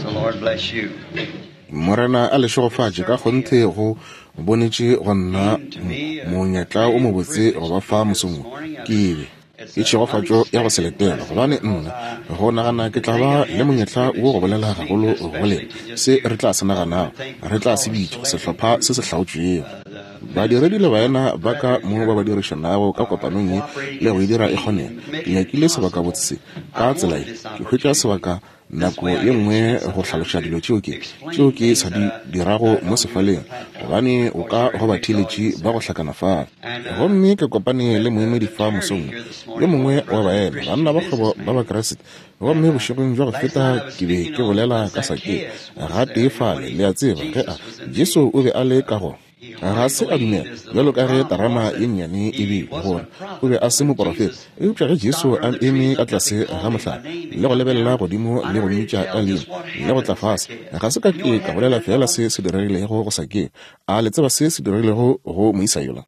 The Lord bless you. Morena a le šegofatše. Ka kgonthe go bonetše go nna monyetla o mobotse go ba fa mosong wo. Ke be ke tšhegofatšo ya go se letelwa, gobane nna go nagana ke tla ba le monyetla wo go bolela gagolo go lena se re tla se naganago, re tla se bitša sehlopha se se hlaotšwego. Badiredi le baena ba ka mo ba ba dirišanago ka kopanong ye le go e dira e kgonege. Ke nyakile sebakabotse se ka tsela ye, ke hwetša sebaka nako ye nngwe go hlaloša dilo tšeo ke tšeo ke sa di dirago mo sefaleng, gobane o ka go batheeletši ba go hlakana fale. Gomme ke kopane le moemedi fa mosong wo, yo mongwe wa baena, banna ba kgwebo ba Bakriste. Gomme bošegong bja go feta ke be ke bolela ka Sakeo, gatee fale, le a tseba, ge a, Jesu o be a le ka go. Ga se a dumela, bjalo ka ge terama ye nnyane e bile, gore o be a se moporofeta. Eupša ge Jesu a eme ka tlase ga mohlare le go lebelela godimo le go mmitša ka leina le go tla fase, ga se ka ke ka bolela feela se se diregilego go Sakeo. A le tseba se se diregilego go moisa yola?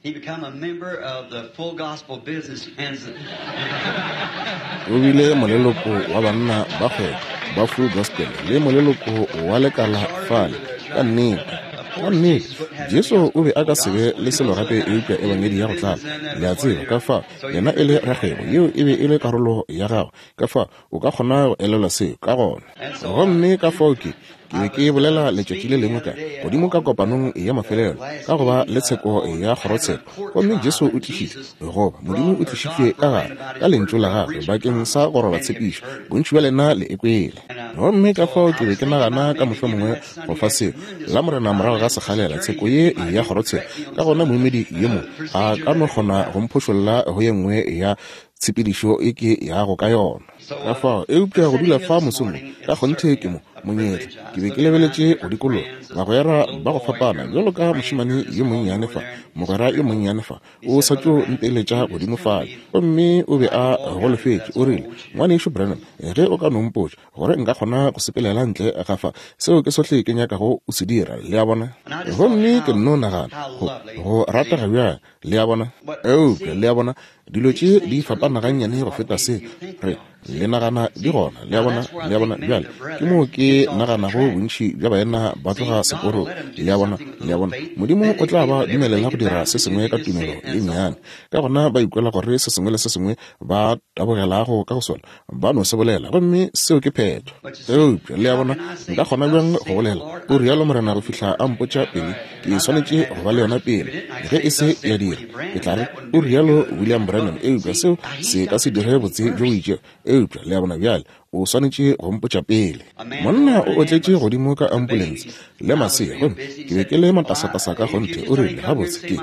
O bile moleloko wa banna ba kgwebo ba Full Gospel le moleloko wa lekala fale. Ka nnete. Ka nnete, Jesu o be a ka se be le selo gape eupša Ebangedi ya go tlala. Le a tseba, ka fao yena e le rakgwebo, yeo e be e le karolo ya gagwe. Ka fao o ka kgona go elelwa seo, ka gona. Gomme ka fao ke, ke be ke bolela letšatši le lengwe ka, godimo ka kopanong ya mafelelo, ka go ba le tsheko ya kgorotsheko. Gomme Jesu o tlišitšwe, goba Modimo o tlišitšwe ka gare, ka Lentšu la Gagwe, bakeng sa go roba tshepišo. Bontši bja lena le e kwele. Gomme ka fao ke be ke nagana ka mohlomongwe go fa seo Lamorena morago ga sekgalela, tsheko ye ya kgorotsheko, ka gona moemedi yo mongwe a ka no kgona go mphošolla go ye nngwe ya tshepedišo e ke yago ka yona. Ka fao, eupša go dula fa mosong wo, ka kgonthe ke mo, monyetla. Ke be ke lebeletše go dikologa, bagwera ba go fapana, bjalo ka mošemane yo monnyane fa, mogwera yo monnyane fa, o sa tšo nteletša godimo fale, gomme o be a golofetše. O rile, Ngwanešu Branham, ge o ka no mpotša gore nka kgona go sepelela ntle ga fa, seo ke sohle ke nyakago o se dira, le a bona. Gomme ke nno nagana, go, go ratega bjang, le a bona. Eupša, le a bona, dilo tše di fapana gannyane go feta se re le nagana di gona, le a bona, le a bona. Bjale ke moo ke naganago bontši bja baena ba tloga seporong, le a bona, le a bona. Modimo o tla ba dumelela go dira se sengwe ka tumelo ye nnyane, ka gona ba ikwela gore se sengwe le se sengwe ba tabogelago ka go sona ba no se bolela, gomme seo ke phetho. Eupša, le a bona, nka kgona bjang go bolela o rialo Morena go fihla a mpotša pele? Ke swanetše go ba le yona pele. Ge e se ya dira, ke tla re o rialo William Branham, eupša seo se ka se dire botse bjo bo itšego. Eupša, le a bona, bjale o swanetše go mpotša pele. Monna o otletše godimo ka ambulense le masea, gomme ke be ke le matasatasa ka kgonthe. O rile, Gabotse, ke,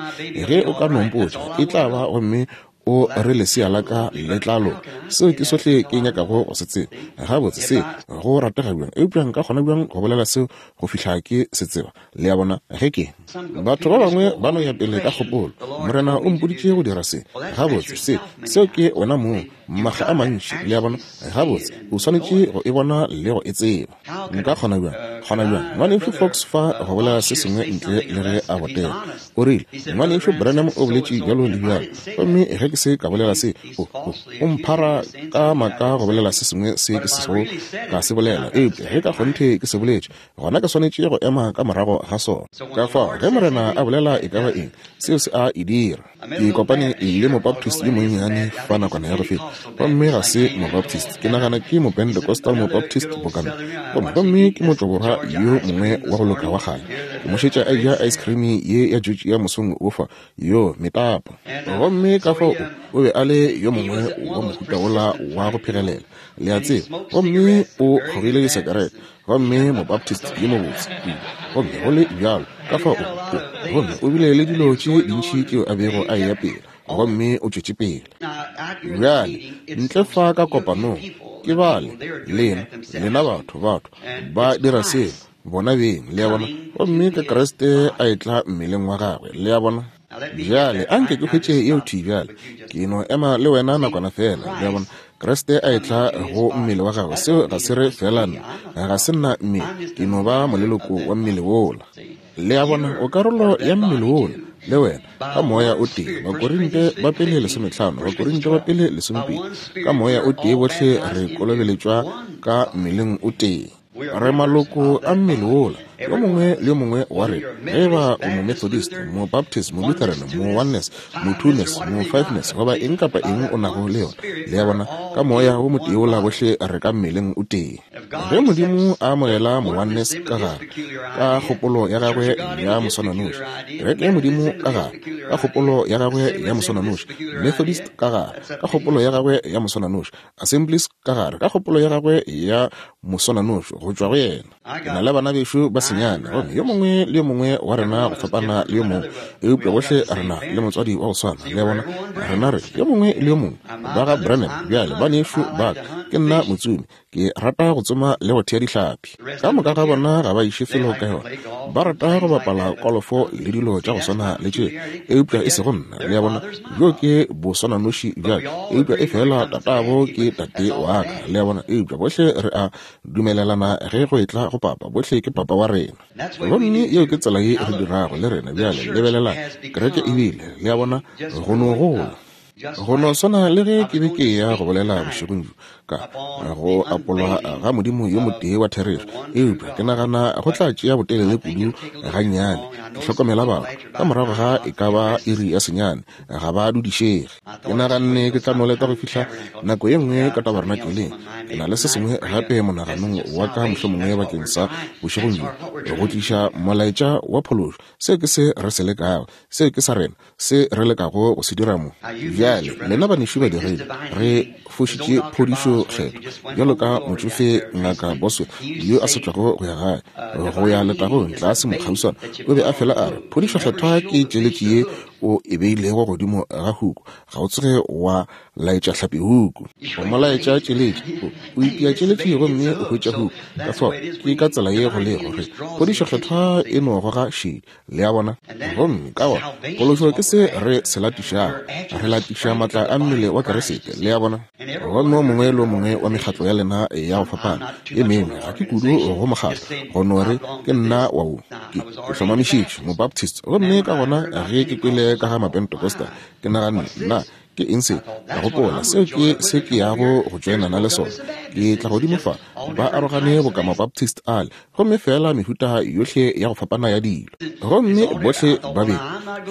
ge o ka no mpotša, e tla ba, gomme o re lesea la ka le tla loka. Seo ke sohle ke nyakago go se tseba. Gabotse, se go ratega bjang, eupša nka kgona bjang go bolela seo go fihla ke se tseba? Le a bona? Ge ke. Batho ba bangwe ba no ya pele ka kgopolo, Morena o mpoditše go dira se. Gabotse, se, seo ke wena mong, makga a mantši. Le a bona? Gabotse, o swanetše go e bona le go e tseba. Nka kgona bjang, kgona bjang, Ngwanešu Fox fa go bolela se sengwe ntle le ge a botega? O rile, Ngwanešu Branham o boletše bjalo le bjalo. Gomme ge ke se ka bolela se, o, o, o mphara ka maaka go bolela se sengwe se ke sego ka se bolela. Eupša ge ka kgonthe ke se boletše, gona ke swanetše go ema ka morago ga sona. Ka fao, ge Morena a bolela e ka ba eng, seo se a e dira. Ke kopane le Mobaptist yo monnyane fa nakwana ya go feta, gomme ga se Mobaptist, ke nagana ke Mopentecostal Mobaptist boka nna. Gomme, gomme ke motšwaborwa yo mongwe wa go loka wa kgale. Ke mo šetša a eja ice cream ye ya Georgia mosong wo fa, yo metapa. Gomme ka fao o, o be a le yo mongwe wa mohuta wola wa go phegelela, le a tseba, gomme o kgogile disekerete. Gomme Mobaptist yo mobotse kudu, gomme go le bjalo, ka fao o, o, gomme o bile le dilo tše dintši tšeo a bego a eya pele, gomme o tšwetše pele. Bjale, ntle fa ka kopanong, ke bale, lena, lena batho, batho ba dira seo, bona beng, le a bona, gomme ka Kriste a etla mmeleng wa gagwe, le a bona. Bjale, a nke ke hwetše yeo thwi bjale. Ke no ema le wena nakwana feela, le a bona. Kriste a etla go mmele wa gagwe, seo ga se re feela nna, ga se nna mmele, ke no ba moleloko wa mmele wola. Le a bona, o karolo ya mmele wola, le wena, ka Moya o tee. Bakorinte ba pele lesometlhano, Bakorinte ba pele lesomepedi, ka Moya o tee bohle re kolobeletšwa ka mmeleng o tee. Re maloko a mmele wola, yo mongwe le yo mongwe wa rena, ge eba o Momethodist, Mobaptist, Molutheran, Mo-Oneness, Mo-Twoness, Mo-Fiveness, goba eng kapa eng o nago le yona. Le a bona, ka Moya wo motee wola bohle re ka mmeleng o tee. Ge Modimo a amogela Mo-Oneness ka gare, ka kgopolo ya Gagwe ya moswananoši, Kereke ya Modimo ka gare, ka kgopolo ya Gagwe ya moswananoši, Methodist ka gare, ka kgopolo ya Gagwe ya moswananoši, Assemblies ka gare, ka kgopolo ya Gagwe ya moswananoši, go tšwa go Yena. Ke na le bana bešo ba senyane, gomme yo mongwe le yo mongwe wa rena go fapana le yo mongwe, eupša bohle re na le motswadi wa go swana. Le a bona? Rena re yo mongwe le yo mongwe ba ga Branham. Bjale, banešu ba ka, ke nna motsomi. Ke rata go tsoma le go thea dihlapi. Ka moka ga bona ga ba iše felo ka yona. Ba rata go bapala kolofo le dilo tša go swana le tše, eupša e sego nna. Le a bona? Bjo ke boswananoši bja ka, eupša efela tatabo ke tate wa ka. Le a bona? Eupša bohle re a dumelelana ge go etla go papa. Bohle ke papa wa rena. Gomme yeo ke tsela ye re dirago le rena bjale. Lebelelang, kereke e bile, le a bona, go no gola. Go no swana le ge ke be ke eya go bolela bošegong bjo ka go apolwa ga Modimo yo motee wa therešo, eupša ke nagana go tla tšea botelele kudu gannyane. Ke hlokomela batho ka morago ga e ka ba iri ya senyane, ga ba dudišege. Ke naganne ke tla no leta go fihla nako ye nngwe ka tabernakeleng. Ke na le se sengwe gape monaganong wa ka mohlomongwe bakeng sa bošegong bjo, go tliša molaetša wa phološo. Seo ke se re se lekago. Seo ke sa rena, se re lekago go se dira mo. Bjale, lena banešu badiredi, re fošitše phodišo Kgethwa, bjalo ka motšofe Ngaka Bosworth yo a sa tšwago go ya gae, go ya letagong tlase mo kgauswana, o be a fela a re, Phodišo Kgethwa ke tšeletši ye o e beilego godimo ga huku, ga o tsoge wa laetša hlapi huku. O mo laetša tšeletši, o, o itia tšeletši gomme o hwetša huku. Ka fao, ke ka tsela ye go lego, re phodišo Kgethwa e no goga šedi. Le a bona? Gomme ka gona phološo ke se re se latišago. Re latiša maatla a mmele wa Kriste. Le a bona? Gomme o mongwe le o mongwe wa mekgatlo ya lena ya go fapana e mengwe, ga ke kudu go mokgatlo, go no re ke nna wa wo. Ke, ke hlomamišitšwe Mobaptist. Gomme ka gona ge ke kwele ka ga Mapentecostal, ke naganne, Nna, Ke eng se? Ka gopola, seo ke se ke yago go tšoenana le sona. Ke tla godimo fa, ba arogane boka Mabaptist ale, gomme feela mehuta yohle ya go fapana ya dilo. Gomme bohle ba be,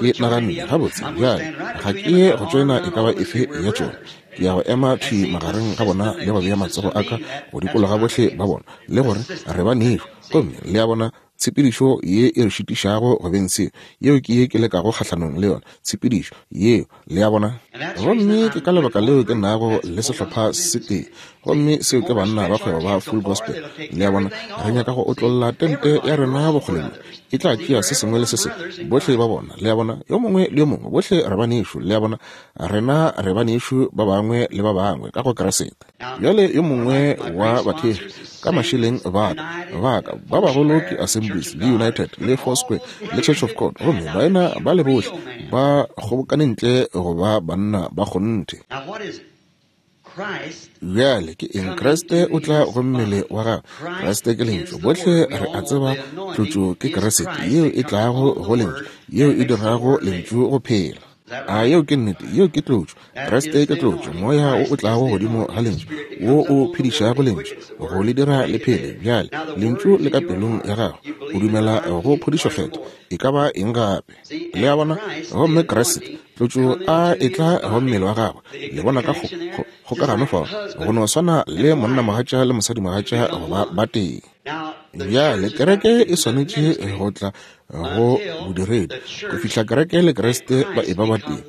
ke naganne, Gabotse, bjale, ga ke ye go tšoena e ka ba efe ya tšona. Ke ya go ema thwi magareng ga bona le go bea matsogo a ka go dikologa bohle ba bona, le gore re banešu. Gomme, le a bona, Tshepedišo ye e re šitišago go beng seo, yeo ke ye ke lekago kgahlanong le yona, tshepedišo yeo, le a bona. Gomme ke ka lebaka leo ke nago le sehlopha se tee, gomme seo ke Banna ba Kgwebo ba Full Gospel. Le a bona, re nyaka go otlolla tente ya rena bokgole bjo, e tla tšea se sengwe le se sengwe, bohle ba bona, le a bona, yo mongwe le yo mongwe, bohle re banešu, le a bona, rena re banešu ba bangwe le ba bangwe ka go Kriste. Bjale yo mongwe wa bathekgi ka mašeleng ba ka, ba ka ba bagolo ke Assemblies le United le Foursquare le Church of God, gomme baena ba le bohle ba kgobokane ntle go ba banna ba kgonthe. Bjale ke eng? Kriste o tla go mmele wa gagwe. Kriste ke Lentšu. Bohle re a tseba tlotšo ke Kriste yeo e tlago go Lentšu, yeo e dirago Lentšu go phela. A yeo ke nnete? Yeo ke tlotšo. Kriste ke tlotšo, Moya wo o tlago godimo ga Lentšu, wo o phedišago Lentšu, go le dira le phele. Bjale, Lentšu le ka pelong ya gago. O dumela go phodišo Kgethwa, e ka ba eng gape? Le a bona? Gomme Kriste, tlotšo, a etla go mmele wa gagwe, le bona ka kgo, kgo, kgokagano fao, go no swana le monnamogatša le mosadimogatša go ba batee. Bjale, kereke e swanetše go tla go bodiredi go fihla kereke le Kriste ba eba batee.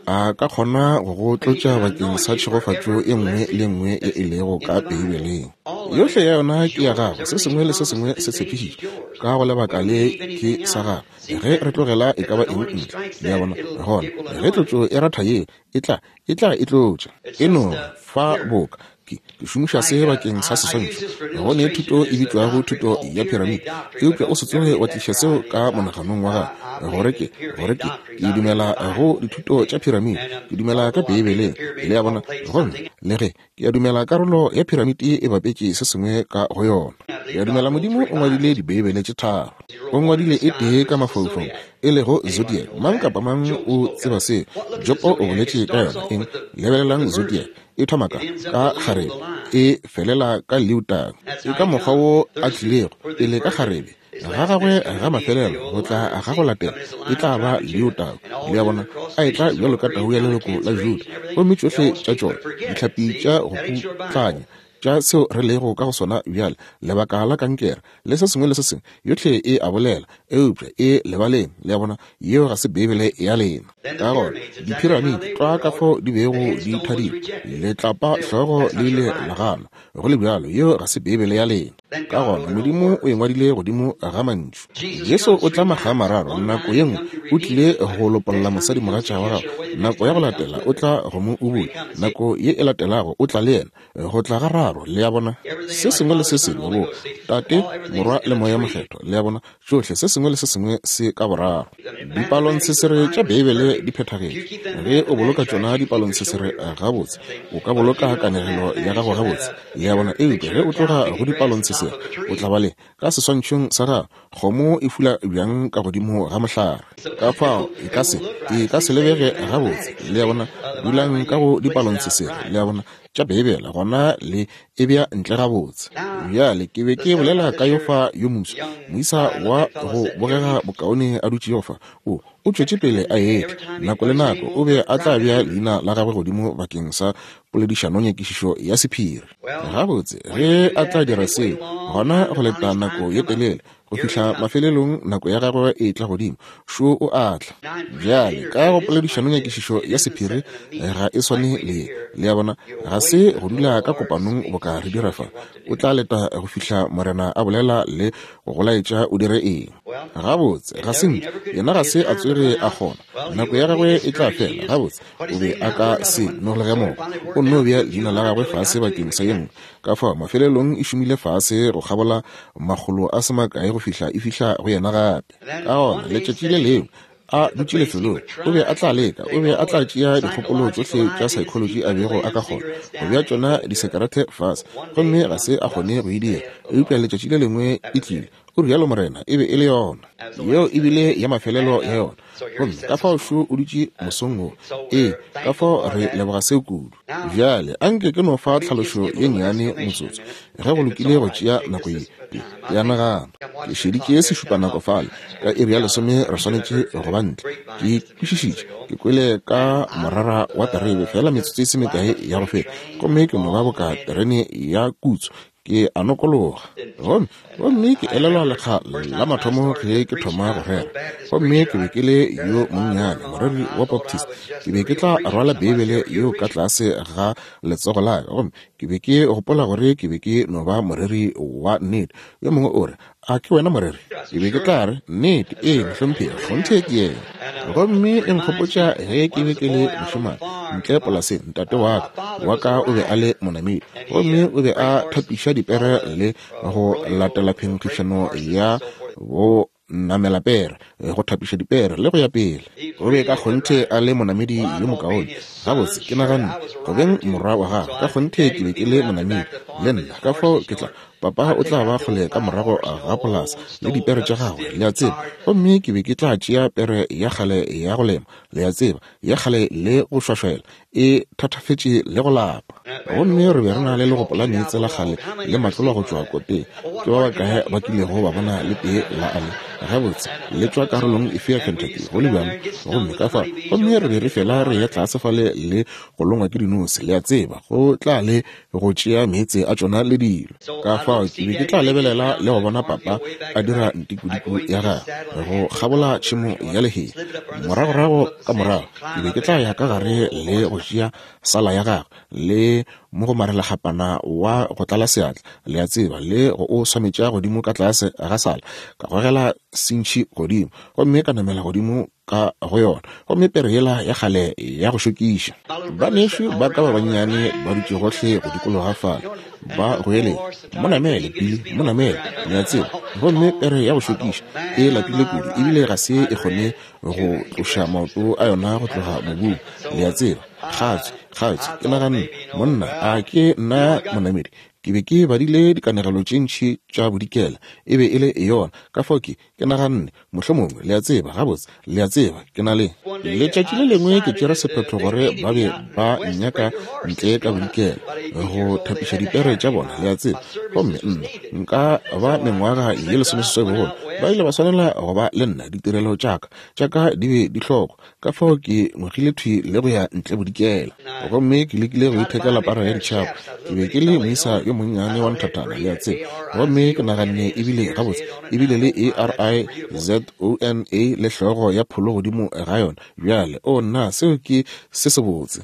A ka kgona go go tlotša bakeng sa tšhegofatšo e nngwe le nngwe ye e lego ka Beibeleng. Yohle ya yona ke ya gago, se sengwe le se sengwe se tshepišitšwe ka go lebaka le ke sa gago. Ge re tlogela e ka ba eng ntle, le a bona, gona ge tlotšo e ratha yeo, e tla, e tla e tlotša. E no fa boka ke, ke šomiša se bakeng sa seswantšho. Go ne thuto e bitšwago thuto ya piramide, eupša o se tsoge wa tliša seo ka monaganong wa gago, gore ke, gore ke, ke dumela go dithuto tša piramide. Ke dumela ka Beibeleng, le a bona. Gomme le ge ke a dumela karolo ya piramide e bapetše se sengwe ka go yona, ke a dumela Modimo o ngwadile Dibeibele tše tharo. O ngwadile e tee ka mafaufaung, e lego Zodiac. Mang kapa mang o tseba seo. Jopo o boletše ka yona. Eng? Lebelelang Zodiac. E thoma ka, ka kgarebe, e felela ka leutang. Ke ka mokgwa wo a tlilego, pele ka kgarebe, ga gagwe ga mafelelo, go tla ga go latela, e tla ba leutau. Le a bona? A etla bjalo ka tau ya leloko la Juda. Gomme tšohle tša tšona, dihlapi tša go putlanya, tša seo re lego ka go sona bjale, lebaka la kankere, le se sengwe le se sengwe, yohle e a bolela, eupša e lebaleng. Le a bona? Yeo ga se Beibele ya lena. Ka gona, diphiramiti, tlwa ka fao di bego di thadilwe, letlapa hlogo le ile la ganwa, go le bjalo, yeo ga se Beibele ya lena. Ka gona, Modimo o e ngwadile godimo ga mantšu. Jesu o tla makga a mararo. Nako ye nngwe o tlile go lopolla mosadimogatša wa gagwe, nako ya go latela o tla go mo ubula, nako ye e latelago o tla le yena. Go tla ga raro, le a bona, se sengwe le se sengwe, bo Tate, Morwa, le Moya Mokgethwa, le a bona, tšohle, se sengwe le se sengwe se ka boraro. Dipalontshesere tša Beibele di phethagetše. Ge o boloka tšona dipalontshesere gabotse, o ka boloka kanegelo ya gago gabotse, le a bona, eupša ge o tloga go dipalontshesere, o tla ba le, ka seswantšhong sa gago, kgomo e fula bjang ka godimo ga mohlare. Ka fao e ka se, e ka se lebege gabotse, le a bona. Dulang ka go dipalontshesere, le a bona, tša Beibele, gona le e bea ntle gabotse. Bjale, ke be ke bolela ka yo fa yo moswa, moisa wa go bogega bokaone a dutšego fa. O, o tšwetše pele a etla. Nako le nako o be a tla bea leina la gagwe godimo bakeng sa poledišanonyakišišo ya sephiri. Gabotse, ge a tla dira seo, gona go leta nako ye telele go fihla mafelelong nako ya gagwe e tla godimo, šo o a tla. Bjale, ka go poledišanonyakišišo ya sephiri ga e swane le ye. Le a bona, ga se go dula ka kopanong boka re dira fa. O tla leta go fihla Morena a bolela le go go laetša o dire eng. Gabotse, ga se nke yena ga se a tsoge a kgona. Nako ya gagwe e tla fela. Gabotse, o be a ka se nolege moko. O nno bea leina la gagwe fase bakeng sa ye nngwe. Ka fao, mafelelong e šomile fase go kgabola makgolo a se makae go fihla e fihla go yena gape. Ka gona, letšatši le lengwe, a dutše lefelong, o be a tla leka, o be a tla tšea dikgopolo tšohle tša psychology a bego a ka kgona go bea tšona disekerete fase, gomme ga se a kgone go e dira. Eupša letšatši le lengwe e tlile, o rialo Morena, e be e le yona. Yeo e bile ya mafelelo ya yona. Gomme ka fao šo o dutše mosong wo. Ee, ka fao re leboga seo kudu. Bjale, a nke ke no fa tlhalošo ye nnyane motsotso, ge go lokile go tšea nako ye. Ke, ke a nagana. Ke šeditše sešupanako fale, ka iri ya lesome re swanetše go ba ntle. Ke kwešišitše, ke kwele ka morara wa terebe feela metsotso e se mekae ya go feta, gomme ke no ba boka terene ya kutso. Ke a nokologa. Gomme, gomme ke elelwa lekga la mathomo ge ke thoma go rera. Gomme ke be ke le yo monnyane, moreri wa Baptist. Ke be ke tla rwala Beibele yeo ka tlase ga letsogo la ka. Gomme ke be ke gopola gore ke be ke no ba moreri wa nnete. Yo mongwe o re, A ke wena moreri? Ke be ke tla re, Nnete, ee, mohlomphegi, kgonthe ke yena. Gomme e nkgopotša ge ke be ke le mošemane ntle polaseng, tate wa ka, wa ka o be a le monamedi, gomme o be a thapiša dipere le go latela phenkgišano ya bo namelapere, go thapiša dipere le go ya pele. O be ka kgonthe a le monamedi yo mokaone. Gabotse, ke naganne, go beng morwa wa gagwe, ka kgonthe ke be ke le monamedi le nna, ka fao ke tla Papa o tla ba kgole ka morago ga polasa le dipere tša gagwe, le a tseba. Gomme ke be ke tla tšea pere ya kgale ya go lema, le a tseba, ya kgale le go šwašwela, e thathafetše le go lapa. Gomme re be re na le legopo la meetse la kgale le matlolwa go tšwa koteng. Ke ba bakae ba kilego ba bona le tee la ale? Gabotse, le tšwa karolong efe ya Kentucky, go le bjalo? Gomme ka fao, gomme re be re fela re eya tlase fale le go longwa ke dinose, le a tseba, go tla le go tšea meetse a tšona le dilo. Ka fao ke be ke tla lebelela le go bona papa a dira ntikodiko ya gagwe go kgabola tšhemo ya lehea. Moragorago ka morago ke be ke tla ya ka gare le go tšea sala ya gagwe le mogomarelakgapana wa go tlala seatla, le a tseba, le go o swametša godimo ka tlase ga sala, ka gogela sintšhi godimo, gomme ka namela godimo ka go yona, gomme pere yela ya kgale ya go šokiša. Banešu ba ka ba bannyane ba dutše gohle go dikologa fale, ba goeletša, Mo namele, Billy, mo namele, le a tseba. Gomme pere ya go šokiša e lapile kudu ebile ga se e kgone go tloša maoto a yona go tloga mobung, le a tseba. Kgatswi, kgatswi, ke naganne, Monna, a ke nna monamedi? Ke be ke badile dikanegelo tše ntši tša bodikela, e be e le yona. Ka fao ke, ke naganne, mohlomongwe, le a tseba, gabotse, le a tseba, ke na le. Letšatši le lengwe ke tšere sephetho gore ba be ba nnyaka ntle ka bodikela, go thapiša dipere tša bona, le a tseba. Gomme nna, nka ba mengwaga ye lesomeseswai bogolo, ba ile ba swanela go ba le nna, ditirelo tša ka, tša ka di be di hlokwa. Ka fao ke ngwegile thwi le go ya ntle bodikela, gomme ke lekile go ithekela para ya ditšhaba. Ke be ke le moisa yo monnyane wa nthathana, le a tseba, gomme ke naganne e bile gabotse, e bile le A-R-I-Z-O-N-A le hlogo ya pholo godimo ga yona. Bjale, oo nna, seo ke se sebotse.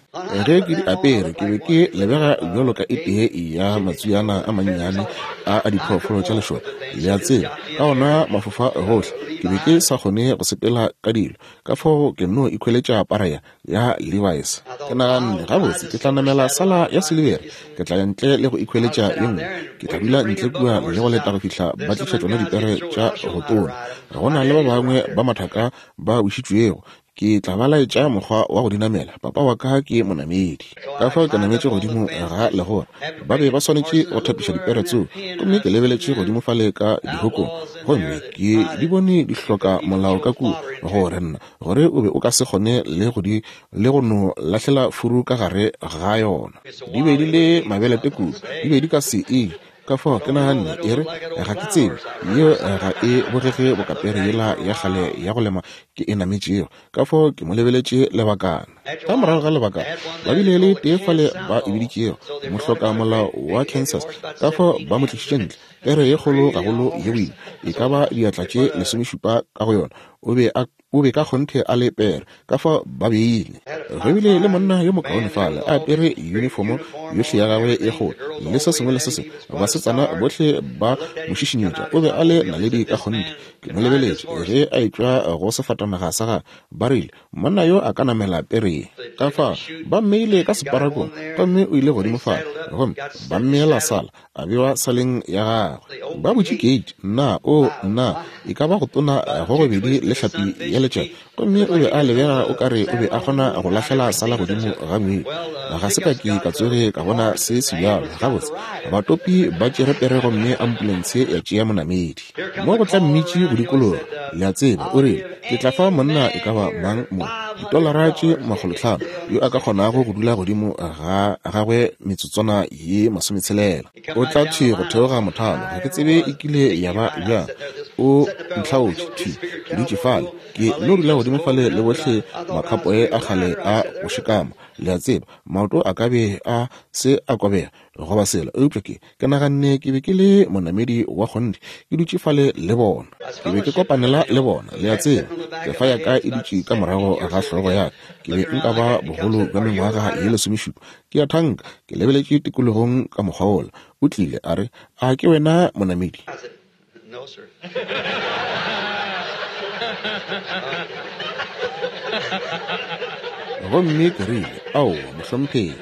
Ge ke di apere, ke be ke lebega bjalo ka e tee ya matswiana a mannyane a a diphoofolo tša lešoka, le a tseba, ka ona mafofa gohle. Ke be ke sa kgone go sepela ka dilo. Ka fao ke nno ikhweletša para ya, ya Levi's. Ke naganne, Gabotse, ke tla namela sala ya silibere. Ke tla ya ntle le go ikhweletša ye nngwe. Ke tla dula ntle kua le go leta go fihla ba tliša tšona dipere tša go tona. Go na le ba bangwe ba mathaka ba wišitšwego. Ke tla ba laetša mokgwa wa go di namela. Papa wa ka ke monamedi. Ka fao ke nametše godimo ga legora. Ba be ba swanetše go thapiša dipere tseo. Gomme ke lebeletše godimo fale ka dihokong. Gomme ke di bone di hloka molao ka kua, gore nna, gore o be o ka se kgone le go di, le go no lahlela furu ka gare ga yona. Di be di le mabelete kudu, di be di ka se e je. Ka fao ke naganne, E re, ga ke tsebe, yeo ga e bogege boka pere yela ya kgale ya go lema ke e nametšego. Ka fao ke mo lebeletše lebakana. Ka morago ga lebakana, ba bile le tee fale ba e biditšego mohlokamolao wa Kansas. Ka fao ba mo tlišitše ntle. Pere ye kgolo gagolo ye boima, e ka ba diatla tše lesomešupa ka go yona. O be a, o be ka kgonthe a le pere. Ka fao ba beile. Go bile le monna yo mokaone fale, a apere yunifomo yohle ya gagwe ye kgolo, le se sengwe le se sengwe. Basetsana bohle ba mo šišinyetša. O be a le naledi ka kgonthe. Ke mo lebeletše ge a etšwa go sefatanaga sa gagwe. Ba rile, Monna yo a ka namela pere ye. Ka fao ba mmeile ka separakong, gomme o ile godimo fale, gomme ba mmeela sala, a bewa saleng ya gagwe. Ba butše keiti, nna, oo, nna, e ka ba go tona go gobedi le hlapi ya letšatši, gomme o be a lebega o ka re o be a kgona go lahlela sala godimo ga ngwedi. Ga se ka ke ka tsoge ka bona se sebjalo. Gabotse, batopi ba tšere pere gomme ambulense ya tšea monamedi. Mo go tla mmitši go dikologa, le a tseba, o rile, Ke tla fa monna e ka ba mang mo ditolara tše makgolotlhano yo a ka kgonago go dula godimo ga gagwe metsotswana ye masometshela. O tla thwi go theoga mothalo. Ga ke tsebe e kile ya ba bjang. O ntlhaotše thwi ke dutše fale. Ke no dula godimo fale le bohle makhapoe a kgale a go šikama, le a tseba. Maoto a ka be a se a kobega goba selo, eupša ke, Ke naganne ke be ke le monamedi wa kgonthe, ke dutše fale le bona. Ke be ke kopanela le bona, le a tseba. Kefa ya ka e dutše ka morago ga hlogo ya ka. Ke be nka ba bogolo bja mengwaga ye lesomešupa. Ke a thanka, ke lebeletše tikologong ka mokgwa wola. O tlile, a re, A ke wena monamedi? No, sir. Gomme ke rile, Aowa, mohlomphegi.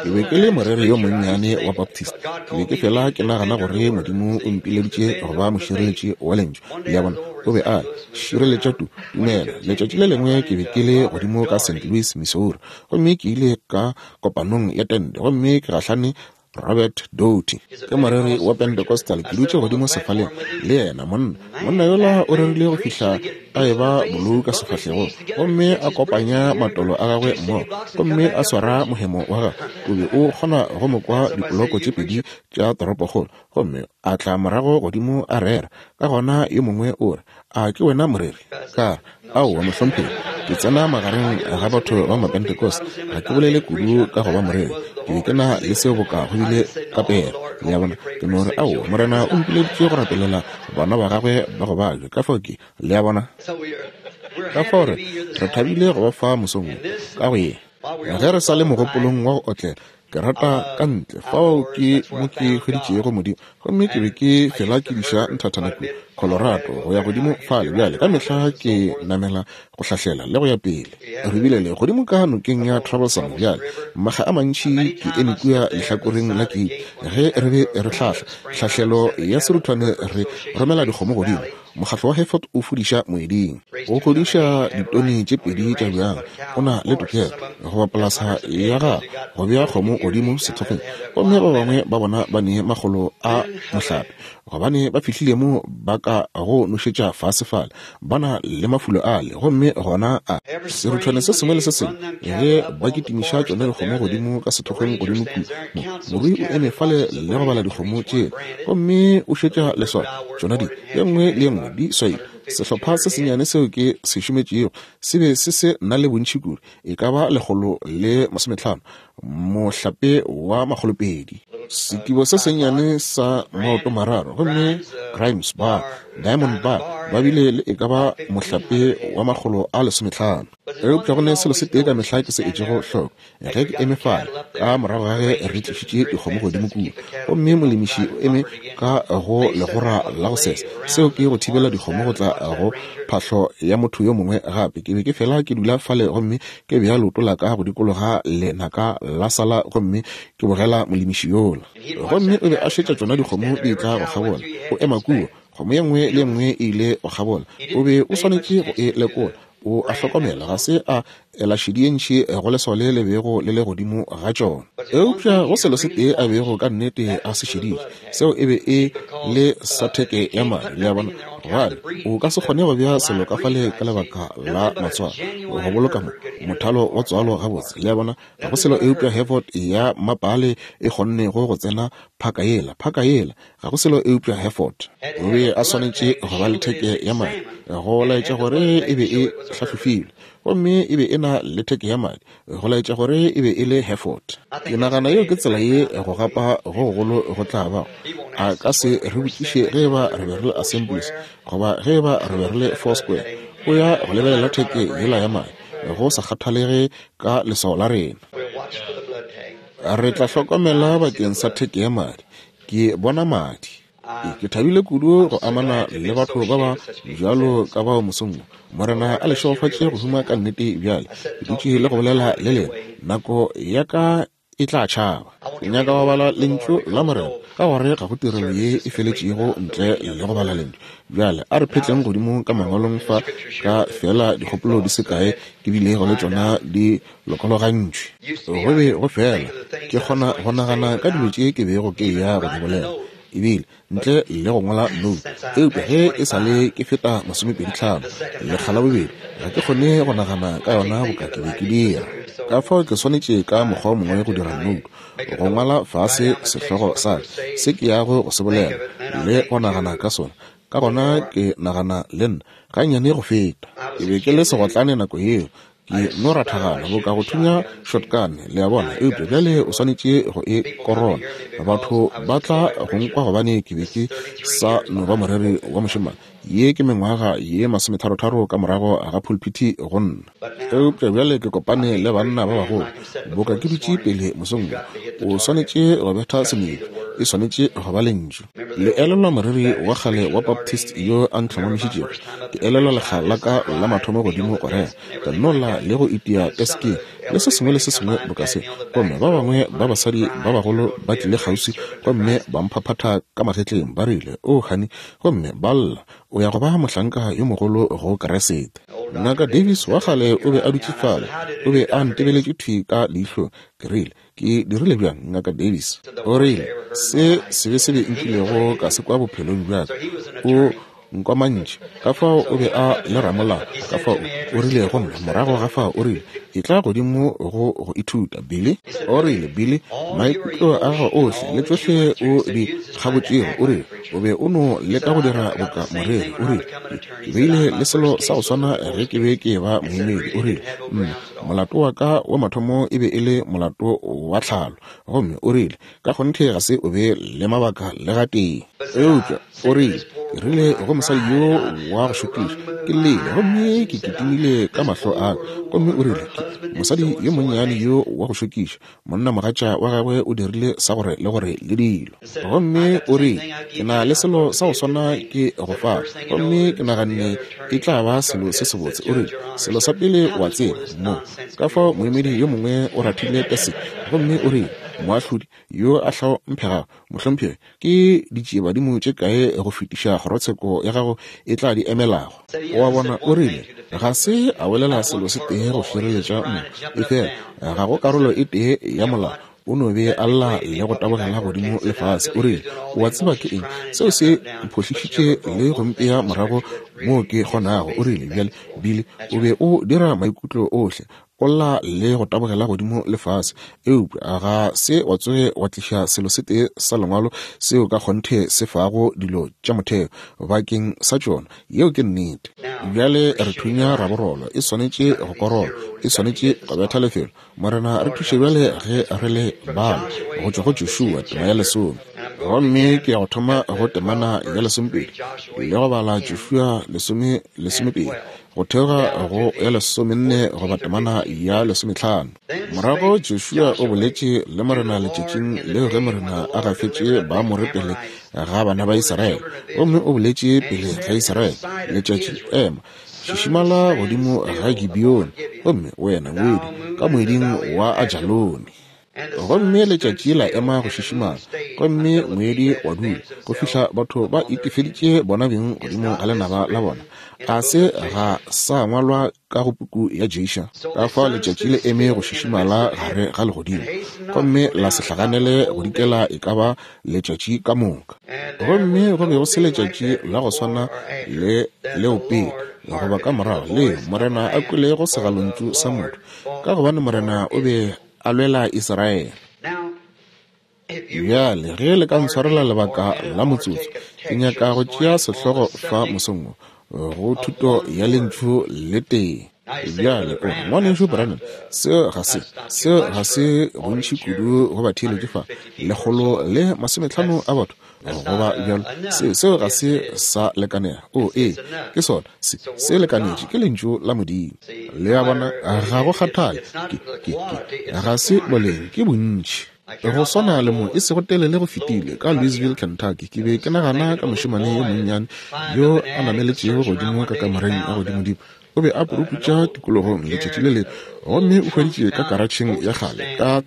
Ke be ke le moreri yo monnyane wa Baptist. Ke be ke fela ke nagana gore Modimo o mpileditše go ba mošireletši wa Lentšu. Le a bona? O be a re, Šireletša tu, tumelo. Letšatši le lengwe ke be ke le godimo ka St. Louis, Missouri, gomme ke ile ka kopanong ya tente, gomme ke gahlane Robert Doughty ke moreri wa Pentecostal. Ke dutše godimo sefaleng le yena. Monna, monna yola o rerile go fihla a eba bolou ka sefahlegong, gomme a kopanya matolo a gagwe mmogo gomme a swara mohemo wa gagwe. O be o kgona go mo kwa dipoloko tše pedi tša toropokgolo. Gomme a tla morago godimo a rera. Ka gona yo mongwe o re, A ke wena moreri? Ka re, Aowa, mohlomphegi. Ke tsena magareng ga batho ba Mapentecost. Ga ke bolele kudu ka go ba moreri. Ke be ke na le seo boka go bile ka pere. Le a bona? Ke no re, Aowa, Morena o mpileditše go rapelela bana ba gagwe ba go babja. Ka fao ke, le a bona? Ka fao re, re thabile go ba fa mosong wo, ka go ye. Ge re sa le mogopolong wa go otlela, Ke rata ka ntle, fao ke mo ke hweditšego Modimo. Gomme ke be ke fela ke diša nthathana kua. Colorado, go ya godimo fale bjale. Ka mehla ke namela go hlahlela le go ya pele. Re bile le godimo ka nokeng ya Troublesome bjale, makga a mantši ke eme kua lehlakoreng la keiti ge re be re hlahla hlahlelo ya seruthwane, re romela dikgomo godimo. Mokgatlo wa Hereford o fudiša moeding, o godiša ditone tše 2 tša bjang. O na le tokelo goba polasa ya gago go bea kgomo godimo sethokgweng, gomme ba bangwe ba bona ba ne makgolo a mohlape, gobane ba fihlile mo ba ka go nošetša fase fale, ba na le mafulo ale, gomme gona a seruthwane se sengwe le se sengwe ge ba kitimiša tšona dikgomo godimo ka sethokgweng godimo kua, mo morui o eme fale le go bala dikgomo tšela, gomme o šetša leswao tšona di ye nngwe le ye nngwe di swaile. Sehlopha se sennyane seo ke se šometšego se be se se na le bontši kudu, e ka ba 150, mohlape wa 200. Sekibo se sennyane sa maoto mararo, gomme Grimes Bar, Diamond Bar, ba bile le e ka ba mohlape wa 150. Eupša go ne selo se tee ka mehla ke se etšego hloko, ge ke eme fale ka morago ga ge re tlišitše dikgomo godimo kua, gomme molemiši o eme ka go legora la go sesa, seo ke go thibela dikgomo go tla go phahlo ya motho yo mongwe gape. Ke be ke fela ke dula fale gomme ke bea leoto la ka go dikologa lenaka la sala gomme ke bogela molemiši yola. Gomme o be a šetša tšona dikgomo di etla go kgabola, o ema kua, kgomo ye nngwe le ye nngwe e ile go kgabola, o be o swanetše go e lekola. O a hlokomela, ga se a ela šedi ye ntši go leswao le le bego le le godimo ga tšona. Eupša go selo se tee a bego ka nnete a se šeditše, seo e be e le sa theke ya madi. Le a bona? Gobane o ka se kgone go bea selo ka fale ka lebaka la matswalo, go boloka mo, mothalo wa tswalo gabotse. Le a bona? Ga go selo eupša Hereford ya mmapaale e kgonnego go tsena phaka yela, phaka yela. Ga go selo eupša Hereford. O be a swanetše go ba le theke ya madi go laetša gore e be e hlahlofilwe, gomme e be e na le theke ya madi go laetša gore e be e le Hereford. Ke nagana yeo ke tsela ye go gapa go gogolo go tla bago. A ka se re botšiše ge eba re be re le Assemblies goba ge eba re be re le Foursquare. O ya go lebelela theke yela ya madi, go sa kgathalege ka leswao la rena. Re tla hlokomela bakeng sa theke ya madi. Ke bona madi. Ke thabile kudu go amana le batho ba ba bjalo ka bao mosong wo. Morena a le šegofatše go huma ka nnete bjale. Ke dutše le go bolela le lena. Nako ya ka e tla tšhaba. Ke nyaka go bala Lentšu la Morena, ka gore ga go tirelo ye e feletšego ntle le go bala Lentšu. Bjale a re phetleng godimo ka Mangwalong fa ka feela dikgopolo di se kae ke bilego le tšona di lokologantšwe. Go be go fela ke kgona go nagana ka dilo tše ke bego ke eya go di bolela, ebile ntle le go ngwala note. Eupša ge e sa le ke feta 25, lekga la bobedi, ga ke kgone go nagana ka yona boka ke be ke dira. Ka fao ke swanetše ka mokgwa o mongwe go dira note, go ngwala fase sehlogo sa ka, se ke yago go se bolela, le go nagana ka sona. Ka gona ke nagana le nna gannyane go feta. Ke be ke le segotlane nako yeo, ke no rathagana boka go thunya shotgun, le a bona, eupša bjale o swanetše go e korona. Batho ba tla go nkwa gobane ke be ke sa no ba moreri wa mošemane. Ye ke mengwaga ye masometharotharo ka morago ga phulphithi go nna. Eupša bjale ke kopane le banna ba bagolo, boka ke dutše pele mosong wo. O swanetše go betha semelo, e swanetše go ba lentšu. Le elelwa moreri wa kgale wa Baptist yo a ntlhomamišitšego? Ke elelwa lekga la ka la mathomo godimo go rera, ka no lla le go itia teskeng le se sengwe le se sengwe boka se, gomme ba bangwe ba basadi ba bagolo ba tlile kgauswi gomme ba mphaphatha ka magetleng, ba rile, O, honey, gomme ba lla, o ya go ba mohlanka yo mogolo go Kriste. Ngaka Davis wa kgale o be a dutše fale, o be a ntebeletše thwi ka leihlong. Ke rile, Ke dirile bjang, Ngaka Davis? O rile, Se sebe sebe nkilego ka se kwa bophelong bja ka. O nkwamantše. Ka fao o be a le ramolao. Ka fao o rile go nna, morago ga fao, o rile, Etla godimo go go ithuta, Billy. O rile, Billy, maikutlo a gago ohle le tšohle o di kgabotšego, o rile, o be o no leka go dira boka moreri. O rile, Ke beile le selo sa go swana ge ke be ke eba moemedi. O rile, Nna, molato wa ka wa mathomo e be e le molato wa tlhalo. Gomme o rile, Ka kgonthe ga se o be le mabaka le gatee. Eupša, o rile, Ke rile go mosadi yo wa go šokiša, ke llele gomme ke kitimile ka mahlo a ka. Gomme o rile, ke mosadi yo monnyane yo wa go šokiša, monnamogatša wa gagwe o dirile sa gore le gore le dilo. Gomme o rile, Ke na le selo sa go swana ke go fa. Gomme ke naganne e tla ba selo se sebotse. O rile, Selo sa pele wa tseba, mo. Ka fao moemedi yo mongwe o rathile teseke, gomme o rile, Moahlodi yo a hlomphegago, mohlomphegi, ke ditšiebadimo tše kae go fetiša kgorotsheko ya gago e tla di emelago? O a bona, o rile, ga se a bolela selo se tee go šireletša mo, efela ga go karolo e tee ya molao. O no be a lla le go tabogela godimo le fase. O rile, O a tseba ke eng? Seo se mphohlišitše le go mpea morago moo ke kgonago. O rile, Bjale, Billy, o be o dira maikutlo ohle, o lla le go tabogela godimo le fase, eupša ga se wa tsoge wa tliša selo se tee sa Lengwalo seo ka kgonthe se fago dilo tša motheo bakeng sa tšona. Yeo ke nnete. Bjale re thunya raborolo, e swanetše go korola, e swanetše go betha lefelo. Morena re thuše bjale ge re le bala go tšwa go Joshua tema ya lesome. Gomme ke ya go thoma go temana ya lesomepedi le go bala Joshua lesome lesomepedi go theoga go ya lesomenne goba temana ya lesometlhano. Morago Joshua o boletše le Morena letšatšing leo ge Morena a gafetše Baamore pele ga bana ba Israele, gomme o boletše pele ga Israele, Letšatši, ema, šišimala godimo ga Gibeoni, gomme wena ngwedi ka moeding wa Ajaloni. Gomme letšatši la ema go šišimala, gomme ngwedi wa dula, go fihla batho ba itefeditše bona beng godimo ga lenaba la bona. A se ga sa ngwalwa ka go puku ya Ješa? Ka fao letšatši le eme go šišimala gare ga legodimo, gomme la se hlaganele go dikela e ka ba letšatši ka moka. Gomme go be go se letšatši la go swana le leo pele goba ka morago leo Morena a kwelego segalontšu sa motho, ka gobane Morena o be a lwela Israele. Bjale, ge le ka ntshwarela lebaka la motsotso, ke nyaka go tšea sehlogo fa mosong wo, go thuto ya Lentšu le tee. Bjale, o Ngwanešu Branham, seo ga se, seo ga se bontši kudu go batheeletši fa, 150 a batho, goba bjalo. Se, seo ga se sa lekanega. O, ee, ke sona, se, se lekanetše, ke Lentšu la Modimo. Le a bona, ga go kgathale, ke, ke, ke, ga se boleng, ke bontši. Go swana le mo e sego telele go fetile, ka Louisville, Kentucky, ke be ke nagana ka mošemane yo monnyane yo a nameletšego godimo ka kamoreng ya godimodimo. O be a puruputša tikologong letšatši le lengwe, gomme o hweditše ka karatšheng ya kgale, ka,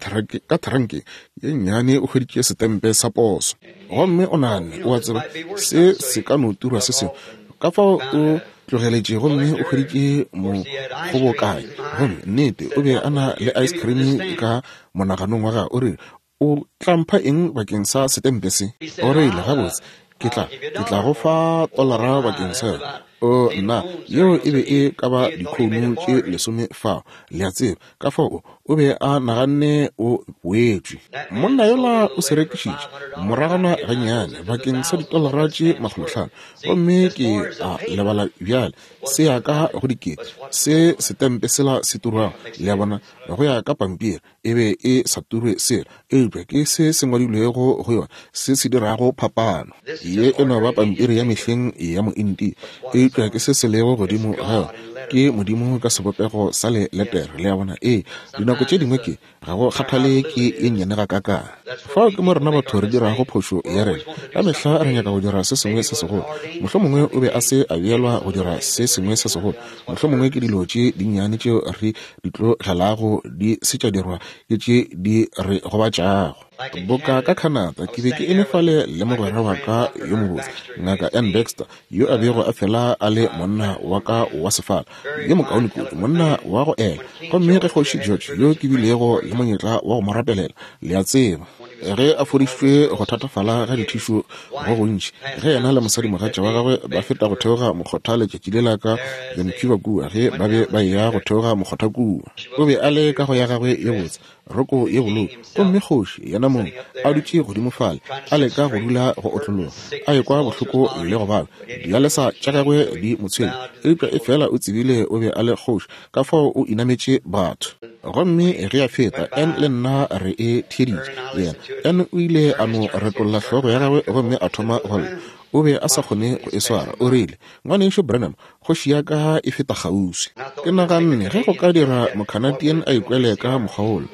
ka tharankeng ye nnyane, o hweditše setempe sa poso. Gomme o naganne, O a tseba, se se ka no turwa se sengwe. Ka fao o tlogeletše gomme o hweditše mokgobokanyi. Gomme, nnete, o be a na le ice cream ka monaganong wa gagwe. O rile, O tla mpha eng bakeng sa setempe se? O rile, Gabotse, ke tla, ke tla go fa tolara bakeng sa yona. O, nna, yeo e be e ka ba dikhounu tše lesome fao, le a tseba. Ka fao o, o be a naganne o boetšwe. Monna yola o se rekišitše, moragwana gannyane, bakeng sa ditolara tše makgolotlhano. Gomme ke a lebala bjale, se ya ka go dikete, se setempe sela se turwago, le a bona, go ya ka pampiri. E be e sa turwe selo, eupša ke se se ngwadilwego go yona se se dirago phapano. Ye e no ba pampiri ya mehleng ya mointi, eupša ke se se lego godimo ga yona ke Modimo ka sebopego sa le letere. Le a bona? Ee, dinako tše dingwe ke, ga go kgathale ke ye nnyane gakaakang. Fao ke mo rena batho re dirago phošo ya rena. Ka mehla re nyaka go dira se sengwe se segolo. Mohlomongwe o be a se a beelwa go dira se sengwe se segolo. Mohlomongwe ke dilo tše dinnyane tšeo re di tlogelago di se tša dirwa ke tše di re gobatšago. Boka ka Canada, ke be ke eme fale le mogwera wa ka yo mobotse, Ngaka Ann Baxter, yo a bego a fela a le monna wa ka wa sefala, yo mokaone kudu, monna wa go ela. Gomme ge Kgoši George, yo ke bilego le monyetla wa go mo rapelela, le a tseba, ge a fodišitšwe go thatafala ga dithišu go gontši, ge yena le mosadimogatša wa gagwe ba feta go theoga mokgotha letšatši lela ka Vancouver kua, ge ba be ba eya go theoga mokgotha kua. O be a le ka go ya gagwe ye botse, roko ye bolou, gomme kgoši yena mong a dutše godimo fale, a leka go dula go otlologa, a ekwa bohloko le go baba, dialesa tša gagwe di mo tshwenya, eupša efela o tsebile o be a le kgoši, ka fao o inametše batho. Gomme ge a feta, Ann le nna re e theeditše. Yena, Ann o ile a no retolla hlogo ya gagwe gomme a thoma go lla. O be a sa kgone go e swara. O rile, Ngwanešu Branham, kgoši ya ka e feta kgauswi. Ke naganne, ge go ka dira Mocanadian a ikwele ka mokgwa wola,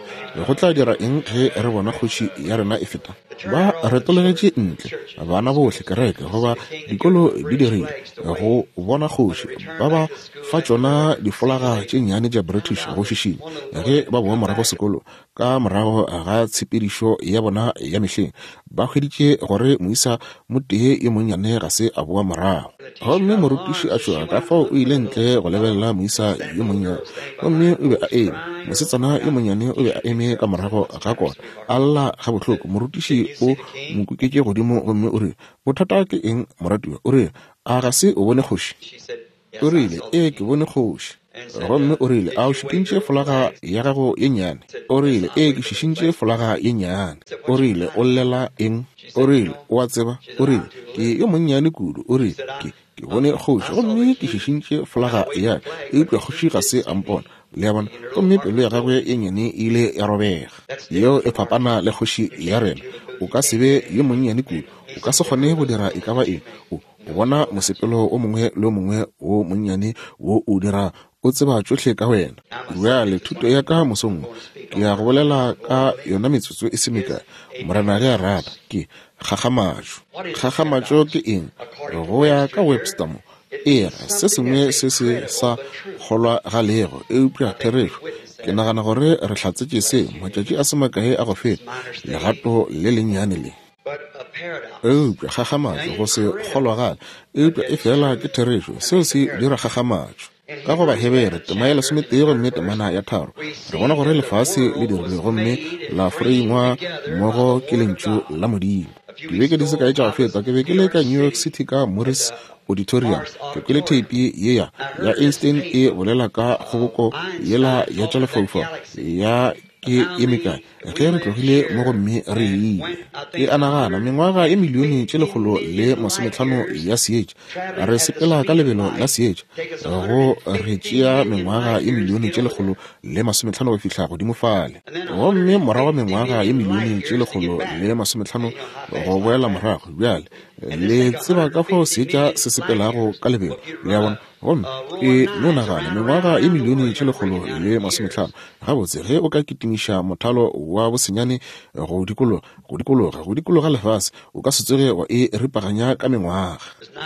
go tla dira eng ge re bona kgoši ya rena e feta? Ba retologetše ntle, bana bohle, kereke, goba dikolo di dirile, go bona kgoši. Ba ba fa tšona difolaga tše nnyane tša British go šišinya ge ba boa morago sekolo ka morago ga tshepedišo ya bona ya mehleng. Ba hweditše gore moisa motee yo monnyane ga se a boa morago. Gomme morutiši a tšhoga, ka fao o ile ntle go lebelela moisa yo monnyane. Gomme o be a eme, mosetsana yo monnyane o be a eme ka morago ga kota, a lla gabohloko. Morutiši o mo kuketše godimo gomme o rile, Bothata ke eng, moratiwa? O rile, A ga se o bone kgoši? O rile, Ee, ke bone kgoši. Gomme o rile, A o šišintše folaga ya gago ye nnyane? O rile, Ee, ke šišintše folaga ye nnyane. O rile, O llela eng? O rile, O a tseba, o rile, ke yo monnyane kudu. O rile, Ke, ke bone kgoši, gomme ke šišintše folaga ya ka, eupša kgoši ga se a mpona. Le a bona? Gomme pelo ya gagwe ye nnyane e ile ya robega. Yeo e fapana le kgoši ya rena. O ka se be yo monnyane kudu. O ka se kgone go dira e ka ba eng. O, O bona mosepelo o mongwe le o mongwe wo monnyane wo o dira, o tseba tšohle ka wena. Bjale, thuto ya ka mosong wo, ke ya go bolela ka yona metsotso e se mekae, Morena ge a rata, ke, kgakgamatšo. Kgakgamatšo ke eng? Go ya ka Webster mo, e ra se sengwe se se sa kgolwagalego, eupša therešo. Ke nagana gore re hlatsetše se matšatši a se makae a go feta, legato le lennyane le. Eupša kgakgamatšo, go se kgolwagale, eupša efela ke therešo, seo se dira kgakgamatšo. Ka go Bahebere, tema ya lesometee gomme temana ya tharo, re bona gore lefase le dirilwe gomme la foreingwa mmogo ke Lentšu la Modimo. Dibeke di se kae tša go feta, ke be ke le ka New York City ka Morris Auditorium. Ke kwele theipi ye ya, ya Einstein e bolela ka kgoboko yela ya tša lefaufau ya ke ye mekae ge re tlogile mo gomme re ile. Ke a nagana mengwaga ye milione tše 150 ya seetša, re sepela ka lebelo la seetša, go re tšea mengwaga ye milione tše 150 go fihla godimo fale, gomme morago mengwaga ye milione tše 150 go boela morago. Bjale, le tseba ka fao seetša se sepelago ka lebelo, le a bona. Gomme e no nagana, mengwaga ye milione tše 150. Gabotse, ge o ka kitimiša mothalo wa bosenyane go dikologa, go dikologa, go dikologa lefase, o ka se tsoge wa e ripaganya ka mengwaga.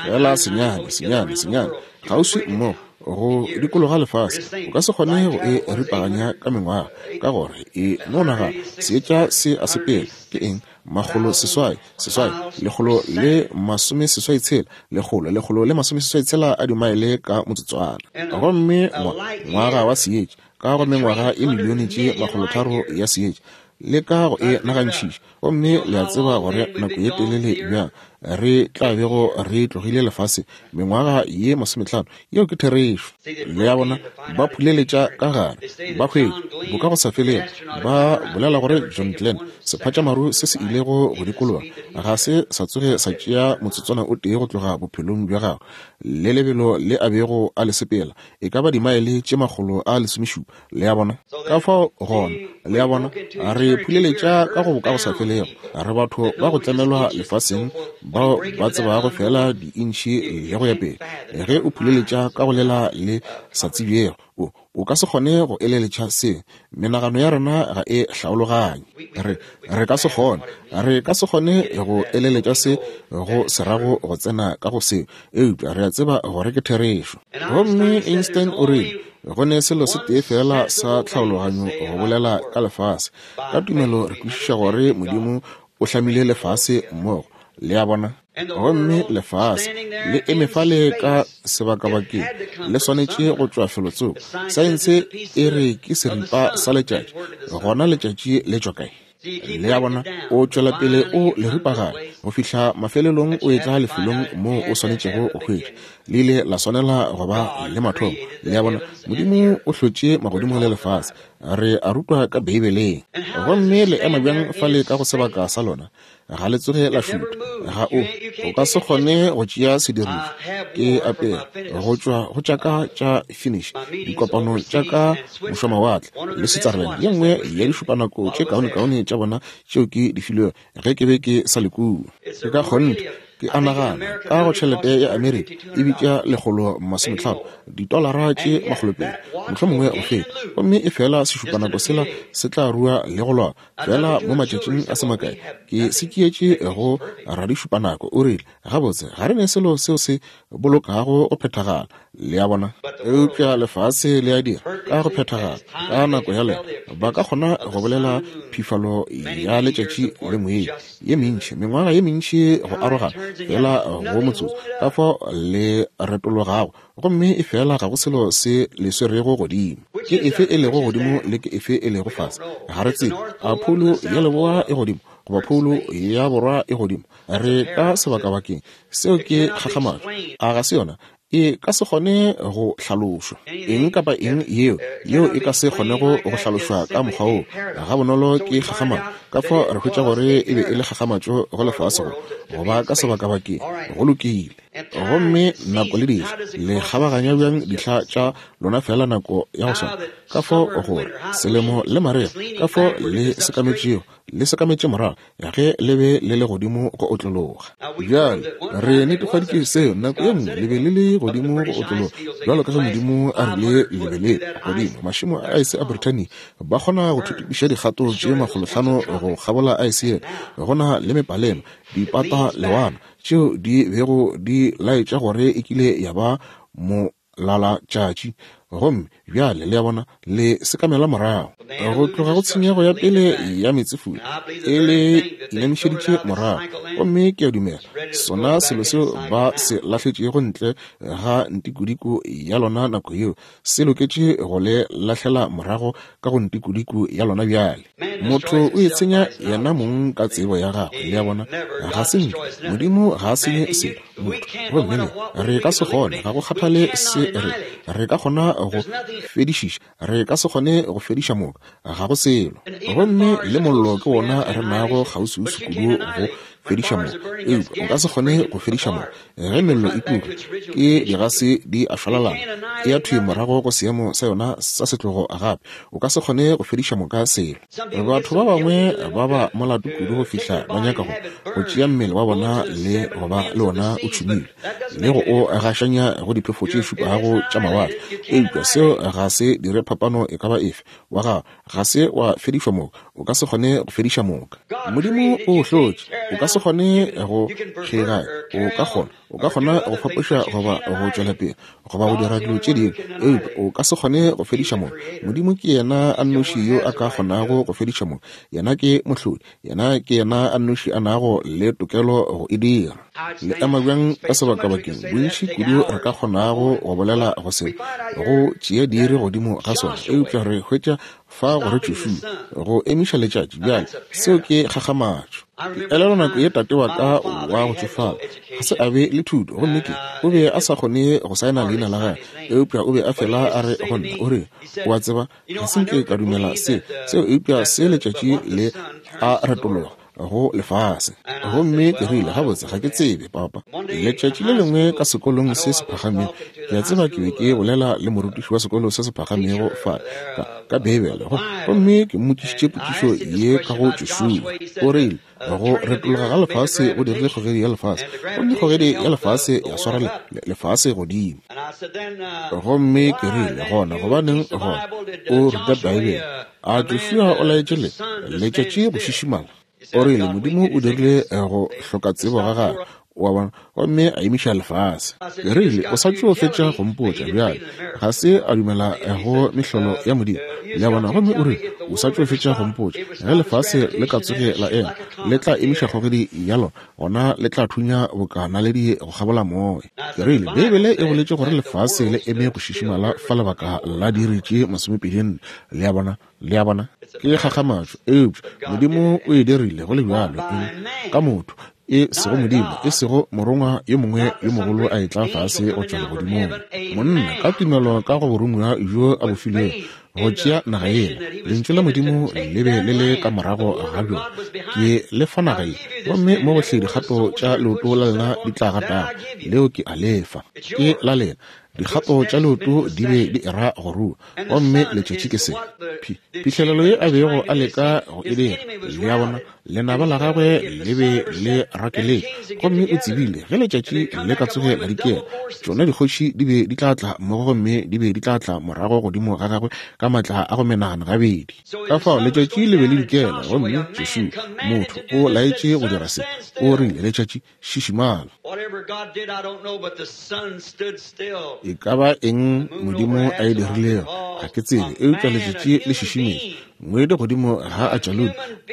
Feela senyane, senyane, senyane, kgauswi mmogo, go dikologa lefase, o ka se kgone go e ripaganya ka mengwaga, ka gore e no nagana, seetša se a sepela. Ke eng? 600, 6, 186, 186 a dimaele ka motsotswana. Gomme ngwa, ngwaga wa seetša, ka go mengwaga ye milione tše 300 ya seetša, le ka go e nagantšhiša, gomme le a tseba gore nako ye telele bjang re tla bego re tlogile lefase, mengwaga ye 50. Yeo ke therešo. Le a bona, ba phuleletša ka gare, ba hwetša Bokagosafelego. Ba bolela gore John Glenn, sephatšamaru se se ilego go dikologa, ga se sa tsoge sa tšea motsotswana o tee go tloga bophelong bja gagwe, le lebelo le a bego a le sepela, e ka ba dimaele tše 117. Le a bona? Ka fao gona, le a bona, re phuleletša ka go Bokagosafelego. Re batho ba go tlemelwa lefaseng bao ba tsebago feela diintšhi le go ya pele. Ge o phuleletša ka go lela le sa tsebjego, o, o ka se kgone go eleletša se. Menagano ya rena ga e hlaologanye. Re, re ka se kgone, re ka se kgone go eleletša se go se rago go tsena ka go seo, eupša re a tseba gore ke therešo. Gomme Einstein o rile, Go ne selo se tee feela sa tlhaologanyo go bolela ka lefase. Ka tumelo re kwešiša gore Modimo o hlamile lefase mmogo. Le a bona? Gomme lefase le eme fale ka sebakabakeng, le swanetše go tšwa felotsoko. Saense e re ke seripa sa letšatši. Gona letšatši le tšwa kae? Le a bona, o tšwela pele o le ripaganya go fihla mafelelong o etla lefelong moo o swanetšego go hwetša. Le ile la swanela go ba le mathomo. Le a bona, Modimo o hlotše magodimo le lefase. Re a rutwa ka Beibeleng. Gomme le ema bjang fale ka go sebaka sa lona? Ga le tsoge la šutha. Ga o, o ka se kgone go tšea sedirišwa. Ke apere go tšwa go tša ka tša Finnish, dikopano tša ka mošwamawatle le Switzerland, ye nngwe ya dišupanako tše kaonekaone tša bona tšeo ke di filwego ge ke be ke sa le kua. Ke ka kgonthe. Ke a nagana, ka go tšhelete ya Amerika, e bitša 150, ditolara tše 200, mohlomongwe go feta. Gomme efela sešupanako sela se tla rua le go loba, feela mo matšatšing a se makae. Ke se tšeetše go radišupanako, o rile, Gabotse, ga re ne selo seo se bolokago go phethagala. Le a bona? Eupša lefase le a dira ka go phethagala ka nako ya lena. Ba ka kgona go bolela phifalo ya letšatši le moedi ye mentši, mengwaga ye mentši go arogana, feela go motsotso, ka fao le retologago, gomme efela ga go selo se le swerego godimo. Ke efe e lego godimo le ke efe e lego fase? Ga re tsebe. A phoulo ya leboa e godimo goba phoulo ya borwa e godimo? Re ka sebakabakeng. Seo ke kgakgamatšo, a ga se yona? E ka se kgone go hlalošwa. Eng kapa eng yeo, yeo e ka se kgonego go hlalošwa ka mokgwa woo gabonolo ke kgakgamatšo. Ka fao re hwetša gore e be e le kgakgamatšo go lefase go, go ba ka sebakabakeng. Go lokile. Gomme nako le dihla, le kgabaganya bjang dihla tša lona feela nako ya go swana? Ka fao gore selemo le marega, ka fao le sekametšego, le sekametše morago ge le be le le godimo go otlologa. Bjale, re netefaditše seo nako ye nngwe, le be le le godimo go otlologa, bjalo ka ge Modimo a rile le be le godimo. Mašemo a aese a Brithania ba kgona go thuthupiša dikgato tše makgolohlano go kgabola aese yela. Go na le mepalema, dipata lewana, tšeo di bego di laetša gore e kile ya ba molalatšatši. Gomme bjale, le a bona, le sekamela morago go tloga go tshenyego ya pele ya meetsefula, e le inamišeditše morago. Gomme ke a dumela sona selo seo ba se lahletšego ntle ga ntikodiko ya lona nako yeo, se loketše go le lahlela morago ka go ntikodiko ya lona bjale. Motho o itshenya yena mong ka tsebo ya gagwe, le a bona. Ga se nke Modimo ga a senye selo, motho. Gomme le, re ka se kgone, ga go kgathale se re, re ka kgona go fedišiša, re ka se kgone go fediša moka, ga go selo. Gomme le mollo ke wona re nago kgauswiuswi kudu go fediša moka, eupša o ka se kgone go fediša moka. Ge mello e tuka, ke digase di a šwalalana, e ya thwi morago go seemo sa yona sa setlogo gape. O ka se kgone go fediša moka selo. Batho ba bangwe ba ba molato kudu go fihla ba nyaka go, go tšea mmele wa bona le go ba le wona o tšhumilwe, le go o gašanya go diphefo tše šupago tša mawatle. Eupša seo ga se dire phapano e ka ba efe. Wa gago ga se wa fedišwa moka. O ka se kgone go fediša moka. Modimo o o hlotše. O ka se kgone go kgeganya. O ka kgona, o ka kgona go fapoša goba go tšwela pele, goba go dira dilo tše dingwe, eupša o ka se kgone go fediša moka. Modimo ke yena a nnoši yo a ka kgonago go fediša moka. Yena ke Mohlodi. Yena ke yena a nnoši a nago le tokelo go e dira. Le ema bjang ka sebakabakeng? Bontši kudu re ka kgonago go bolela go se, go tšea diiri godimo ga sona, eupša re hwetša fa gore Joshua, go emiša letšatši. Bjale, seo ke kgakgamatšo. Ke elelwa nako ye tate wa ka wa go tšofala, ga se a be le thuto, gomme ke, o be a sa kgone go saena leina la gagwe, eupša o be a fela a re go nna, o rile, O a tseba, ga se nke ka dumela se, seo, eupša se letšatši le a retologa go lefase. Gomme ke rile, Gabotse, ga ke tsebe, papa. Letšatši le lengwe ka sekolong se se phagamego, ke a tseba ke be ke bolela le morutiši wa sekolo se se phagamego fa, ka, ka Beibele, gomme ke mmotšišitše potšišo ye ka go Joshua. O rile, Go retologa ga lefase go dirile kgogedi ya lefase, gomme kgogedi ya lefase ya swara le, le, lefase godimo. Gomme ke rile, Gona gobaneng gona o ruta Beibele? A Joshua o laetše le, letšatši go šišimala? O rile, Modimo o dirile go hloka tsebo ga gagwe, wa bona, gomme a emiša lefase. Ke rile, O sa tšo fetša go mpotša bjale. Ga se a dumela go mehlolo ya Modimo, le a bona. Gomme o rile, O sa tšo fetša go mpotša, ge lefase le ka tsoge la ema, le tla emiša kgogedi ya lona, gona le tla thunya boka naledi go kgabola moya. Ke rile, Beibele e boletše gore lefase le eme go šišimala fa lebaka la diiri tše masomepedi-nne. Le a bona? Le a bona? Ke kgakgamatšo, eupša Modimo o e dirile go le bjalo, eng? Ka motho, e sego Modimo, e sego morongwa yo mongwe yo mogolo a etla fase go tšwa legodimong. Monna, ka tumelo ka go boromiwa bjo a bo filwego, go tšea naga yela. Lentšu la Modimo le be le le ka morago ga bjona. Ke le fa naga ye, gomme mo gohle dikgato tša leoto la lena di tla gatago, leo ke a le fa. Ke la lena. Dikgato tša leoto di be di era go rua, gomme letšatši ke se. Phi, phihlelelo ye a bego a leka go e dira, le a bona, lenaba la gagwe le be le rakeletše, gomme o tsebile ge letšatši le ka tsoge la dikela, tšona dikgoši di be di tla tla mmogo gomme di be di tla tla morago godimo ga gagwe ka matla a go menagana gabedi. Ka fao letšatši le be le dikela, gomme Joshua, motho, o laetše go dira se, o rile, Letšatši, šišimala. E ka ba eng Modimo a e dirilego, ga ke tsebe, eupša letšatši le šišimetše ngwedi godimo ga Ajaloni,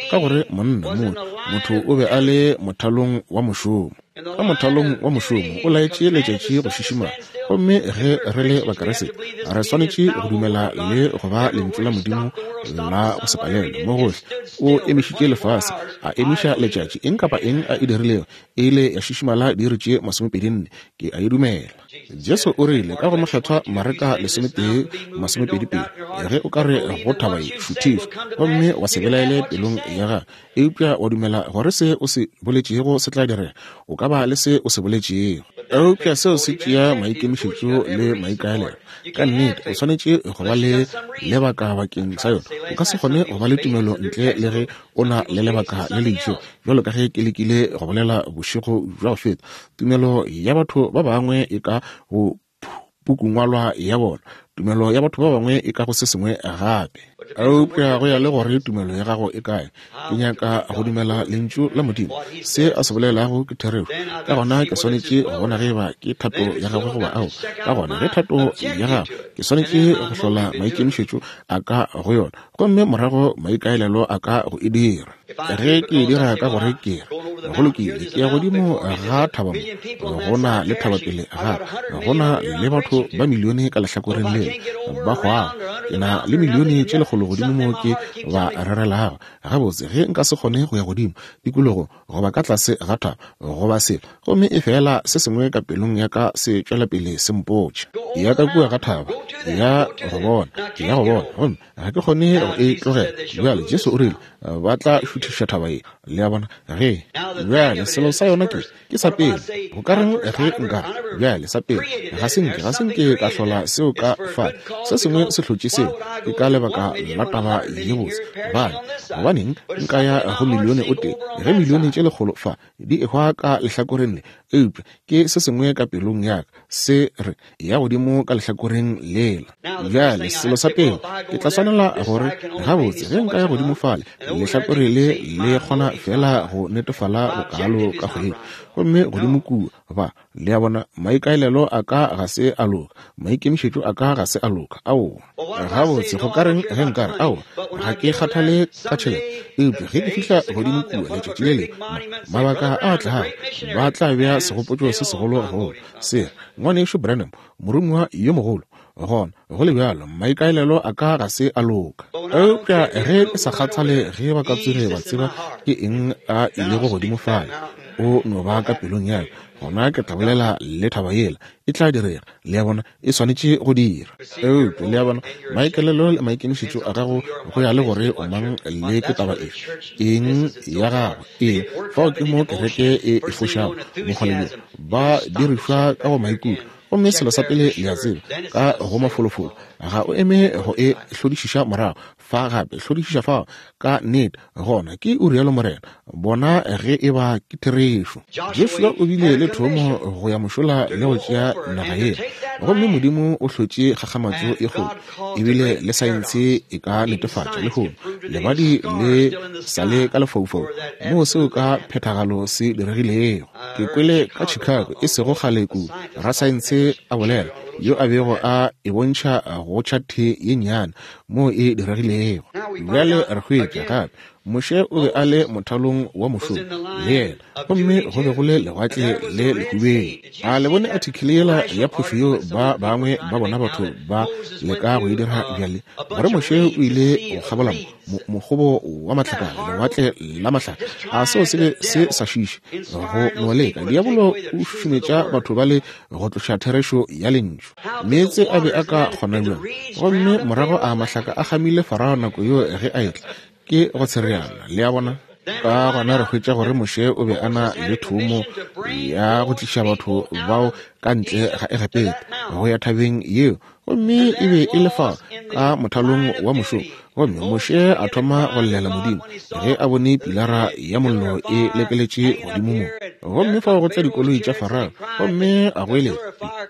ka gore monna, motho, motho o be a le mothalong wa mošomo. Ka mothalong wa mošomo o laetše letšatši go šišimala. Gomme ge re le Bakriste, re swanetše go dumela le go ba Lentšu la Modimo la go se palelwe mo gohle. O emišitše lefase, a emiša letšatši. Eng kapa eng a e dirilego, e ile ya šišimala diiri tše masomepedinne. Ke a e dumela. Jesu o rile ka go Mokgethwa Mareka 11:22, Ge o ka re go thaba ye, šuthišwa, gomme wa se belaele pelong ya gago, eupša wa dumela gore se o se boletšego se tla direga, o ka ba le se o se boletšego. Eupša seo se tšea maikemišetšo le maikaelelo. Ka nnete, o swanetše go ba le lebaka bakeng sa yona. O ka se kgone go ba le tumelo ntle le ge o na le lebaka le le itšego. Bjalo ka ge ke lekile go bolela bošego bja go feta, tumelo ya batho ba bangwe e ka go pukungwalwa ya bona, tumelo ya batho ba bangwe e ka go se sengwe gape. Eupša go ya le gore tumelo ya gago e kae, ke nyaka go dumela Lentšu la Modimo, se a se bolelago ke therešo. Ka gona ke swanetše go bona ge eba ke thato ya gagwe goba aowa. Ka gona ge thato ya gagwe, ke swanetše go hlola maikemišetšo a ka go yona, gomme morago maikaelelo a ka go e dira. Ge ke e dira ka gore ke re, Go lokile, ke ya godimo ga thaba mo, go na le thaba pele ga ka, go na le batho ba milione ka lehlakoreng lela ba hwago, ke na le milione tše lekgolo godimo mo ke ba rerelago. Gabotse, ge nka se kgone go ya godimo tikologo goba ka tlase ga thaba goba selo, gomme efela se sengwe ka pelong ya ka se tšwela pele se mpotša, ya ka kua ga thaba, ya go bona, ya go bona, gomme ga ke kgone go e tlogela. Bjale, Jesu o rile ba tla šuthiša thaba ye. Le a bona? Ge, bjale, selo sa yona ke, ke sa pele. Go ka reng ge nka re, bjale, sa pele, ga se nke, ga se nke ka hlola seo ka fa. Se sengwe se hlotše seo. Ke ka lebaka la taba ye botse. Gobane, gobaneng nka ya go milione o tee, ge milione tše lekgolo fa di ehwa ka lehlakoreng le, eupša ke se sengwe ka pelong ya ka se re, ya godimo ka lehlakoreng lela. Bjale, selo sa pele, ke tla swanela gore, gabotse, ge nka ya godimo fale, lehlakore le le kgona feela go netefala bokaalo ka kgwedi. Gomme godimo kua, ba, le a bona, maikaelelo a ka ga se a loka, maikemišetšo a ka ga se a loka. Aowa. Gabotse, go ka reng ge nka re, Aowa, ga ke kgathale ka tšhelete, eupša ge ke fihla godimo kua letšatši le lengwe, ma, mabaka a tlago, ba tla bea segopotšo se segolo go se re, Ngwanešu Branham, moromiwa yo mogolo. Gona, go le bjalo, maikaelelo a ka ga se a loka. Eupša ge ke sa kgathale ge ba ka tsoge ba tseba ke eng a ilego godimo fale, o no ba ka pelong ya ka, gona ke tla bolela le thaba yela. E tla direga. Le a bona? E swanetše go dira. Eupša, le a bona, maikaelelo le maikemišetšo a gago go ya le gore o mang le ke taba efe, eng ya gago. Ee, fao ke mo kereke e e fošago bokgole bjo. Ba dirišwa ka go maikutlo. Gomme selo sa pele le a tseba, ka go mafolofolo, ga o eme go e hlodišiša morago fa gape, hlodišiša fao ka nnete, gona ke o rialo morena, bona ge e ba ke therešo. Joshua o bile le thomo go ya mošola le go tšea naga yela, gomme Modimo o hlotše kgakgamatšo e kgolo, ebile le saense e ka netefatša lehono, lebadi le sa le ka lefaufau moo seo ka phethagalo se diregilego. Ke kwele ka Chicago e sego kgale kudu, rasaense a bolela, yo a bego a e bontšha go tšhathe ye nnyane moo e diregilego. Bjale re hwetša gape Moshe o be a le mothalong wa mošomo, le yena, gomme go be go le Lewatle le Lehubedu. A le bone athikele yela ya phošo yeo ba bangwe ba bona batho ba leka go e dira bjale, gore Moshe o ile go kgabola mokgobo wa matlakala, lewatle la mahlaka? A seo se be se sa šiše go no leka? Diabolo o šušumetša batho ba le go tloša therešo ya Lentšu. Meetse a be a ka kgona bjang? Gomme morago a mahlaka a kgamile Farao nako yeo ge a etla. Ke go tshereana, le a bona. Ka gona re hwetša gore Moshe o be a na le thomo ya go tliša batho bao ka ntle ga Egepeta go ya thabeng yeo, gomme e be e le fa ka mothalong wa mošomo. Gomme Moshe a thoma go llela Modimo ge a bone pilara ya mollo e lekeletše godimo mo, gomme fao go tla dikoloi tša Farao, gomme a goeletša.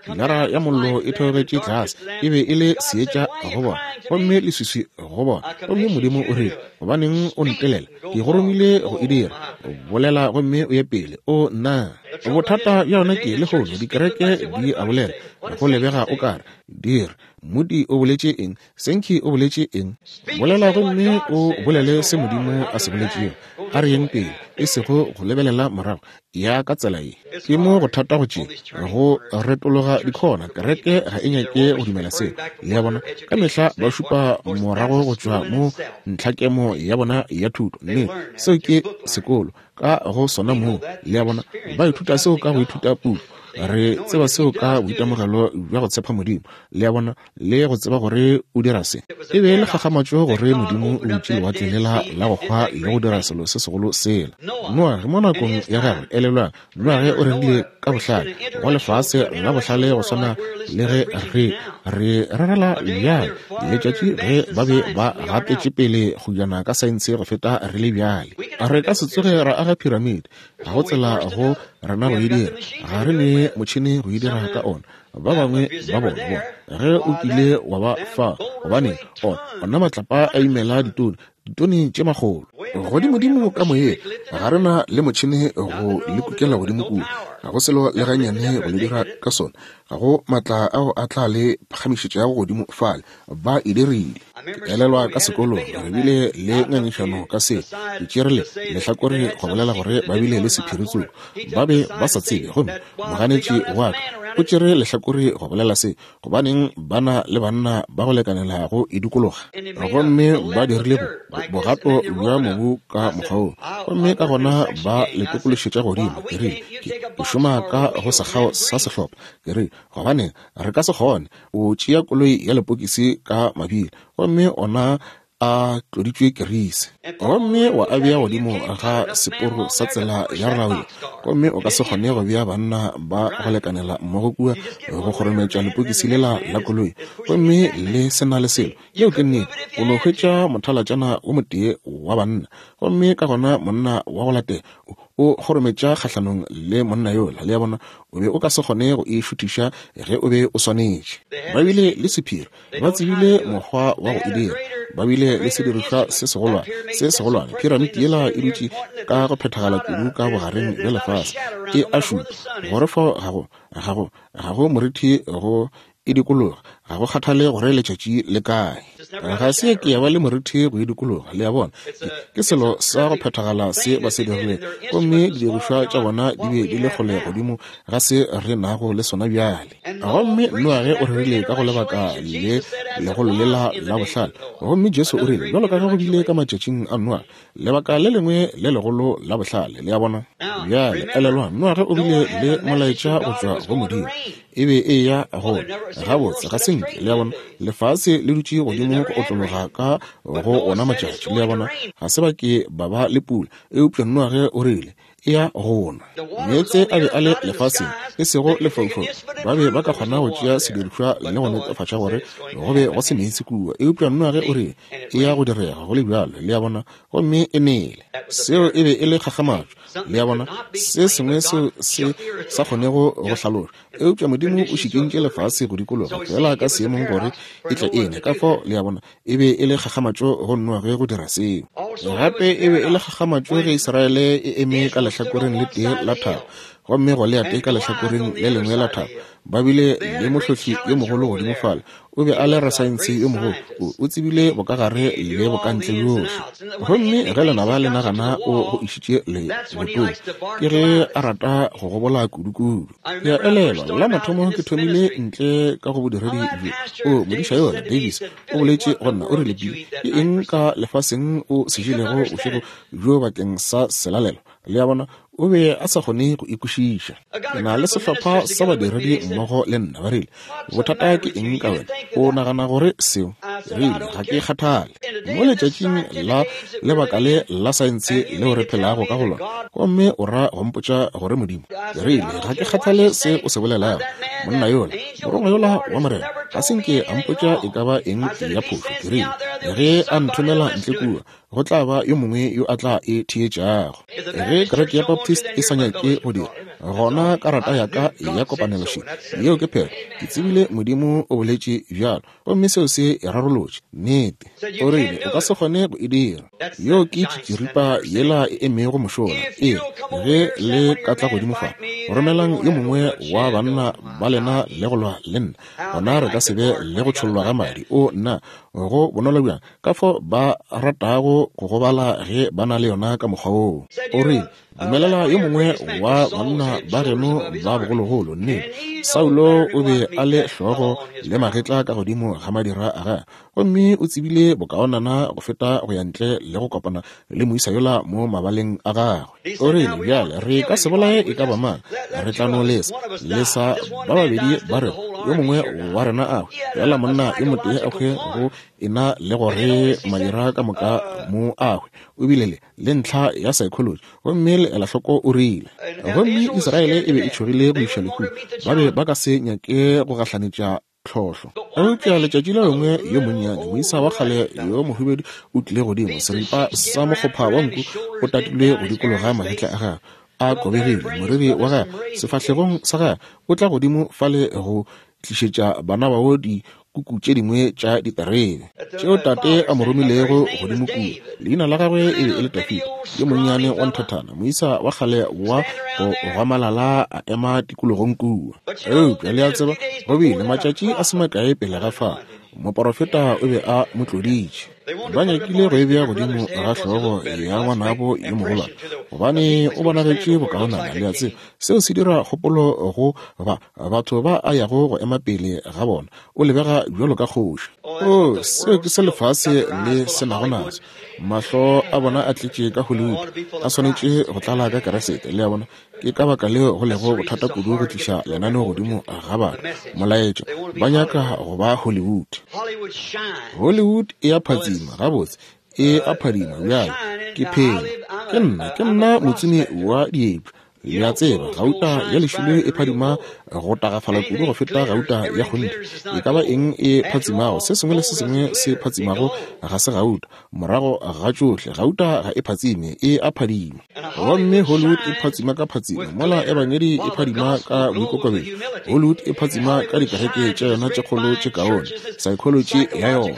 Pilara ya mollo e theogetše tlase, e be e le seetša go bona, gomme leswiswi go bona. Gomme Modimo o rile, Gobaneng o ntelela? Ke go romile go e dira. Bolela gomme o ye pele. O nna. Bothata bja yona ke lehono dikereke di a bolela, go lebega o kare di re, Moody o boletše eng? Sankey o boletše eng? Bolela gomme o bolele se Modimo a se boletšego. A re yeng pele, e sego go lebelela morago. Ya ka tsela ye. Ke mo go thata go tše, go retologa dikhona. Kereke ga e nyake go dumela seo. Le a bona? Ka mehla ba šupa morago go tšwa mo ntlhakemo ya bona ya thuto. Nnete, seo ke sekolo ka go sona moo. Le a bona? Ba ithuta seo ka go ithuta puku. Re tseba seo ka boitemogelo bja go tshepa Modimo. Le a bona? Le go tseba gore o dira se. E be e le kgakgamatšo gore Modimo o butše lewatle lela la go hwa le go dira selo se segolo sela. Noage mo nakong ya gagwe, elelwang, Noage o rerile ka bohlale go lefase la bohlale go swana le ge re re rerela bjale letšatši ge ba be ba gatetše pele go jana ka saense go feta re le bjale. Re ka se tsoge ra aga phiramide, ga go tsela go rena go e dira, ga re ne motšhene go e dira ka ona. Ba bangwe ba bona, bona, ge o kile wa ba fa, gobane ona matlapa a imela ditone, ditone tše makgolo godimodimo ka moyeng. Ga re na le motšhene go le kukela godimo kua, ga go selo le gannyane go le dira ka sona, ga go matla ao a tla le phagamišetšago godimo fale. Ba e dirile. Ke elelwa ka sekolong re bile le ngangišano ka se. Ke tšere le lehlakore go bolela gore ba bile le sephiri tsoko ba be ba sa tsebe, gomme moganetši wa ka o tšere lehlakore go bolela se, gobaneng ba na le banna ba go lekanela go e dikologa. Gomme ba dirile bogato bja mobu ka mokgwa wo, gomme ka gona ba le tokološetša godimo. Ke rile, ke šoma ka go sekgao sa sehlopha. Ke rile, gobaneng re ka se kgone o tšea koloi ya lepokisi ka mabili, gomme ona a tloditšwe kerisi, gomme wa a bea godimo ga seporo sa tsela ya rawe, gomme o ka se kgone go bea banna ba go lekanela mmogo kua go kgorometša lepokisi lela la koloi, gomme le se na le selo. Yeo ke nnete. O no hwetša mothalatšana o motee wa banna, gomme ka gona monna wa go latela o kgorometša kgahlanong le monna yola. Le a bona? O be o ka se kgone go e šuthiša ge o be o swanetše. Ba bile le sephiri, ba tsebile mokgwa wa go e dira, ba bile le sedirišwa se segolwane, se segolwane. Phiramiti yela e dutše ka go phethagala kudu ka bogareng bja lefase, e a šupa gore fao ga go, ga go, ga go morithi go e dikologa, ga go kgathale gore letšatši le kae. Ga se ke ya ba le morithi go e dikologa, le a bona. Ke, ke selo sa go phethagala se ba se dirilego, gomme didirišwa tša bona di be di le kgole godimo ga se re nago le sona bjale. Gomme Noage o rerile ka go lebaka le legolo lela la bohlale, gomme Jesu o rile, bjalo ka ge go bile ka matšatšing a Noage, lebaka le lengwe le legolo la bohlale. Le a bona? Bjale, elelwang, Noage o bile le molaetša go tšwa go Modimo. E be e eya go gabotse, ga se nke, le a bona, lefase le dutše godimo go otlologa ka go ona matšatši, le a bona, ga se ba ke ba ba le pula. Eupša Noage o rile, E ya go na. Meetse a be a le lefaseng, e sego lefaufau. Ba be ba ka kgona go tšea sedirišwa le go netefatša gore go be go se meetse kua. Eupša Noage o rile, E ya go direga go le bjalo, le a bona, gomme e nele. Seo e be e le kgakgamatšo, le a bona, se sengwe seo se sa kgonego go hlalošwa. Eupša Modimo o šikintše lefase go dikologa feela ka seemong gore e tle e ne. Ka fao, le a bona, e be e le kgakgamatšo go Noage go dira seo. Gape e be e le kgakgamatšo ge Israele e eme ka lehlakoreng le tee la thaba. Gomme Goliate ka lehlakoreng le lengwe la thaba, ba bile le mohlohli yo mogolo godimo fale. O be a le rasaense yo mogolo. O, o tsebile bokagare le bokantle bjohle. Gomme ge lenaba le nagana o go išitše lebotong, ke ge a rata go gobola kudukudu. Ke a elelwa, la mathomo ke thomile ntle ka go bodiredi bjo. O, modiša yola, Davis, o boletše go nna, o rile, Billy, ke eng ka lefaseng o se jelego bošego bjo bakeng sa selalelo? Le a bona, o be a sa kgone go e kwešiša. Ke na le sehlopha sa badiredi mmogo le nna, ba rile, Bothata ke eng ka wena? O nagana gore seo? Ke rile, Ga ke kgathale. Mo letšatšing la lebaka le la saense leo re phelago ka go lona, gomme o ra go mpotša gore Modimo? Ke rile, Ga ke kgathale se o se bolelago. Monna yola, morongwa yola wa Morena, ga se nke a mpotša e ka ba eng ya phošo. Ke rile, Ge a nthomela ntle kua, go tla ba yo mongwe yo a tla e theetšago. Ge kereke ya Baptist e sa nyake go dira, gona karata ya ka ya kopanelo še. Yeo ke phetho. Ke tsebile Modimo o boletše bjalo, gomme seo se e rarolotše. Nnete. O rile, O ka se kgone go e dira. Yeo ke tšitširipa yela e emego mošola. Ee, ge le ka tla godimo fa, romelang yo mongwe wa banna ba lena le go lwa le nna, gona re ka se be le go tšhollwa ga madi. O, nna, go bonolo bjang ka fao ba ratago go gobala ge ba na le yona ka mokgwa woo. O rile, Dumelela yo mongwe wa banna ba geno ba bogologolo. Nnete, Saulo o be a le hlogo le magetla ka godimo ga madira a gagwe, gomme o tsebile bokaonana go feta go ya ntle le go kopana le moisa yola mo mabaleng a gagwe. O rile, Bjale, re ka se bolaye e ka ba mang, re tla no lesa, lesa ba babedi ba rena, yo mongwe wa rena a hwe, feela monna yo motee a hwe go e na le gore madira ka moka mo a hwe. O bile le, le ntlha ya psychology, gomme le ela hloko o rile. Gomme Israele e be e tšhogile go iša lehung, ba be ba ka se nyake go gahlanetša tlhohlo. Eupša letšatši le lengwe yo monnyane, moisa wa kgale yo mohubedu o tlile godimo, seripa sa mokgopha wa nku o tatilwe go dikologa magetla a gagwe, a kobegile, moriri wa gagwe sefahlegong sa gagwe, o tla godimo fale go tlišetša bana bao dikuku tše dingwe tša diterebe tšeo tate a mo romilego godimo kua. Leina la gagwe e be e le Dafida, yo monnyane wa nthathana, moisa wa kgale wa go gwamalala a ema tikologong kua. Eupša le a tseba, go bile matšatši a se makae pele ga fa, moporofeta o be a mo tloditše. Ba nyakile go e bea godimo ga hlogo ya ngwanabo yo mogolwane, gobane o bonagetše bokaonana, le a tseba. Seo se dira kgopolo go ba batho ba a yago go ema pele ga bona. O lebega bjalo ka kgoši. Oo, seo ke se lefase le se nago naso. Mahlo a bona a tletše ka Hollywood, a swanetše go tlala ka Keresete. Le a bona? Ke ka baka leo go lego bothata kudu go tliša lenaneo godimo ga batho, molaetša. Ba nyaka go ba Hollywood. Hollywood e a phatsima, gabotse, e a phadima bjale. Ke phela. Ke nna, ke nna motsumi wa diepša. Le a tseba, gauta ya lešilo e phadima go tagafala kudu go feta gauta ya kgonthe. E ka ba eng e phatsimago, se sengwe le se sengwe se phatsimago ga se gauta. Morago ga tšohle, gauta ga e phatsime, e a phadima. Gomme Hollywood e phatsima ka phatsimo, mola Ebangedi e phadima ka boikokobetšo. Hollywood e phatsima ka dikereke tša yona tše kgolo tše kaone, saekholoji ya yona,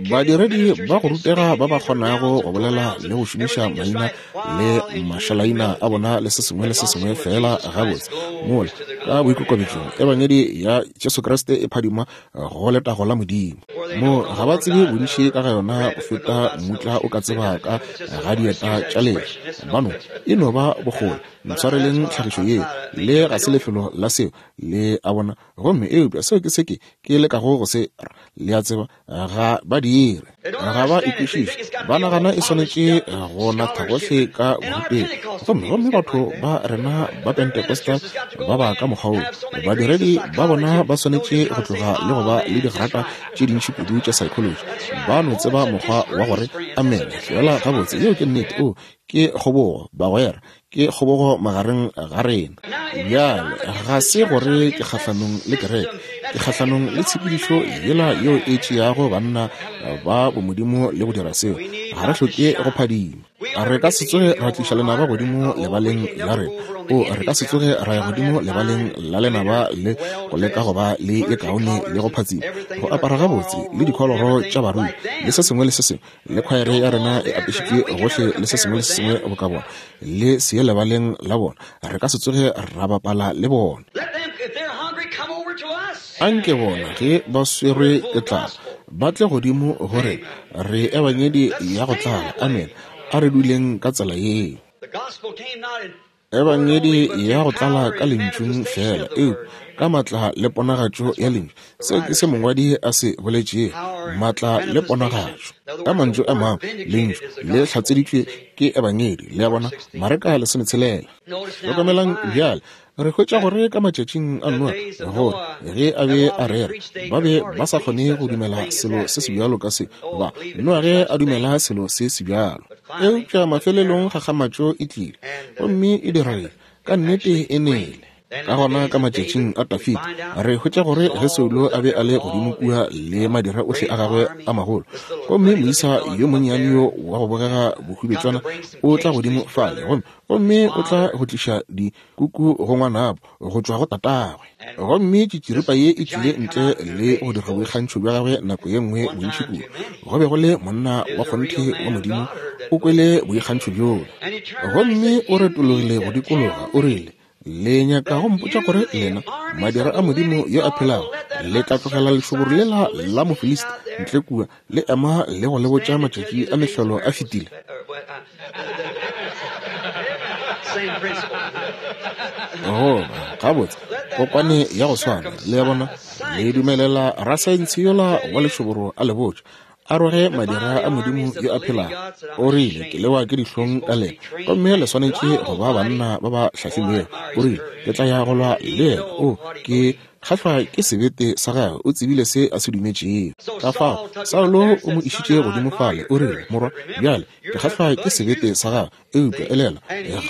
badiredi ba go rutega ba ba kgonago go bolela le go šomiša maina le mašalaina a bona le se sengwe le se sengwe feela gabotse. Mola, ka boikokobetšong, Ebangedi ya Jesu Kriste e phadima go letago la Modimo. Mo ga ba tsebe bontši ka ga yona go feta mmutla o ka tseba ka ga dieta tša lehlwa. Ba no, e no ba bokgole. Ntshwareleng tlhagišo yeo. Le ga se lefelo la seo, le a bona. Gomme, eupša seo ke se ke, ke lekago go se ra. Le a tseba, ga ba dire. Ga ba e kwešiše. Ba nagana e swanetše go natha gohle ka borutegi. Gomme, gomme batho ba rena ba Pentecostal ba ba ka mokgwa woo. Badiredi ba bona ba swanetše go tloga le go ba le digrata tše dintši kudu tša psychology. Ba no tseba mokgwa wa gore amene feela gabotse. Yeo ke nnete. Oo, ke kgobogo, bagwera. Ke kgobogo magareng ga rena. Bjale, ga se gore ke kgahlanong le kereke. Ke kgahlanong le tshepedišo yela yeo e tšeago banna ba bomodimo le go dira seo. Ga re hloke go phadima. Re ka se tsoge ra tliša lenaba godimo lebaleng la rena. O, re ka se tsoge ra ya godimo lebaleng la lenaba le go leka go ba le ye kaone le go phatsima, go apara gabotse, le dikholoro tša barui, le se sengwe le se sengwe, le khwaere ya rena e apešitšwe gohle le se sengwe le se sengwe boka bona, le se ye lebaleng la bona. Re ka se tsoge ra bapala le bona. Anke bona, ge ba swerwe ke tlala, ba tle godimo go rena. Re Ebangedi ya go tlala. Amene. A re duleng ka tsela yeo. Ebangedi ya go tlala ka Lentšung feela, eupša ka maatla le ponagatšo ya Lentšu. Seo ke se mongwadi a se boletšego, maatla le ponagatšo. Ka mantšu a mangwe, Lentšu le hlatseditšwe ke Ebangedi. Le a bona? Mareka 16. Hlokamelang bjale, Re hwetša gore ka matšatšing a Noa, gore ge a be a rera, ba be ba sa kgone go dumela selo se sebjalo ka se, ba Noa ge a dumela selo se sebjalo. Eupša mafelelong kgakgamatšo e tlile, gomme e dira eng? Ka nnete e nele. Ka gona ka matšatšing a Dafida, re hwetša gore ge Saulo a be a le godimo kua le madira ohle a gagwe a magolo, gomme moisa yo monnyane yo wa go bogega bohwibetswana o tla godimo fale, gomme, gomme o tla go tliša di kuku go ngwanabo go tšwa go tatagwe. Gomme tšitširipa ye e tlile ntle le go dira boikgantšho bja gagwe nako ye nngwe bontši kudu. Go be go le monna wa kgonthe wa Modimo o kwele boikgantšho bjola. Gomme o retologile go dikologa, o rile, Le nyaka go mpotša gore lena, madira a Modimo yo a phelago, le tla tlogela lešoboro lela la Mofilista ntle kua, le ema le go le botša matšatši a mehlolo a fetile? Goba, gabotse, kokwane ya go swana, le a bona, le dumelela rasaense yola wa lešoboro a le botša, a roge madira a Modimo yo a phelago. O rile, Ke lewa ke dihlong ka lena, gomme le swanetše go ba banna ba ba hlahlilwego. O rile, Ke tla ya go lwa le yena. O, ke kgahlwa ke sebete sa gagwe, o tsebile se a se dumetšego. Ka fao, Saulo o mo išitše godimo fale, o rile, Morwa, bjale, ke kgahlwa ke sebete sa gago, eupša elela,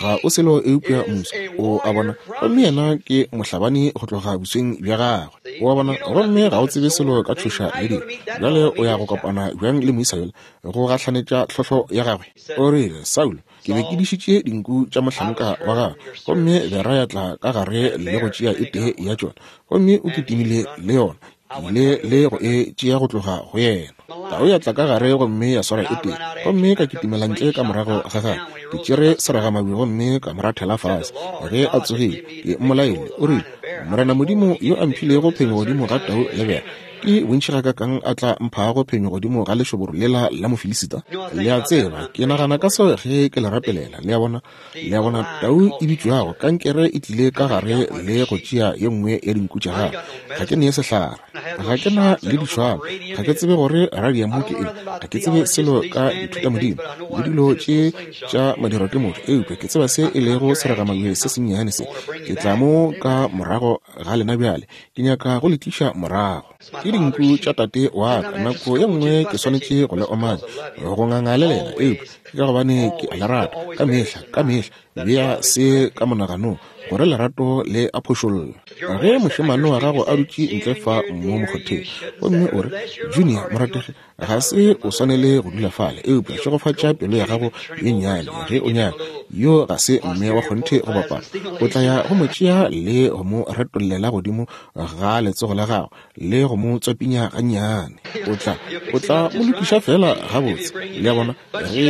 ga o selo eupša musi, o a bona, gomme yena ke mohlabani go tloga bosweng bja gagwe, o a bona, gomme ga o tsebe selo ka tšhoša le dilo. Bjale o ya go kopana bjang le moisa yola go gahlanetša tlhohlo ya gagwe? O rile, Saulo, ke be ke dišitše dinku tša mohlanka wa gagwe, gomme bera ya tla ka gare le go tšea e tee ya tšona, gomme o kitimile le yona. Ke ile le go e tšea go tloga go yena. Tau ya tla ka gare gomme ya swara e tee, gomme ka kitimela ntle ka morago ga gagwe. Ke tšere seragamabje gomme ka mo rathela fase. Ge a tsogile, ke mmolaile. O rile, Morena Modimo yo a mphilego phenyo godimo ga tau le bera, ke bontši gakakang a tla mphago phenyo godimo ga lešoboro lela la Mofilisita? Le a tseba, ke nagana ka seo ge ke le rapelela. Le a bona? Le a bona, tau e bitšwago kankere e tlile ka gare le go tšea ye nngwe ya dinku tša gagwe. Ga ke nee sehlare. Ga ke na le dišwalo. Ga ke tsebe gore radiamo ke eng. Ga ke tsebe selo ka dithutamodimo le dilo tše tša madirwa ke motho, eupša ke tseba se e lego seragamabje se sennyane se. Ke tla mo ka morago ga lena bjale. Ke nyaka go le tliša morago. Ke dinku tša tate wa ka. Nako ye nngwe ke swanetše go le omanya, go nganga le lena, eupša ke ka gobane ke a le rata. Ka mehla, ka mehla bea se ka monaganong, gore lerato le a phošolla. Ge mošemane wa gago a dutše ntle fa mo mokgotheng, gomme o re, Junior, morategi, ga se o swanele go dula fale, eupša šegofatša pelo ya gago ye nnyane ge o nyaka. Yo ga se mme wa kgonthe go bapala. O tla ya go mo tšea le go mo retollela godimo ga letsogo la gago le go mo tswapinya gannyane. O tla, o tla mo lokiša feela gabotse, le a bona, ge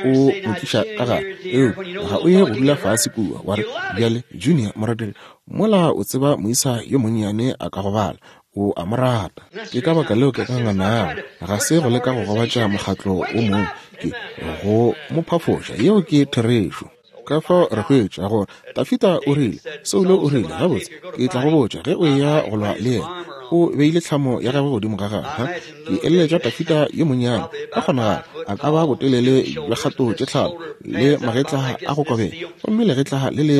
o mo tliša ka gare. Eupša ga o ye go dula fase kua, wa re, Bjale, Junior, morategi, mola o tseba moisa yo monnyane a ka gobala, O a mo rata. Ke ka baka leo ke ka nganago. Ga se go leka go gobatša mokgatlo wo mongwe, ke go mo phafoša. Yeo ke therešo. Ka fao re hwetša gore Dafida o rile, Saulo o rile, gabotse, ke tla go botša ge o eya go lwa le yena. O beile tlhamo ya gagwe godimo ga gagwe. Ke eleletša Dafida yo monnyane, ka kgonagalo a ka ba botelele bja kgato tše tlhano, le magetla a go kobega, gomme legetla le le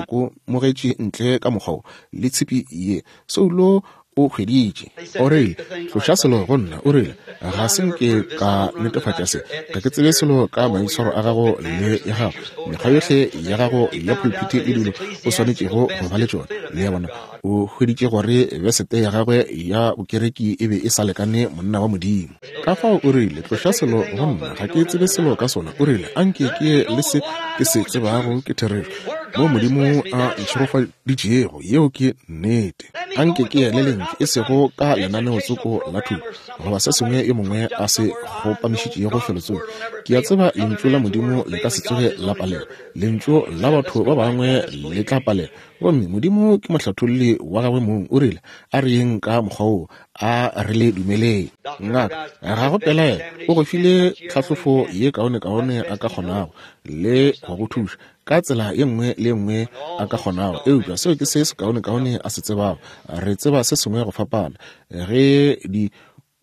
kokomogetše ntle ka mokgwa wo, le tshipi ye. Saulo o hweditše. O rile, Tloša selo go nna. O rile, Ga se nke ka netefatša se. Ga ke tsebe selo ka maitshwaro a gago le ya gago, mekgwa yohle ya gago ya phulphithi le dilo o swanetšego go ba le tšona. Le a bona? O hweditše gore besete ya gagwe ya bokereki e be e sa lekane monna wa Modimo. Ka fao o rile, Tloša selo go nna, ga ke tsebe selo ka sona. O rile, Anke ke ye le se ke se tsebago ke therešo, moo Modimo a ntšhegofaditšego. Yeo ke nnete. Anke ke ye le Lentšu, e sego ka lenaneotsoko la thuto goba se sengwe yo mongwe a se kgopamišitšego felotsoko. Ke a tseba Lentšu la Modimo le ka se tsoge la palelwa. Lentšu la batho ba bangwe le tla palelwa. Gomme Modimo ke mohlatholli wa Gagwe mong. O rile, A re yeng ka mokgwa woo. A re le dumeleng. Ngaka, ga go pelaelo, o go file tlhahlofo ye kaonekaone a ka kgonago, le go go thuša ka tsela ye nngwe le ye nngwe a ka kgonago. Eupša seo ke se sekaonekaone a se tsebago. Re tseba se sengwe go fapana. Ge di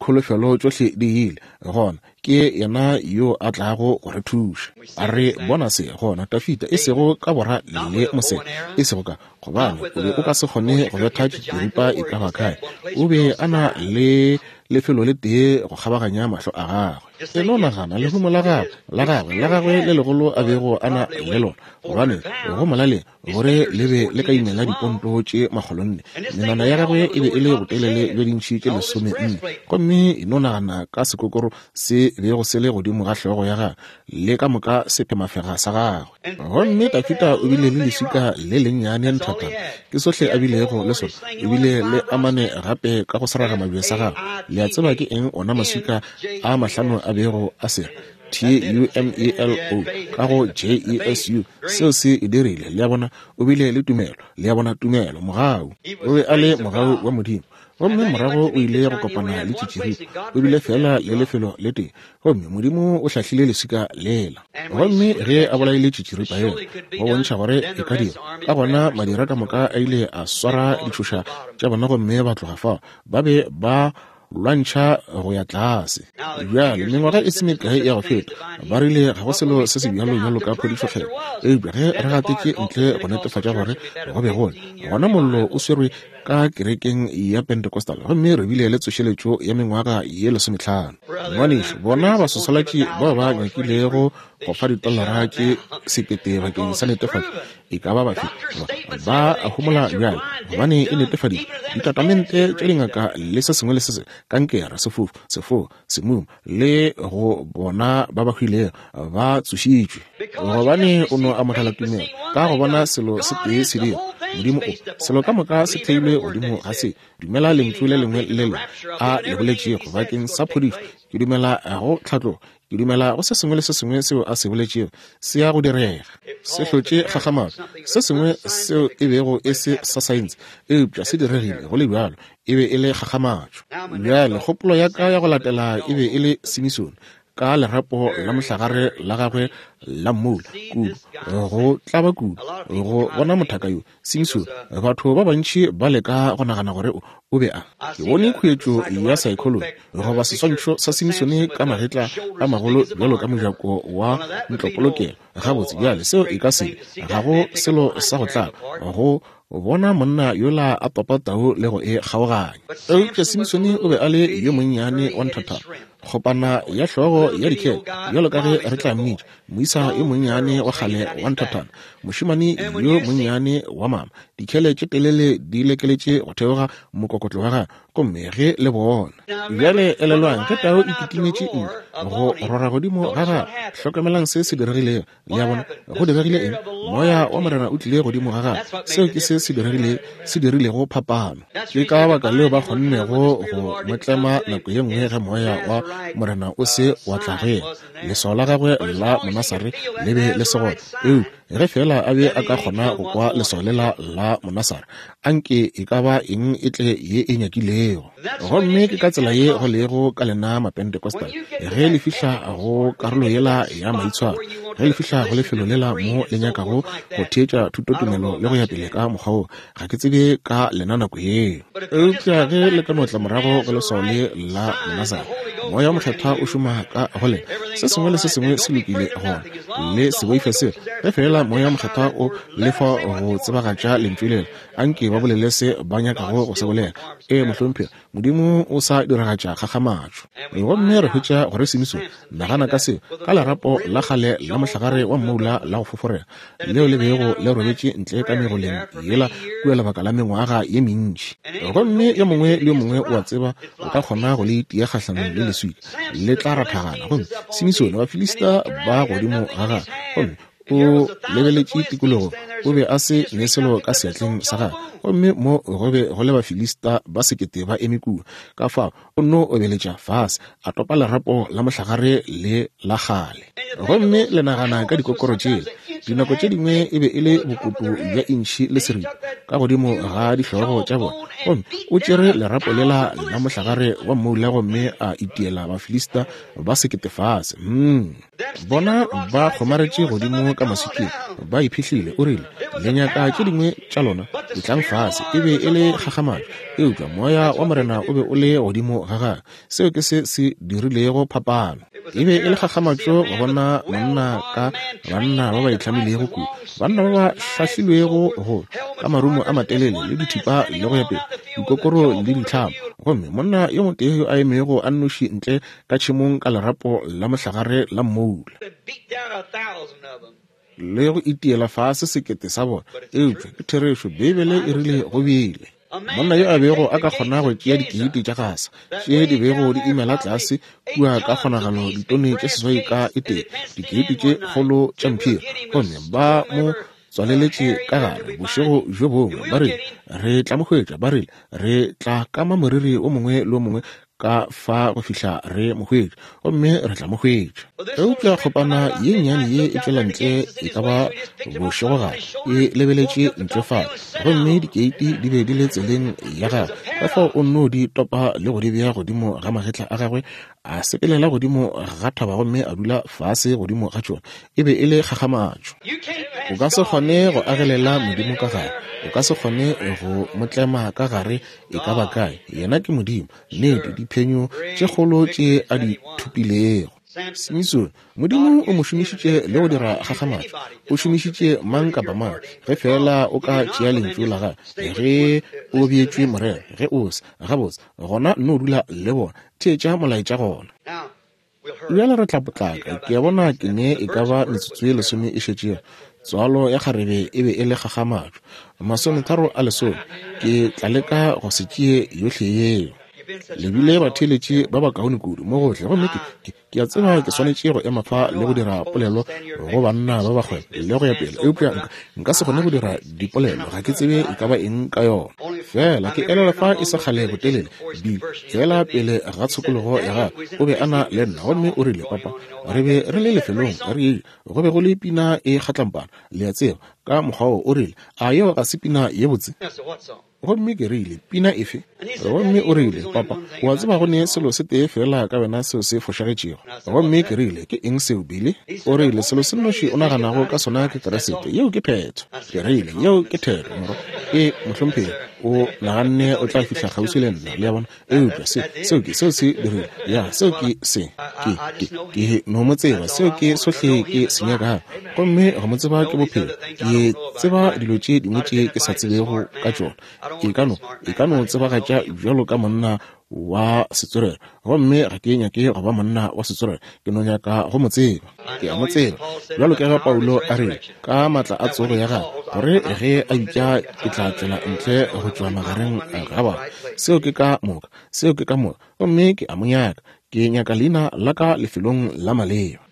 Kholofelo tšohle di ile, gona ke yena yo a tlago go re thuša. Re bona se gona, Dafida, e sego ka bora le mosebe, e sego ka, gobane o be o ka se kgone go betha tšitširipa e ka ba kae. O be a na le lefelo le tee go kgabaganya mahlo a gagwe. E no nagana lehumo la gagwe, la gagwe, la gagwe le legolo a bego a na le lona, gobane go molaleng gore le be le ka imela diponto tše makgolonne. Menwana ya gagwe e be e le botelele bja dintšhi tše lesomenne. Gomme e no nagana ka sekokoro se bego se le godimo ga hlogo ya gagwe, le ka moka sephemafega sa gagwe. Gomme Dafida o bile le leswika le lennyane nthatana, ke sohle a bilego le sona. O bile le a mane gape ka go seragamabje sa gagwe. Le a tseba ke eng ona maswika a mahlano a bego a se ra? T-U-M-E-L-O ka go J-E-S-U. Seo se e dirile. Le a bona? O bile le tumelo. Le a bona, tumelo, mogau. O be a le mogau wa Modimo. Gomme morago o ile go kopana le tšitširipa. O bile feela le lefelo le tee, gomme Modimo o hlahlile leswika lela. Gomme ge a bolaile tšitširipa yela, go bontšha gore e ka dira, ka gona madira ka moka a ile a swara ditšhoša tša bona gomme ba tloga fao. Ba be ba lwantšha go ya tlase. Bjale, mengwaga e se mekae ya go feta, ba rile ga go selo se se bjalo bjalo ka phodišo kgethwa. Eupša ge re gatetše ntle go netefatša gore go be go le, gona mollo o swerwe ka kerekeng ya Pentecostal, gomme re bile le tsošeletšo ya mengwaga ye lesometlhano. Ngwanešu, bona baswaswalatši bao ba nyakilego go fa ditolara tše sekete bakeng sa netefatšo e ka ba bafe ba a homola bjale, gobane e netefaditšwe. Ditatamente tša dingaka le se sengwe le se sengwe, kankere, sefofu, sefo, semumu, le go bona ba ba hwilego ba tsošitšwe, gobane o no amogela tumelo ka go bona selo se tee se dira. Modimo o, selo ka moka se theilwe godimo ga se. Dumela lentšu le lengwe le lengwe a le boletšego bakeng sa phodišo. Ke dumela go tlhatlogo. Ke dumela go se sengwe le se sengwe seo a se boletšego se ya go direga. Se hlotše kgakgamatšo, se sengwe seo e bego e se sa saense, eupša se diregile go le bjalo. E be e le kgakgamatšo. Bjale, kgopolo ya ka ya go latela e be e le Simisone, ka lerapo la mohlagare la gagwe la mmoula, kudu, go tlaba kudu, go bona mothaka yo. Simisone, batho ba bantši ba leka go nagana gore o, o be a. Ke bone khuetšo ya saekholoji goba seswantšho sa Simisone ka magetla a magolo bjalo ka mojako wa ntlopolokelo. Gabotse, bjale, seo e ka se be. Ga go selo sa go tlaba go bona monna yola a topa tau le go e kgaoganya. Eupša Simisone o be a le yo monnyane wa nthathana, kgopana ya hlogo ya dikhele, bjalo ka ge re tla mmitša, moisa yo monnyane wa kgale wa nthathana, mošemane yo monnyane wa mama, dikhele tše telele di lekeletše go theoga mokokotlo wa gagwe, gomme ge le bona. Bjale elelwang, ge tau e kitimetše ntle go rora godimo ga gagwe, hlokamelang se se diregilego. Le a bona? Go diregile eng? Moya wa Morena o tlile godimo ga gagwe. Seo ke se se diregile, se dirilego phapano. Ke ka baka leo ba kgonnego go mo tlema nako ye nngwe ge Moya wa Morena o se wa tla go yena. Leswao la gagwe la Monasare le be le se gona. Eupša ge feela a be a ka kgona go kwa leswao lela la Monasare, anke e ka ba eng e tle ye e nyakilego. Gomme ke ka tsela ye go lego ka lena Mapentecostal. Ge le fihla go karolo yela ya maitshwaro, ge le fihla go lefelo lela mo le nyakago go theetša thutotumelo le go ya pele ka mokgwa wo, ga ke tsebe ka lena nako yeo. Eupša ge le ka no tla morago go leswao le la Monasare, Moya wo Mokgethwa o šoma ka go lena. Se sengwe le se sengwe se lokile gona. Le se boife seo. Ge feela Moya wo Mokgethwa o le fa go tsebagatša Lentšu lela, anke ba bolele se ba nyakago go se bolela. Ee, mohlomphegi, Modimo o sa diragatša kgakgamatšo. Gomme re hwetša gore Simisone, nagana ka seo, ka lerapo la kgale la mohlare. mohlagare wa mmoula la go foforega leo le bego le robetše ntle ka megoleng yela kua lebaka la mengwaga ye mentši. Gomme yo mongwe le yo mongwe o a tseba o ka kgona go le itia kgahlanong le leswika, le tla rathagana. Gomme Simisone, Bafilista ba godimo ga gagwe, gomme o lebeletše tikologo, o be a se ne selo ka seatleng sa gagwe, gomme mo go be go le Bafilista ba sekete ba eme kua. Ka fao o nno obeletša fase, a topa lerapo la mohlagare le la kgale. Gomme le nagana ka dikokoro tšela, dinako tše dingwe e be e le bokoto bja intšhi le seripa ka godimo ga dihlogo tša bona. Gomme o tšere lerapo lela la mohlagare wa mmoula gomme a itiela Bafilista ba sekete fase. Mm. Bona ba kgomaretše godimo ka maswikeng, ba iphihlile. O rile, Le nyaka tše dingwe tša lona? Etlang fase. E be e le kgakgamatšo, eupša Moya wa Morena o be o le godimo ga gagwe. Seo ke se se dirilego phapano. E be e le kgakgamatšo go bona monna ka banna ba ba itlhamilego kudu, banna ba ba hlahlilwego go ka marumo a matelele le dithipa le go ya pele, dikokoro le ditlhamo, gomme monna yo motee yo a emego a nnoši ntle ka tšhemong ka lerapo la mohlagare la mmoula le go itiela fase sekete sa bona. Eupša ke therešo, Beibele e rile go bile monna yo a bego a ka kgona go tšea dikeiti tša gasa tše di bego di imela tlase kua ka kgonagalo ditone tše 8 ka e tee, dikeiti tše kgolo tša mphiri, gomme ba mo tswaleletše ka gare bošego bjo bongwe, ba rile, Re tla mo hwetša. Ba rile, Re tla kama moriri o mongwe le o mongwe ka fa go fihla re mo hwetša, gomme re tla mo hwetša. Eupša kgopana ye nnyane ye e tšwela ntle e ka ba bošegogare, e lebeletše ntle fale, gomme dikeiti di be di le tseleng ya gagwe, ka fao o nno di topa le go di bea godimo ga magetla a gagwe, a sepelela godimo ga thaba gomme a dula fase godimo ga tšona. E be e le kgakgamatšo. O ka se kgone go agelela Modimo ka gare, o ka se kgone go mo tlema ka gare e ka ba kae. Yena ke Modimo, nnete, diphenyo tše kgolo tše a di thopilego. Simisone, Modimo o mo šomišitše le go dira kgakgamatšo. O šomišitše mang kapa mang, ge feela o ka tšea Lentšu la Gagwe, ge o beetšwe morero, ge o se, gabotse, gona nno dula le bona, theetša molaetša gona. Bjale re tla potlaka. Ke a bona ke ne e ka ba metsotso ye lesome e šetšego. Tswalo ya kgarebe e be e le kgakgamatšo. Masometharo a lesome. Ke tla leka go se tšee yohle yeo. Le bile batheeletši ba bakaone kudu mo gohle, gomme ke, ke, ke a tseba ke swanetše go ema fa le go dira polelo go banna ba ba kgwebo le go ya pele, eupša nka, nka se kgone go dira dipolelo, ga ke tsebe e ka ba eng ka yona. Fela ke elelwa fa e se kgale botelele, Bill, feela pele ga tshokologo ya gagwe, o be a na le nna, gomme o rile, Papa, re be re le lefelong, re eya, go be go le pina e kgatlampana, le a tseba, ka mokgwa wo. O rile, A yeo ga se pina ye botse? Gomme ke rile, Pina efe? Gomme o rile, Papa, o a tseba go ne selo se tee feela ka wena seo se fošagetšego. Gomme ke rile, Ke eng seo, Billy? O rile, Selo se nnoši o naganago ka sona ke Kriste. Yeo ke phetho. Ke rile, Yeo ke thero, morwa. Ee, mohlomphegi. O naganne o tla fihla kgauswi le nna, le a bona. Eupša se, seo ke, seo se dirile. Ya, seo ke se. Ke, ke, ke no mo tseba. Seo ke sohle ke se nyakago. Gomme go mo tseba ke bophelo. Ke tseba dilo tše dingwe tše ke sa tsebego ka tšona. E ka no, e ka no tsebagatša bjalo ka monna wa setswerere. Gomme ga ke nyake go ba monna wa setswerere. Ke no nyaka go mo tseba. Ke a mo tseba. Bjalo ka ge Paulo a rile, ka maatla a tsogo ya gagwe, gore ge a bitša ke tla tšwela ntle go tšwa magareng ga ba. Seo ke ka moka. Seo ke ka moka. Gomme ke a mo nyaka. Ke nyaka leina la ka lefelong la maleba.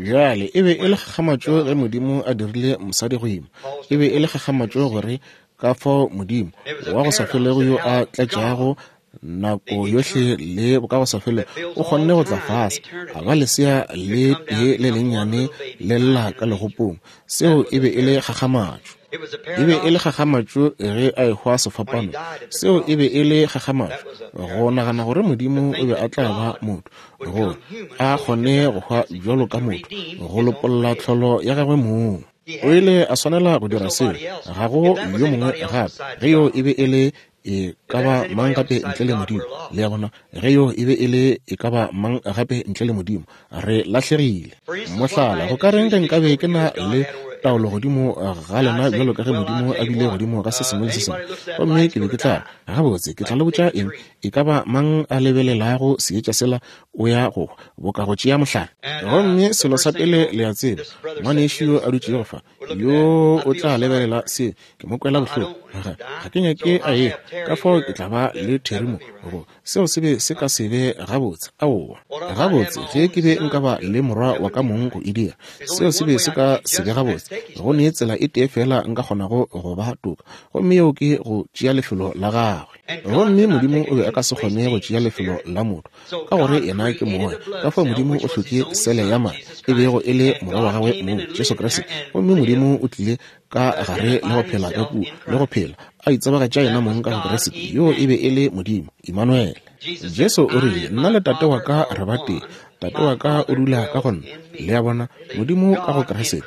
Bjale, e be e le kgakgamatšo ge Modimo a dirile mosadi go ima. E be e le kgakgamatšo gore ka fao Modimo wa go sa felego yo a tlatšago nako yohle le bokagosafelego o kgonne go tla fase a ba lesea le tee le lennyane le lla ka legopong. Seo e be e le kgakgamatšo. E be e le kgakgamatšo ge a ehwa sefapano. Seo e be e le kgakgamatšo, go nagana gore Modimo o be a tla ba motho, gore a kgone go hwa bjalo ka motho, go lopolla tlholo ya gagwe mong. O ile a swanela go dira seo, ga go yo mongwe gape. Ge yoo e be e le e ka ba mang gape ntle le Modimo, le a bona, ge yoo e be e le e ka ba mang gape ntle le Modimo, re lahlegile. Mohlala, go ka reng ge nkabe ke na le taolo godimo ga lena bjalo ka ge Modimo a bile godimo ga se sengwe le se sengwe? Gomme ke be ke tla re, Gabotse, ke tla le botša eng, e ka ba mang a lebelelago seetša sela o ya go hwa, boka go tšea mohlare. Gomme selo sa pele le a tseba, ngwanešu yo a dutšego fa, yo o tla lebelela se, ke mo kwela bohloko. Ga, ga ke nyake a ehwa, ka fao ke tla ba le Terry mo, go, seo se be se ka se be gabotse. Aowa. Gabotse, ge ke be nka ba le morwa wa ka mong go e dira, seo se be se ka se be gabotse. Go ne tsela e tee feela nka kgonago go ba toka, gomme yeo ke go tšea lefelo la gagwe. Gomme Modimo o be a ka se kgone go tšea lefelo la motho, ka gore yena ke moya. Ka fao Modimo o hlotše sele ya madi, e bego e le Morwa wa gagwe mong, Jesu Kriste. Gomme Modimo o tlile ka gare le go phela ka kua, le go phela, a itsebagatša yena mong ka go Kriste. Yoo e be e le Modimo, Imanuele. Jesu o rile, Nna le Tate wa ka re batee. Tate wa ka o dula ka go nna. Le a bona? Modimo ka go Kriste,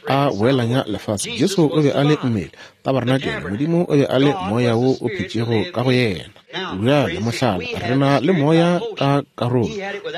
a boelanya lefase. Jesu o be a le mmele, tabarenakele. Modimo o be a le Moya wo o phetšego ka go yena. Bjale, mohlala, re na le Moya ka karolo.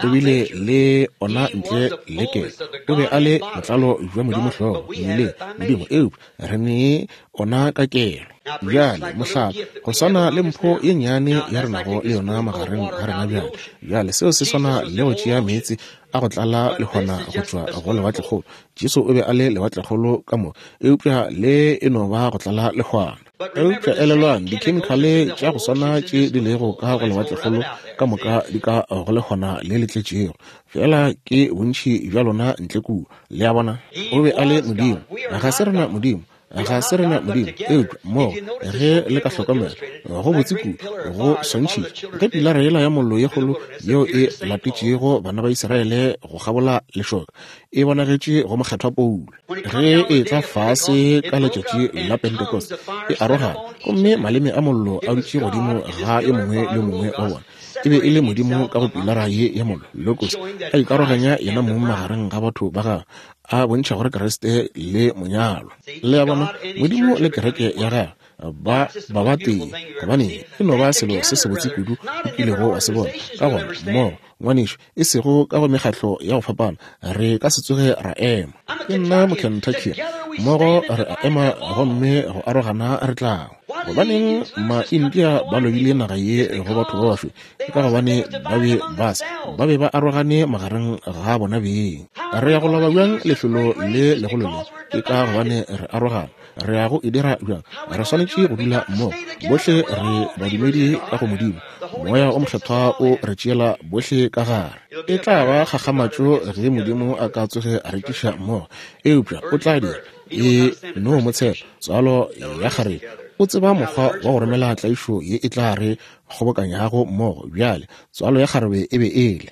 O bile le ona ntle le kelo. O be a le botlalo bja Modimo hlogo, mmeleng, Modimo, eupša re ne ona ka kelo. Bjale, mohlala, go swana le mpho ye nnyane ya re nago le yona magareng ga rena bjale. Bjale, seo se swana le go tšea meetse a go tlala lehwana go tšwa go lewatlekgolo. Jesu o be a le lewatlekgolo ka moka, eupša le e no ba go tlala lehwana. Eupša elelwang, dikhemikhale tša go swana tše di lego ka go lewatlekgolo ka moka di ka go lehwana le le tletšego, feela ke bontši bja lona ntle kua. Le a bona? O be a le Modimo. Ga se rena Modimo. Ga se rena Modimo. Eupša mmogo, ge le ka hlokomela, go botse kudu, go swantšhitše, ge pilara yela ya mollo ye kgolo yeo e latetšego bana ba Israele go kgabola lešoka e bonagetše go Mokgethwa Paulo, ge e etla fase ka letšatši la Pentecost, e arogana, gomme maleme a mollo a dutše godimo ga yo mongwe le yo mongwe wa bona. E be e le Modimo ka go pilara ye ya mollo, Logos, a ikaroganya yena mong magareng ga batho ba gagwe, a bontšha gore Kriste le monyalwa. Le a bona, Modimo le kereke ya gagwe ba ba ba tee, gobane e no ba selo se sebotse kudu o kilego wa se bona. Ka gona, mmogo, ngwanešu, e sego ka go mekgatlo ya go fapana, re ka se tsoge ra ema. Ke nna Mokentucky. Mmogo re a ema gomme go arogana re tla. Gobaneng ma-India ba lobile naga ye go batho ba basweu? Ke ka gobane ba be ba se ba be ba arogane magareng ga bona beng. Re ya go loba bjang lefelo le legolo le? Ke ka gobane re arogana. Re ya go e dira bjang? Re swanetše go dula mmogo. Bohle re badumedi ka go Modimo. Moya o Mokgethwa o re tšeela bohle ka gare. E tla ba kgakgamatšo ge Modimo a ka tsoge a re tliša mmogo, eupša o tla dira. E no mo tshepa, tswalo ya kgarebe. O tseba mokgwa wa go romela tlaišo ye e tla re kgobokanyago mmogo. Bjale, tswalo ya kgarebe e be e le.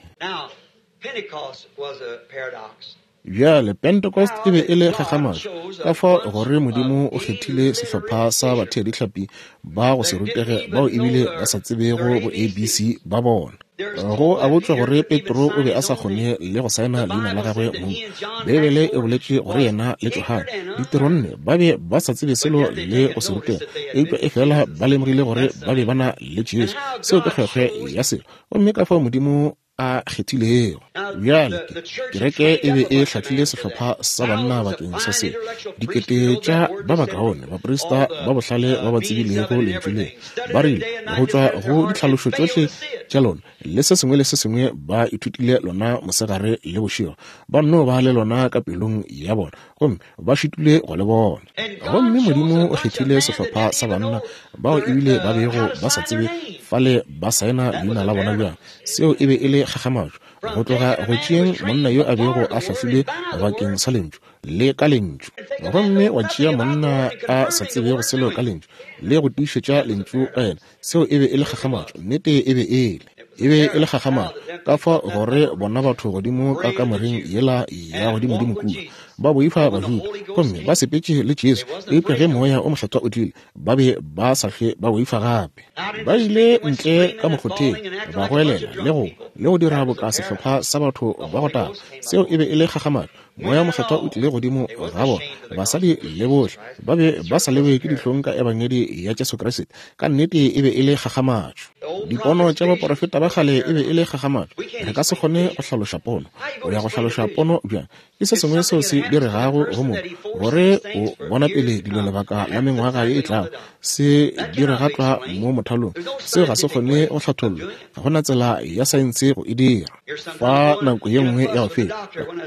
Bjale, Pentecost e be e le kgakgamatšo, ka fao gore Modimo o kgethile sehlopha sa batheadihlapi ba go se rutege bao ebile ba sa tsebego bo ABC ba bona. Go a botšwa gore Petro o be a sa kgone le go saena leina la gagwe mong. Beibele e boletše gore yena le Johane, ditironne, ba be ba sa tsebe selo le go se rutega, eupša efela ba lemogile gore ba be ba na le Jesu. Seo ke kgwekgwe ya selo. Gomme ka fao Modimo a kgethilego. Bjale, ke, kereke e be e hlahlile sehlopha sa banna bakeng sa se. Dikete tša ba bakaone, baprista ba bohlale ba ba tsebilego Lentšu le, ba rile, go tšwa go ditlhalošo tšohle tša lona le se sengwe le se sengwe ba ithutile lona mosegare le bošego, ba nno ba le lona ka pelong ya bona, gomme ba šitile go le bona. Gomme Modimo o kgethile sehlopha sa banna bao ebile ba bego ba sa tsebe fale ba saena leina la bona bjang. Seo e be e le kgakgamatšo, go tloga go tšeeng monna yo a bego a hlahlilwe bakeng sa Lentšu, le ka Lentšu, gomme wa tšea monna a sa tsebego selo ka Lentšu, le go tiišetša Lentšu ka yena. Seo e be e le kgakgamatšo. Nnete e be e le. E be e le kgakgamatšo. Ka fao gore bona batho godimo ka kamoreng yela ya godimodimo kua, ba boifa Bajuda, gomme ba sepetše le Jesu, eupša ge Moya o Mokgethwa o tlile, ba be ba sa hlwe ba boifa gape. Ba ile ntle ka mokgotheng, ba goelela le go, le go dira boka sehlopha sa batho ba go taga. Seo e be e le kgakgamatšo. Moya wo Mokgethwa o tlile godimo ga bona, basadi le bohle. Ba be ba sa lewe ke dihlong ka Ebangedi ya Jesu Kriste. Ka nnete e be e le kgakgamatšo. Dipono tša baporofeta ba kgale e be e le kgakgamatšo. Re ka se kgone go hlaloša pono. O ya go hlaloša pono bjang? Ke se sengwe seo se diregago go motho, gore o bona pele dilo lebaka la mengwaga ye e tlago, se direga tlwa mo mothalong. Seo ga se kgone go hlathollwa. Ga go na tsela ya saense go e dira. Fa nako ye nngwe ya go feta,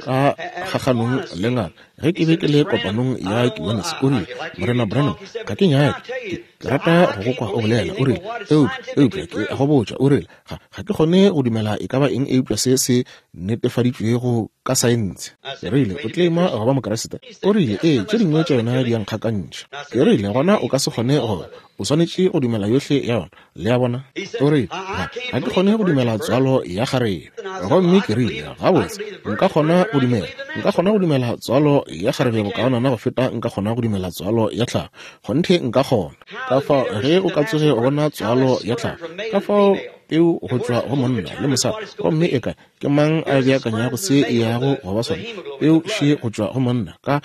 ka kgakganong le ngaka, ge ke be ke le kopanong ya Kiwanis, o rile, Morena Branham, ga ke nyake, ke rata go go kwa o bolela. O rile, eupša ke a go botša, o rile, ga ke kgone go dumela e ka ba eng eupša se se netefaditšwego ka saense. Ke rile, o tlema go ba Mokriste? O rile, ee, tše dingwe tša yona di a nkgakantšha. Ke rile, gona o ka se kgone go, o swanetše go dumela yohle ya yona. Le a bona? O rile, ga ke kgone go dumela tswalo ya kgarebe. Gomme ke rile, gabotse, nka kgona go dumela, nka kgona go dumela tswalo ya kgarebe bokaonana go feta nka kgona go dumela tswalo ya tlhago. Kgonthe nka kgona. Ka fao ge o ka tsoge o bona tswalo ya tlhago, ka fao peu go tšwa go monna le mosadi, gomme e kae? Ke mang a beakanyago se e yago go ba sona? Peu še go tšwa go monna ka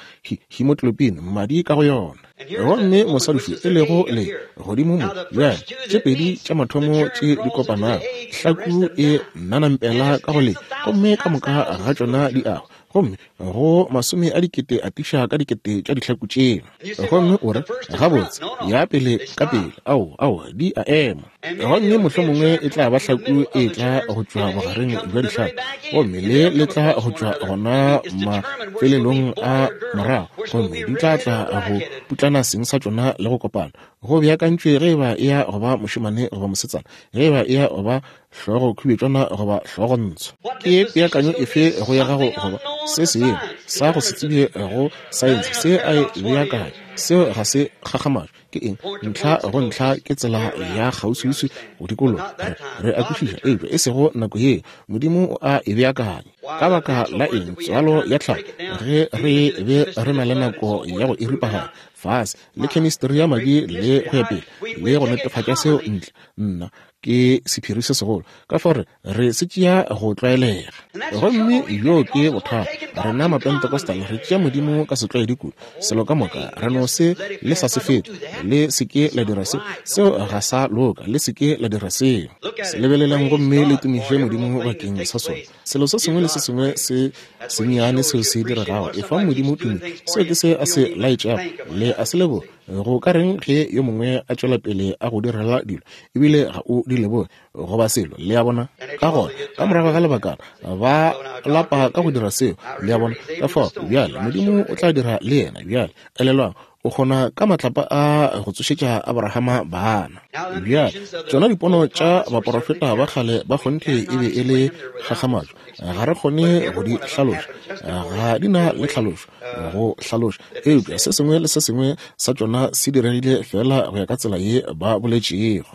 hemoglobin, madi ka go yona. Gomme mosadi šo e lego le godimo mo, bjale tše pedi tša mathomo tše di kopanago, hlaku e nanampela ka go le, gomme ka moka ga tšona di ago, gomme go masome a dikete atiša ka dikete tša dihlaku tšeo. Gomme o re, gabotse, ya pele ka pele, ao, ao, di a ema. Gomme mohlomongwe e tla ba hlaku e tla go tšwa bogareng bja dihlaku, gomme le le tla go tšwa gona mafelelong a morago, gomme di tla tla go putlana seng sa tšona le go kopana. Go beakantšwe ge eba e ya go ba mošemane goba mosetsana, ge eba e ya go ba hlogo khubetšwana goba hlogo ntsho. Ke peakanyo efe go ya gago goba se sengwe sa go se tsebje go saense se a e beakanya? Seo ga se kgakgamatšo. Ke eng? Ntlha go ntlha ke tsela ya kgauswiuswi go dikologa. Re a kwešiša, eupša e sego nako yeo. Modimo o a e beakanya. Ka baka la eng tswalo ya tlhago ge re be re na le nako ya go e ripaganya fase le chemistry ya madi le go ya pele le go netefatša seo ntle? Nna, ke sephiri se segolo, ka fao re se tšea go tlwaelega. Gomme bjoo ke bothata. Rena Mapentecostal re tšea Modimo ka setlwaedi kudu. Selo ka moka re no se le sa se fete. Le se ke la dira se, seo ga sa loka. Le se ke la dira seo. Se lebelelang gomme le tumiše Modimo bakeng sa sona. Selo se sengwe le se sengwe se sennyane seo se diregago, efang Modimo tumo. Seo ke se a se laetšago. Le a se leboga. Go ka reng ge yo mongwe a tšwela pele a go direla dilo ebile ga o di leboge goba selo? Le a bona? Ka gona ka morago ga lebakana ba lapa ka go dira seo. Le a bona? Ka fao bjale Modimo o tla dira le yena. Bjale elelwang, o kgona ka matlapa a go tsošetša Abrahama bana. Bjale tšona dipono tša baporofeta ba kgale ba kgonthe e be e le kgakgamatšo. Ga re kgone go di hlaloša, ga di na le tlhalošo go hlaloša, eupša se sengwe le se sengwe sa tšona se diregile feela go ya ka tsela ye ba boletšego.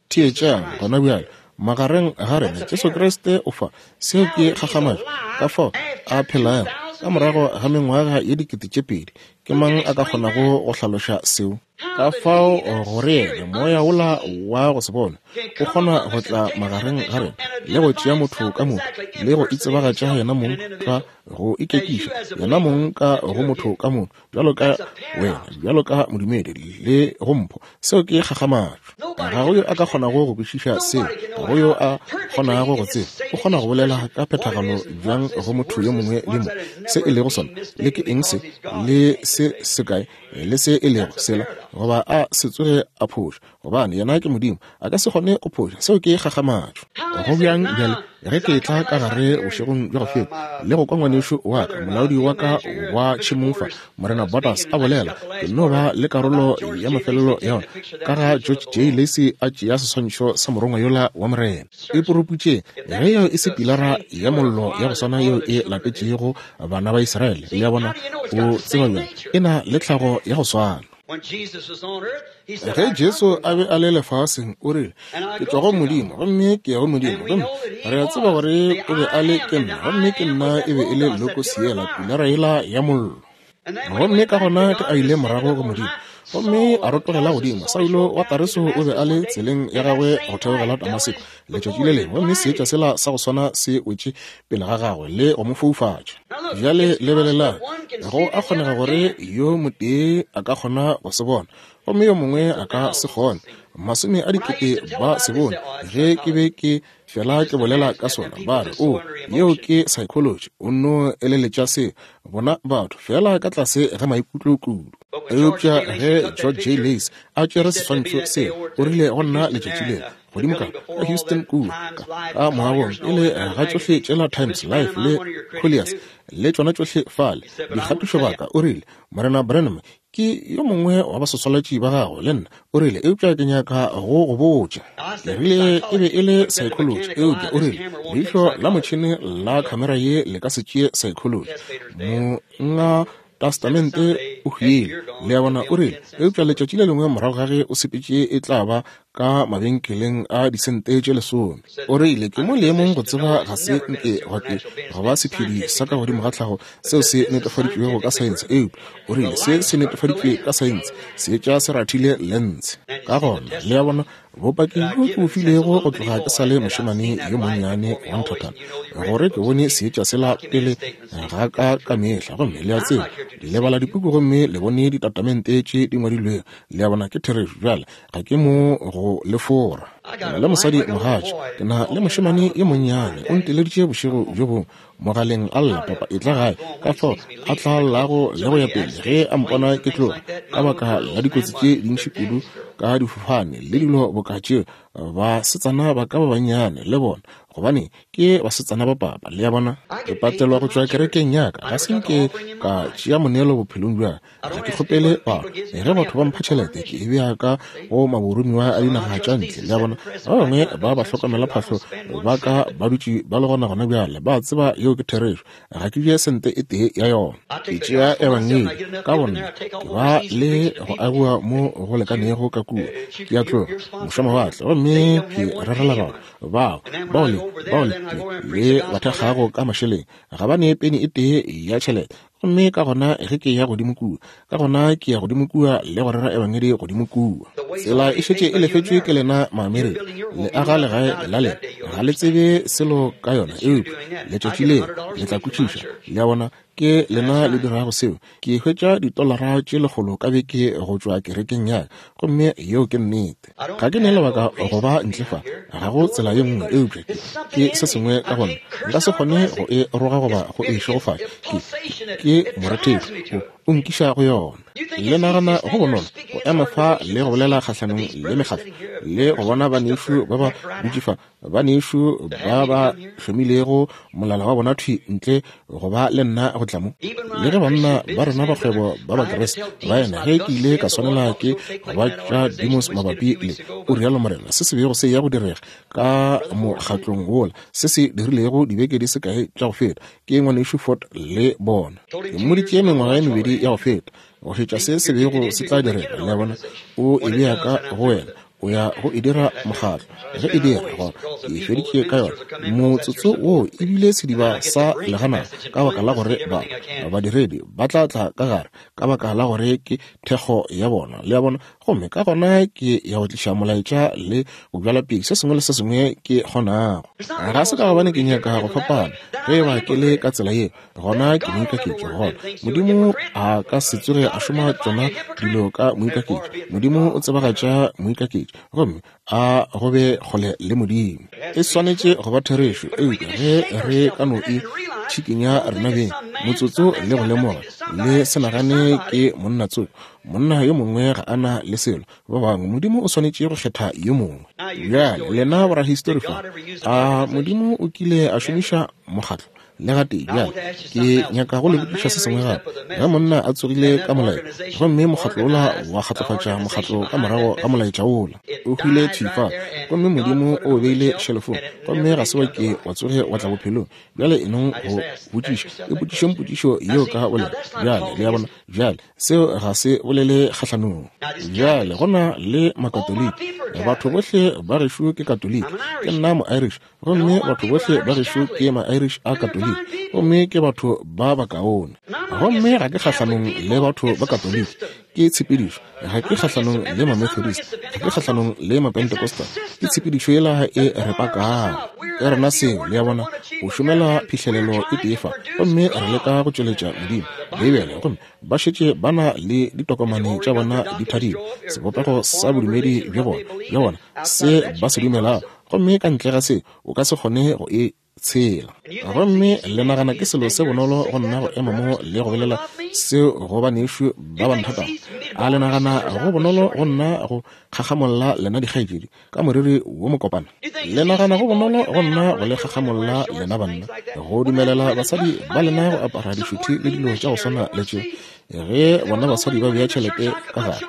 Theetšang gona bjale, magareng ga rena Jesu Kriste o fa. Seo ke kgakgamatšo, ka fao a phelago ka morago ga mengwaga ye 2000. Ke mang a ka kgonago go hlaloša seo? Ka fao gore yena moya wola wa go se bonwe o kgona go tla magareng ga rena le go tšea motho ka motho le go itsebagatša yena mong ka go ikekiša yena mong ka go motho ka motho, bjalo ka wena, bjalo ka modumedi le go mpho. Seo ke kgakgamatšo. Ga go yo a ka kgonago go kwešiša seo, ga go yo a kgonago go tseba. O kgona go bolela ka phethagalo bjang go motho yo mongwe le mo se e lego sona, le ke eng se, le se sekae, le se e lego sela, goba a se tsoge a phoša, gobane yena ke Modimo, a ka se kgone go phoša. Seo ke kgakgamatšo. Go bjang bjale ge ke etla ka gare bošegong bja go feta le go kwa ngwanešu wa ka, molaodi wa ka wa tšhemong fa, Morena Borders, a bolela, ke no ba le karolo ya mafelelo ya ona, ka ga George J. Lacy a tšea seswantšho sa morongwa yola wa Morena. E poroputše ge yeo e se pilara ya mollo ya go swana yeo e latetšego bana ba Israele. Le a bona? O tseba bjang? E na le tlhago ya go swana. Ge Jesu a be a le lefaseng, o rile, Ke tšwa go Modimo, gomme ke ya go Modimo. Gomme re a tseba gore o be a le ke nna, gomme ke nna e be e le Logos yela, pilara yela ya mollo. Gomme ka gona ke a ile morago go Modimo, gomme a rotogela godimo. Saulo wa Tareso o be a le tseleng ya gagwe go theogela Damaseko letšatši le lengwe, gomme seetša sela sa go swana se wetše pele ga gagwe le go mo foufatša. Bjale lebelelang, go a kgonega gore yo motee a ka kgona go se bona. gomme yo mongwe a ka se kgone. Masome a dikete ba se bone ge ke be ke fela ke bolela ka sona, ba re, O, yeo ke psychology, o nno eleletša seo. Bona batho fela ka tlase ga maikutlo kudu. Eupša ge George J. Lacy a tšere seswantšho seo, o rile go nna letšatši leo, godimo ka ka Houston kua, ka, ka moagong, pele ga tšohle tšela Times Life le Collier's le tšona tšohle fale, dikgatišobaka, o rile, Morena Branham, ke yo mongwe wa basoswalatši ba gago le nna, o rile, eupša ke nyaka go go botša. Ke rile, e be e le psychology, eupša o rile, leihlo la motšhene la khamera ye le ka se tšee psychology. Monga Testamente o hwile, le a bona, o rile, eupša letšatši le lengwe morago ga ge o sepetše e tla ba ka mabenkeleng a disente tše lesome. O rile, Ke mo leemong go tseba ga se nke gwa ke go ba sephedi sa ka godimo ga tlhago seo se netefaditšwego ka saense, eupša o rile se se netefaditšwe ka saense, seetša se rathile lense. Ka gona, le a bona, bopaki bjo ke bo filego go tloga ke sa le mošemane yo monnyane wa nthathana, gore ke bone seetša sela pele ga ka ka mehla, gomme le a tseba, le bala dipuku gomme le bone ditatamente tše di ngwadilwego, le a bona, ke therešo. Bjale, ga ke mo go le fora. Ke na le mosadi mogatša, ke na le mošemane yo monnyane, o nteleditše bošego bjo bongwe mogaleng a lla, Papa, etla gae. Ka fao a tla llago le go ya pele ge a mpona ke tloga, ka baka la dikotsi tše dintši kudu ka difofane le dilo boka tšeo, basetsana ba ka ba bannyane le bona, gobane ke basetsana ba papa, le a bona. Ke patelwa go tšwa kerekeng ya ka, ga se nke ka tšea moneelo bophelong bja ka. Ga ke kgopele batho. Ge batho ba mpha tšhelete, ke e bea ka go maboromiwa a dinaga tša ntle, le a bona. Ba bangwe ba bahlokomelaphahlo ba ka ba dutše ba le gona gona bjale, ba tseba yeo ke therešo. Ga ke tšee sente e tee ya yona. Ke tšea Ebangedi, ka bonna. Ke ba le go agiwa mo go lekanego ka kua. Ke a tloga mošwamawatle gomme ke rerela batho bao, bao le, bao le, le ba thekgago ka mašeleng. Ga ba nee peni e tee ya tšhelete. Gomme ka gona ge ke ya godimo kua, ka gona ke ya godimo kua le go rera Ebangedi godimo kua. Tsela e šetše e lefetšwe ke lena Maamerika. Le aga legae la lena. Ga le tsebe selo ka yona, eupša letšatši leo le tla kwešiša. Le a bona, ke lena le dirago seo. Ke hwetša ditolara tše lekgolo ka beke go tšwa kerekeng ya ka, gomme yeo ke nnete. Ga ke ne lebaka go ba ntle fa, ga go tsela ye nngwe eupša ke, ke se sengwe ka go nna. Nka se kgone go e roga goba go e šegofatša. Ke, ke morethetho, o, o nkiša go yona. Le nagana go bonolo go ema fa le go bolela kgahlanong le mekgatlo, le go bona banešu ba ba dutše fa, banešu ba ba hlomilego molala wa bona thwi ntle go ba le nna go tla mo. Le ge banna ba rena ba kgwebo ba Bakriste ba ena, ge ke ile ka swanela ke go ba tša demos mabapi le, o rialo Morena, se se bego se ya go direga ka mokgatlong wola, se se dirilego dibeke di se kae tša go feta, ke Ngwanešu Ford le bona. Ke mmoditše mengwaga ye mebedi ya go feta, go šetša se se bego se tla direga. Le a bona, o e bea ka go wena, o ya go e dira mokgatlo. Ge e dira, gona ke feditše ka yona. Motsotso woo e bile sediba sa leganaga, ka baka la gore ba, badiredi ba tla tla ka gare, ka baka la gore ke thekgo ya bona. Le a bona? Gomme ka gona ke ya go tliša molaetša le go bjala pele se sengwe le se sengwe ke kgonago. Ga se ka gobane ke nyaka go fapana. Ge e ba ke le ka tsela yeo, gona ke moikaketši. Gona Modimo a ka se tsoge a šoma tšona dilo ka moikaketši. Modimo o tsebagatša moikaketši, gomme a go be kgole le Modimo. E swanetše go ba therešo, eupša ge re ka no e tšhikinya rena beng motsotso le go lemoga, le se nagane ke monna tsoko, monna yo mongwe ga a na le selo, ba bangwe, Modimo o swanetše go kgetha yo mongwe. Bjale lena borahistori fa, a Modimo o kile a šomiša mokgatlo? Le gatee. Bjale ke nyaka go le botšiša se sengwe gape. Ge monna a tsogile ka molaetša, gomme mokgatlo wola wa kgatlofatša mokgatlo ka morago ga molaetša wola, o hwile thwi fa, gomme Modimo o o beile šelofong, gomme ga se wa ke wa tsoge wa tla bophelong. Bjale e nong go botšiša, ipotšišeng potšišo yeo ka bolena. Bjale, le a bona? Bjale, seo ga se bolele kgahlanong. Bjale, go na le Makatoliki. Batho bohle ba gešo ke Katoliki. Ke nna Moirish, gomme batho bohle ba gešo ke ma-Irish a Katoliki. Makatoliki, gomme ke batho ba bakaone. Gomme ga ke kgahlanong le batho ba Katoliki, ke tshepedišo. Ga ke kgahlanong le Mamethodist, ga ke kgahlanong le Mapentecostal, ke tshepedišo yela e re pakago. Ke rena seo, le a bona, go šomela phihlelelo e tee fa, gomme re leka go tšweletša Modimo, Beibele, gomme ba šetše ba na le ditokomane tša bona di thadilwe, sebopego sa bodumedi bja bona, bja bona, se ba se dumelago, gomme ka ntle ga se o ka se kgone go e tshela. Gomme le nagana ke selo se bonolo go nna go ema mo le go bolela seo go banešu ba ba nthatago? A le nagana go bonolo go nna go kgakgamolla lena dikgaetšedi ka moriri wo mokopana? Le nagana go bonolo go nna go le kgakgamolla lena banna go dumelela basadi ba lena go apara dišuthi le dilo tša go swana le tše, ge bona basadi ba bea tšhelete ka gare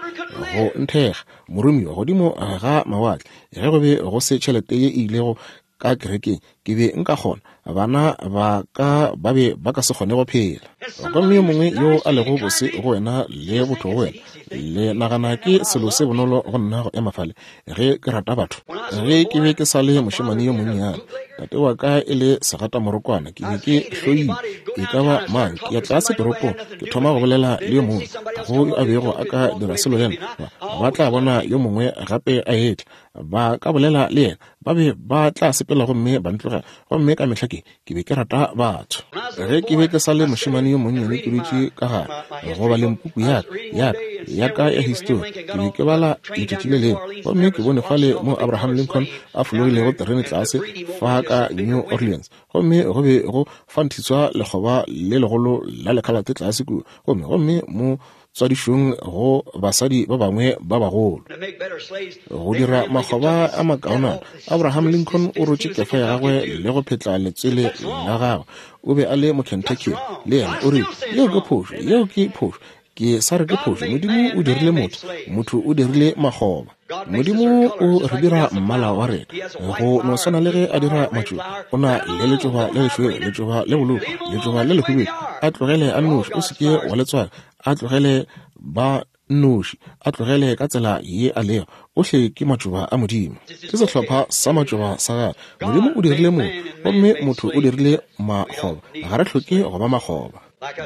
go nthekga moromiwa godimo ga mawatle, ge go be go se tšhelete ye e ilego ka kerekeng, ke be nka kgona, bana ba ka ba be ba ka se kgone go phela. Gomme yo mongwe yo a lego bose go wena le botho go wena, le nagana ke selo se bonolo go nna go ema fale ge ke rata batho. Ge ke be ke sa le mošemane yo monnyane, tate wa ka e le segatamorokwana, ke be ke hloile e ka ba mang. Ke ya tlase toropong, ke thoma go bolela le yo mongwe, ga go yo a bego a ka dira selo le nna. Ba tla bona yo mongwe gape a etla, ba ka bolela le yena, ba be ba tla sepela gomme ba ntlogela. Gomme ka mehla ke, ke be ke rata batho. Ge ke be ke sa le mošemane yo monnyane ke dutše ka gare go baleng puku ya ka, ya ka, ya ka ya histori, ke be ke bala letšatši le lengwe, gomme ke bone fale mo Abraham Lincoln a fologilego terene tlase fa ka New Orleans, gomme go be go fanthiswa lekgoba le legolo la lekhalate tlase kua, gomme, gomme mo tswadišong go basadi ba bangwe ba bagolo. Go dira makgoba a makaonana, Abraham Lincoln o rotše kefa ya gagwe le go phetla letswele la gagwe. O be a le Mokentucky le yena. O rile, Yeo ke phošo, yeo ke phošo. Ke sa re ke phošo. Modimo o dirile motho, motho o dirile makgoba. Modimo o re dira mmala wa rena go no swana le ge a dira matšoba. O na le letšoba le lešweu, letšoba le bolou, letšoba le lehubedu. A tlogele a nnoši, o se ke wa le tswaka. A tlogele ba nnoši, a tlogele ka tsela ye a lego. Ohle ke matšoba a Modimo. Ke sehlopha sa matšoba sa gagwe. Modimo o dirile motho, gomme motho o dirile makgoba. Ga re hloke go ba makgoba.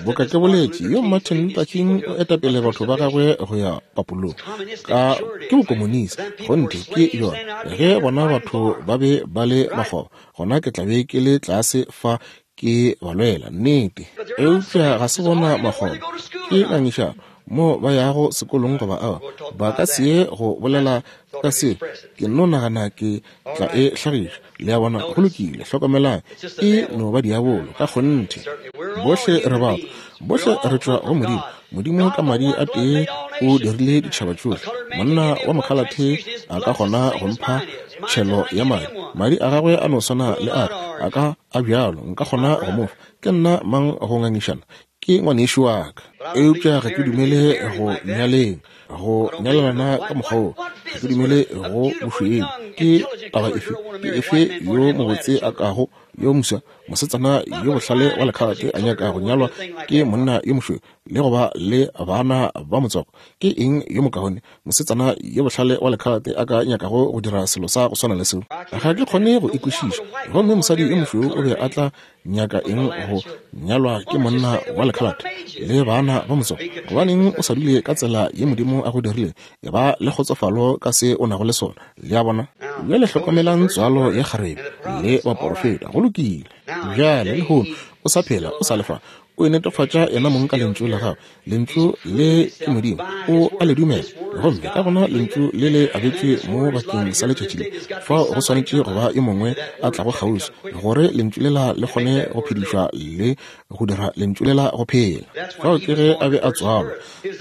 Boka ke boletše, yo Martin Luther King o etapele batho ba gagwe go ya papolong. Ka ke bokomonisi, kgonthe ke yona. Ge bona batho ba be ba le makgoba, gona ke tla be ke le tlase fa ke ba lwela, nnete. Eupša ga se bona makgoba, ke ngangišano mo ba yago sekolong goba aowa. Ba ka se ye go bolela ka se, ke nno nagana ke tla e hlagiša. Le a bona? Go lokile, hlokomelang, e no ba diabolo, ka kgonthe. Bohle re batho, bohle re tšwa go Modimo. Modimo ka madi a tee o dirile ditšhaba tšohle. Monna wa mokhalathe a ka kgona go mpha tšhelo ya madi, madi a gagwe a no swana le a ka, a ka a bjalo, nka kgona go mo fa. Ke nna mang go ngangišana? Ke ngwanešu wa ka. Eupša ga ke dumele go nyaleng, go nyalelana ka mokgwa wo. Ga ke dumele go bošweu. Ke taba efe, ke efe yo mobotse a kago, yo moswa, mosetsana yo bohlale wa lekhalate a nyaka go nyalwa ke monna yo mošweu le go ba le bana ba motswako? Ke eng yo mokaone mosetsana yo bohlale wa lekhalate a ka nyakago go dira selo sa go swana le seo? Ga ke kgone go e kwešiša. Gomme mosadi yo mošweu o be a tla nyaka eng go nyalwa ke monna wa lekhalate le bana ba motswako? Gobaneng o sa dule ka tsela ye Modimo a go dirile? E ba le kgotsofalo ka se o nago le sona. Le a bona? Bjale hlokomelang tswalo ya kgarebe le baporofeta. Go lokile. Bjale, lehono, o sa phela, o sa le fa. O inetefatša yena mong ka Lentšu la Gagwe. Lentšu le ke Modimo. O a le dumela. Gomme ka gona Lentšu le le abetšwe mo bakeng sa letšatši le. Fao go swanetše go ba yo mongwe a tlago kgauswi, gore Lentšu lela le kgone go phedišwa le go dira Lentšu lela go phela. Fao ke ge a be a tswalwa.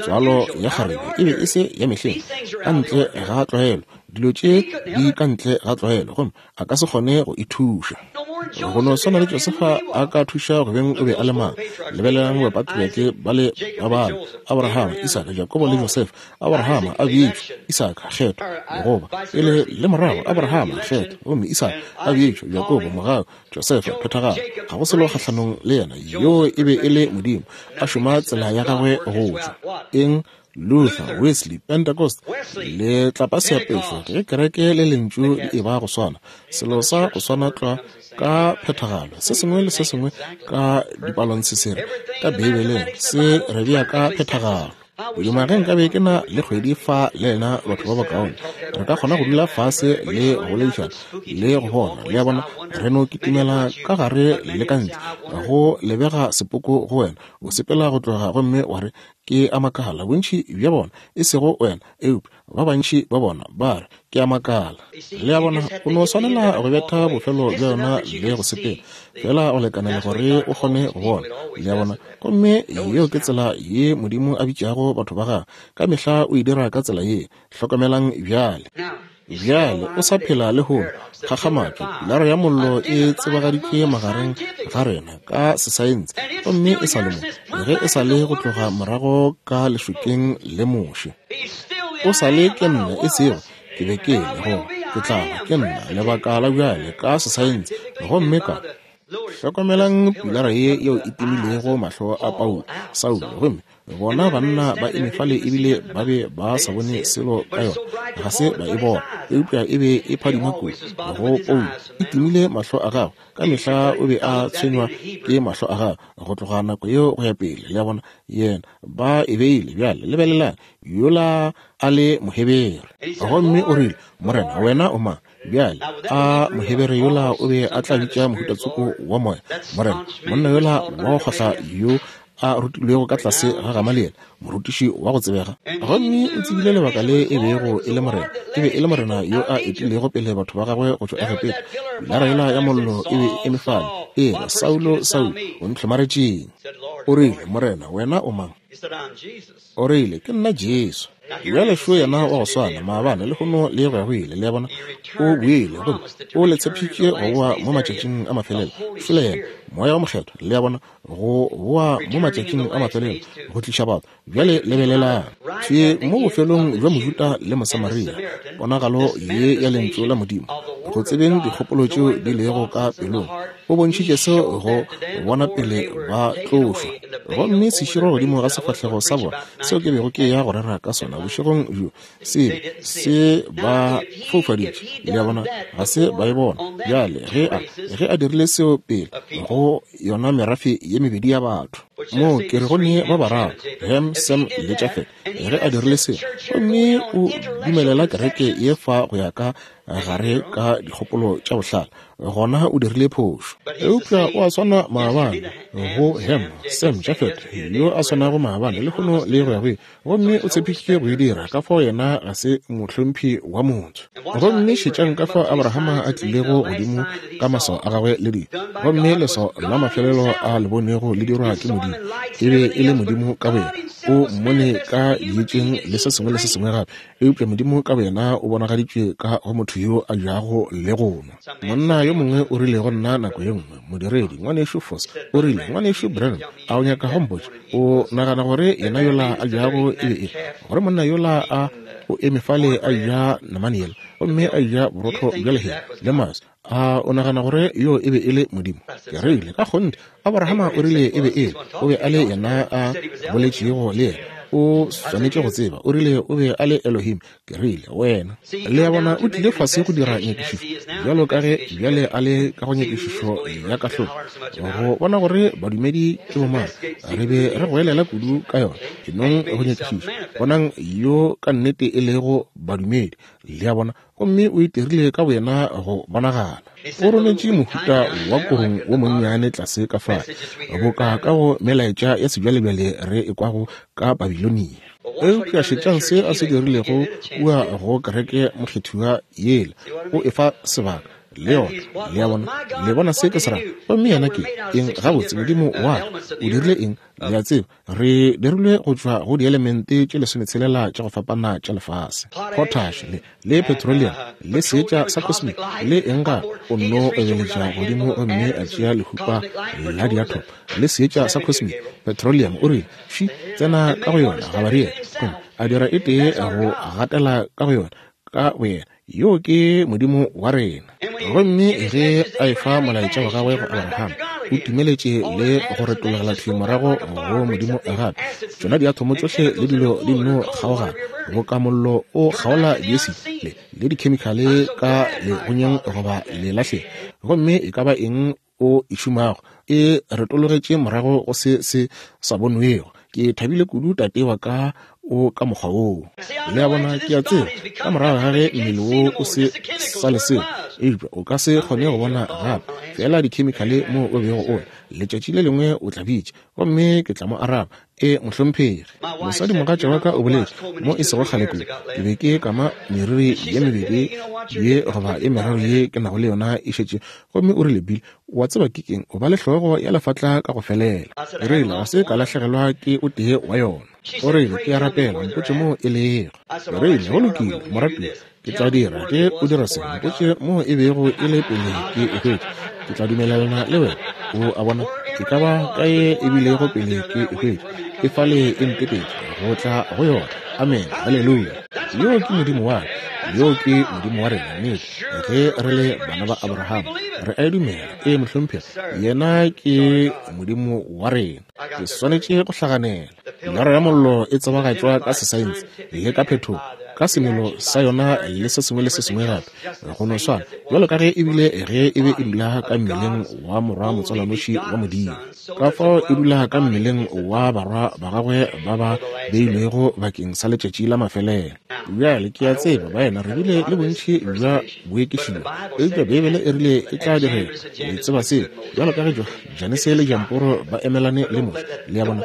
Tswalo ya kgarebe e be e se ya mehleng, ka ntle ga tlwaelo. Dilo tše di ka ntle ga tlwaelo, gomme a ka se kgone go e thuša. Go no swana le Josefa a ka thuša go beng o be a le mang. Lebelelang bapatriake ba le ba bane, Abrahama, Isaka, Jakobo le Josefa. Abrahama a bitšwa, Isaka kgetho, goba pele le morago, Abrahama kgetho, gomme Isaka a bitšwa, Jakobo mogau, Josefa phethagalo. Ga go selo kgahlanong le yena, yoo e be e le Modimo a šoma tsela ya gagwe go tšwa. Eng? Luther, Wesley, Pentecost, Letlapaseapešo, ge kereke le Lentšu di eba go swana, selo sa go swana tlwa ka phethagalo, se sengwe le se sengwe ka dipalontshesere ka Beibeleng se re bea ka phethagalo. Godimo ge nkabe ke na le kgwedi fa le lena batho ba bakaone, re ka kgona go dula fase le go boledišana le go bona, le a bona, re no kitimela ka gare le ka ntle, go lebega sepoko go wena, o sepela go tloga gomme wa re, Ke a makala. Bontši bja bona, e sego wena, eupša ba bantši ba bona ba re, Ke a makala. Le a bona, o no swanela go betha bofelo bja yona le go sepela, feela go lekanela gore o kgone go bona. Le a bona? Gomme yeo ke tsela ye Modimo a bitšago batho ba Gagwe. Ka mehla o e dira ka tsela ye. Hlokamelang bjale. Bjale o sa phela lehono. Kgakgamatšo, Pilara ya Mollo e tsebagaditšwe magareng ga rena ka sesaense, gomme e sa le mo, ge e sa le go tloga morago ka lešokeng le Moshe. O sa le ke nna, e sego ke be ke le, goba ke tla ba ke nna, lebaka la bjale ka sesaense, gomme ka Hlokomelang pilara ye yeo e timilego mahlo a Paulo, Saulo, gomme bona banna ba eme fale ebile ba be ba sa bone selo ka yona, ga se ba e bona, eupša e be e phadima kudu go Paulo, e timile mahlo a gagwe. Ka mehla o be a tshwenywa ke mahlo a gagwe go tloga nako yeo go ya pele. Le a bona, yena, ba e beile. Bjale lebelelang, yola a le Mohebere. Gomme o rile, Morena, wena o mang? Bjale, a Mohebere yola o be a tla bitša mohuta tsoko wa moya, Morena, monna yola wa go kgohla yo a rutilwego ka tlase ga Gamaliele, morutiši wa go tsebega? Gomme o tsebile lebaka le e bego e le Morena. E be e le Morena yo a etilego pele batho ba gagwe go tšwa Egepeta. Pilara yela ya Mollo e be e eme fale, e re, Saulo, Saulo, o ntlhomaretšeng? O rile, Morena, wena o mang? O rile, Ke nna Jesu. Bjale šo yena wa go swana, maabane, lehono, le go ya go ile. Le a bona? O boile, gomme o le tshepišitše go boa mo matšatšing a mafelelo. Šole yena, Moya wo Mokgethwa, le a bona, go boa mo matšatšing a mafelelo, go tliša batho. Bjale lebelelang. Thwi mo bofelong bja Mojuda le Mosamaria, ponagalo ye ya Lentšu la Modimo, go tsebeng dikgopolo tšeo di lego ka pelong, o bontšhitše seo go bona pele ba tlošwa. Gomme seširo godimo ga sefahlego sa bona, seo ke bego ke ya go rera ka sona bošegong bjo, se se ba foufaditše. Le a bona, ga se ba e bona. Bjale, ge a, ge a dirile seo pele go yona merafe ye mebedi ya batho, moo ke re go ne ba bararo, Ham, Sem le Jafet, ge a dirile seo, gomme o dumelela kereke ye fa go ya ka gare ka dikgopolo tša bohlale, gona o dirile phošo. Eupša o a swana maabane go Ham, Sem, Jafet, yo a swanago maabane, lehono le go ya go ile. Gomme o tshepišitše go e dira, ka fao yena ga se mohlomphi wa motho. Gomme šetšang ka fao Abrahama a tlilego godimo ka maswao a gagwe le dilo. Gomme leswao la mafelelo a le bonego le dirwa ke Modimo, e be e le Modimo ka boyena. O mmone ka dietšeng le se sengwe le se sengwe gape, Eupša Modimo ka boyena o bonagaditšwe ka go motho yo a jago le go nwa. Monna yo mongwe o rile go nna nako ye nngwe, modiredi, Ngwanešu Foss, o rile, Ngwanešu Branham, a o nyaka go mpotša, o nagana gore yena yola a jago e be e gore monna yola a o eme fale a ja namane yela, gomme a ja borotho bja lehea le maswi, a o nagana gore yo e be e le Modimo? Ke rile, Ka kgonthe, Abrahama o rile e be e le, o be a le yena a boletšego le yena. O swanetše go tseba. O rile o be a le Elohim. Ke rile, Wena. Le a bona, o tlile fase go dira nyakišišo, bjalo ka ge bjale a le ka go nyakišišo ya kahlolo, go bona gore badumedi ke bomang. Re be re goelela kudu ka yona. Ke nong go nyakišiša, bonang yo ka nnete e lego badumedi. Le a bona? Gomme o itirile ka boyena go bonagala. O rometše mohuta wa korong wo monnyane tlase ka fale, boka ka go melaetša ya sebjalebjale re e kwago ka Babilonia. Eupša šetšang se a se dirilego kua go kereke mokgethiwa yela. O e fa sebaka, le yona. Le a bona? Le bona se ke se rago? Gomme yena ke eng? Gabotse, Modimo wa ka o dirile eng? Le a tseba, re dirilwe go tšwa go dielemente tše lesometshelela tša go fapana tša lefase, potash le, le petroleum le seetša sa cosmic le eng gape. O nno obeletša godimo gomme a tšea lehupa la diathomo le seetša sa cosmic petroleum, o rile, Fši, tsena ka go yona, Gabariele. Gomme a dira e tee go gatela ka go yona, ka boyena. Yoo ke Modimo wa rena. Gomme ge a efa molaetša wa gagwe go Abraham, o timeletše le go retologela thwi morago go Modimo gape. Tšona diathomo tšohle le dilo di nno kgaogana, boka mollo o kgaola diesiti le, le dikhemikhale ka legonyeng goba lelahleng. Gomme e ka ba eng o e šomago, e retologetše morago go se se sa bonwego. Ke thabile kudu tate wa ka o ka mokgwa woo. Le a bona, ke a tseba, ka morago ga ge mmele wo o se sa le selo, eupša o ka se kgone go bona gape, feela dikhemikhale moo o bego o le. Letšatši le lengwe o tla bitša, gomme ke tla mo araba, E, mohlomphegi. Mosadimogatša wa ka o boletše, mo e sego kgale kudu, ke be ke kama meriri ye mebedi ye goba ye meraro ye ke nago le yona e šetše, gomme o rile, Bill, o a tseba ke eng, o ba le hlogo ya lefatla ka go felela. Ke rile, Ga se ka lahlegelwa ke o tee wa yona. O rile, Ke a rapela, mpotše moo e lego. Ke rile, Go lokile, moratuwa, ke tla dira ge o dira se, mpotše moo e bego e le pele ke e hwetša. Ke tla dumelelana le wena. O a bona, e ka ba kae e bilego pele ke e hwetša, e fale e ntetetše go tla go yona. Amene. Haleluya. Yoo ke Modimo wa ka. Yoo ke Modimo wa rena, nnete. Ge re le bana ba Abraham, re a e dumela. Ee, mohlomphegi, yena ke Modimo wa rena. Ke swanetše go hlaganela. Pilara ya Mollo e tsebagatšwa ka sesaense le ka phetogo, ka semelo sa yona le se sengwe le se sengwe gape, go no swana bjalo ka ge e bile ge e be e dula ka mmeleng wa Morwa motswalwanoši wa Modimo. Ka fao e dula ka mmeleng wa barwa ba gagwe ba ba beilwego bakeng sa letšatši la mafelelo. Bjale, ke a tseba, baena, re bile le bontši bja boekišio, eupša Beibele e rile e tla direga. Le tseba seo, bjalo ka ge Janese le Jamporo ba emelane le Moshe. Le a bona,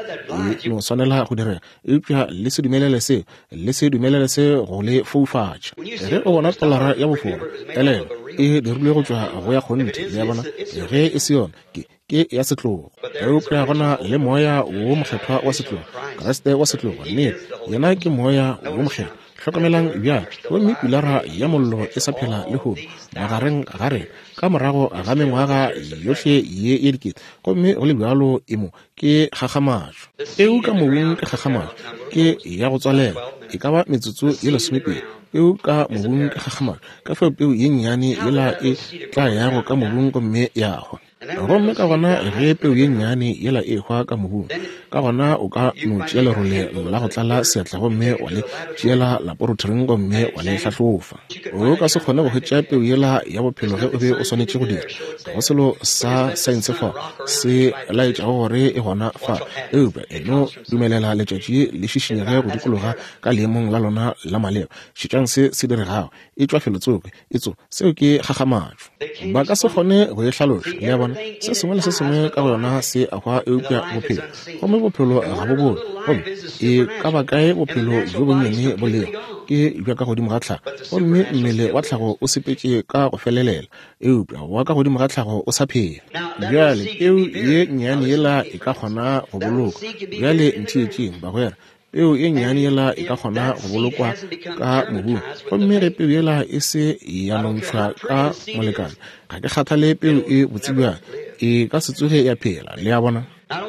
e no swanela go direga. Eupša le se dumelele seo, le se dumelele se go le foufatša. Ge o bona tolara ya bofora, elelwa, e dirilwe go tšwa go ya kgonthe. Le a bona, ge e se yona, ke, ke ya setlogo. Eupša go na le Moya wo Mokgethwa wa setlogo, Kriste wa setlogo. Nnete, Yena ke Moya wo Mokgethwa. Hlokamelang bjale, gomme Pilara ya Mollo e sa phela lehono magareng ga rena, ka morago ga mengwaga yohle ye ye dikete, gomme go le bjalo e mo. Ke kgakgamatšo. Peu ka mobung ke kgakgamatšo, ke ya go tswalela, e ka ba metsotso ye lesomepedi. Peu ka mobung ke kgakgamatšo, ka fao peu ye nnyane yela e tla yago ka mobung gomme ya hwa. Gomme ka gona ge peu ye nnyane yela e hwa ka mobung, ka gona o ka no tšea lerole la go tlala seatla gomme wa le tšeela laporotering gomme wa le hlahlofa. O ka se kgone go hwetša peu yela ya bophelo ge o be o swanetše go dira. Ga go selo sa saense fa se laetšago gore e gona fa, eupša e no dumelela letšatši le šišinyege go dikologa ka leemong la lona la maleba. Šetšang se se diregago. E tšwa felotsoko. Etso, seo ke kgakgamatšo. Ba ka se kgone go e hlaloša. Le a bona? Se sengwe le se sengwe ka go yona se a hwa eupša bophelo. Gomme bophelo ga bo bone. Gomme e ka ba kae bophelo bjo bonnyane bo lego, ke bja ka godimo ga tlhago. Gomme mmele wa tlhago o sepetše ka go felelela, eupša wa ka godimo ga tlhago o sa phela. Bjale, peu ye nnyane yela e ka kgona go bolokwa. Bjale ntheetšeng, bagwera. Peu ye nnyane yela e ka kgona go bolokwa ka mobung, gomme ge peu yela e se ya nontšhwa ka molekane, ga ke kgathale peu e botse bjang, e ka se tsoge ya phela. Le a bona?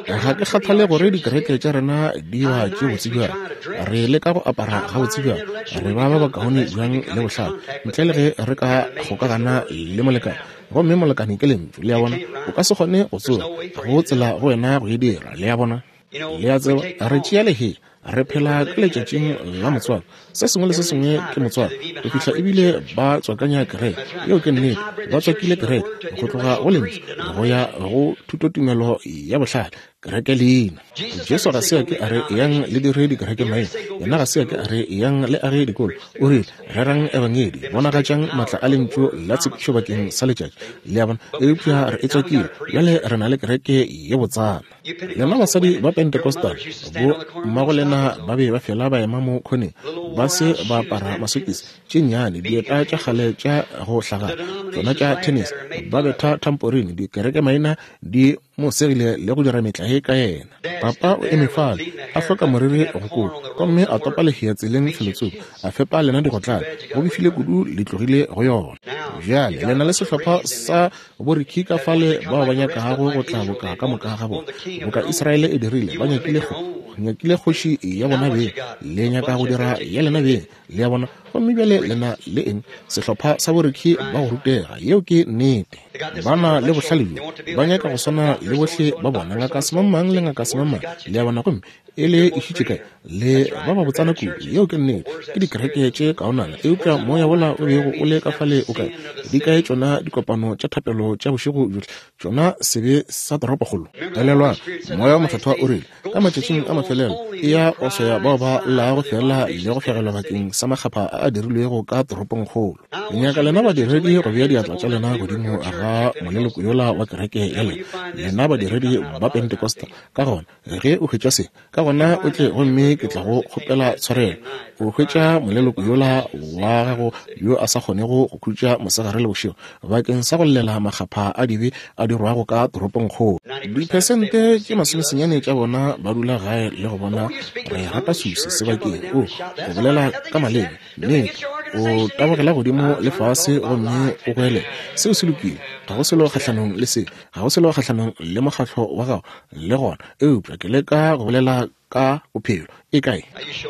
Ga ke kgathale gore dikereke tša rena di ba tše botse bjang, re leka go apara gabotse bjang, re ba ba bakaone bjang le bohlale, ntle le ge re ka kgokagana le molekane. Gomme molekane ke Lentšu. Le a bona? O ka se kgone go tsoga, go tsela go wena go e dira. Le a bona? Le a tseba, re tšea lehea, re phela ka letšatšing la motswako. Se sengwe le se sengwe ke motswako, go fihla ebile ba tswakanya kereke. Yeo ke nnete, ba tswakile kereke go tloga go Lentšu go ya go thutotumelo ya bohlale, kereke leina. Jesu ga se a ke a re eyang le dire dikereke maina. Yena ga se a ke a re eyang le age dikolo. O rile, Rerang Ebangedi, bonagatšang maatla a Lentšu la tshepišo bakeng sa letšatši. Le a bona? Eupša re e tswakile. Bjale re na le kereke ye botsana. Lena basadi ba Pentecostal, bo mmago lena ba be ba fela ba ema mo khoneng, ba se ba apara masokisi, tše nnyane, dieta tša kgale tša go hlagala, tšona tša tennis, ba betha tamporine, dikerekemaina di mo segile le go dira metlae ka yena. Papa o eme fale, a hloka moriri go kopa, gomme a topa lehea tseleng felotsoko, a fepa lena digotlane, go befile kudu le tlogile go yona. Bjale le na le sehlopha sa Borikhi ka fale bao ba nyakago go tla boka ka moka ga bona, boka Israele e dirile, ba nyakile go, nyakile kgoši ya bona beng, le nyaka go dira ya lena beng, le a bona. Gomme bjale le na le eng? Sehlopha sa borikhi ba go rutega. Yeo ke nnete. Ba na le bohlale bjo. Ba nyaka go swana le bohle ba bona, Ngaka Semangmang le Ngaka Semangmang. Le a bona? Gomme e le išitše kae? Le ba ba botsana kudu. Yeo ke nnete. Ke dikereke tše kaonana. Eupša moya wola o bego o le ka fale o kae? Di kae tšona dikopano tša thapelo tša bošego bjohle? Tšona sebe sa toropokgolo. Elelwang, Moya wo Mokgethwa o rile, Ka matšatšing a mafelelo, eya o swaya bao ba llago feela le go fegelwa bakeng sa makgapha a a dirilwego ka toropongkgolo. Ke nyaka lena badiredi go bea diatla tša lena godimo ga moleloko yola wa kereke ya lena, lena badiredi ba Pentecostal. Ka gona, ge o hwetša se, ka gona o tle gomme ke tla go kgopela tshwarelo. O hwetša moleloko yola wa gago yo a sa kgonego go khutša mosegare le bošego bakeng sa go llela makgapha a dibe a dirwago ka toropongkgolo. Diphesente tše masomesenyane tša bona ba dula gae le go bona re rata susi sebakeng. O, go bolela ka maleme, nnete, o tabogela godimo le fase gomme o goelela. Seo se lokile, ga go selo kgahlanong le se, ga go selo kgahlanong le mokgatlo wa gago le gona, eupša ke leka go bolela ka bophelo. E kae?